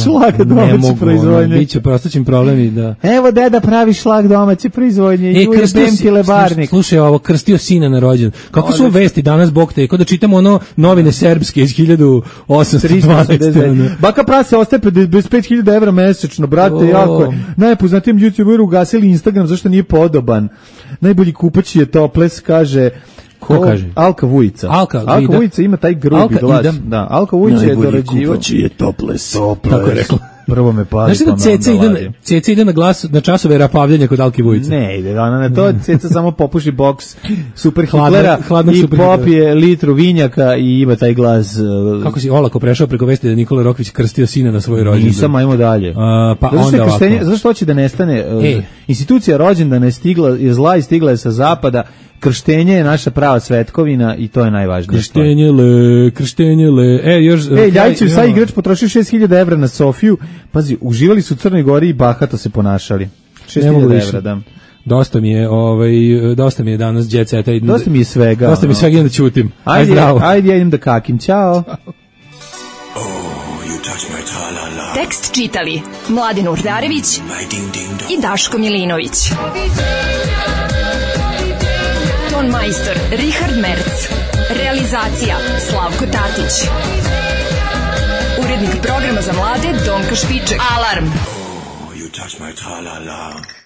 šlag domaće proizvodnje.
Biće prostaćim problemi da.
Evo deda pravi šlag domaće proizvodnje i krstio lebarnik.
Slušaj, ovo krstio sina na rođendan. Kako su vesti danas, bog te, kao da čitamo novine srpske iz 1812.
Baka prase ostaje bez 5.000 evra mesečno, brate, jako je. Najpoznatijem YouTuberu ugasili Instagram zašto nije podoban. Najbolji kupač je Toples, kaže.
Ko kaže?
Alka Vujica.
Alka
Vujica ima taj grubi glas. Da, Alka Vujica je dorađivač.
Najbolji kupač je Toples.
Tako je rekla. Prvo me pali.
Znaš da Ceca ide na glas, na časove rapavljanja kod Alke Vujice?
Ne ide, ona na to Ceca samo popuši boks Super Hitlera i popije litru vinjaka i ima taj glas.
Kako si olako prešao preko vesti da Nikola Rokvić krstio sina na svoj rođendan?
Nisam, ajmo dalje.
Pa onda ovako.
Zašto hoće da nestane? Institucija rođendana je zla i stigla je sa zapada. Krštenje je naša prava svetkovina i to je najvažnije.
Krštenje le.
Ljajićev sa igrač potrošio 6.000 evra na Sofiju. Pazi, uživali su u Crnoj Gori i bahato se ponašali. 6.000 evra, da.
Dosta mi je danas jet seta.
Dosta mi je svega.
Dosta mi je svega, idem da ćutim.
Ajde, ja idem da kakim. Ćao.
Tekst čitali Mladin Urdarević i Daško Milinović. Ton majstor Richard Merc. Realizacija Slavko Tatić. Urednik programa za mlade Donka Špiček. Alarm! You touch my tra-la-la.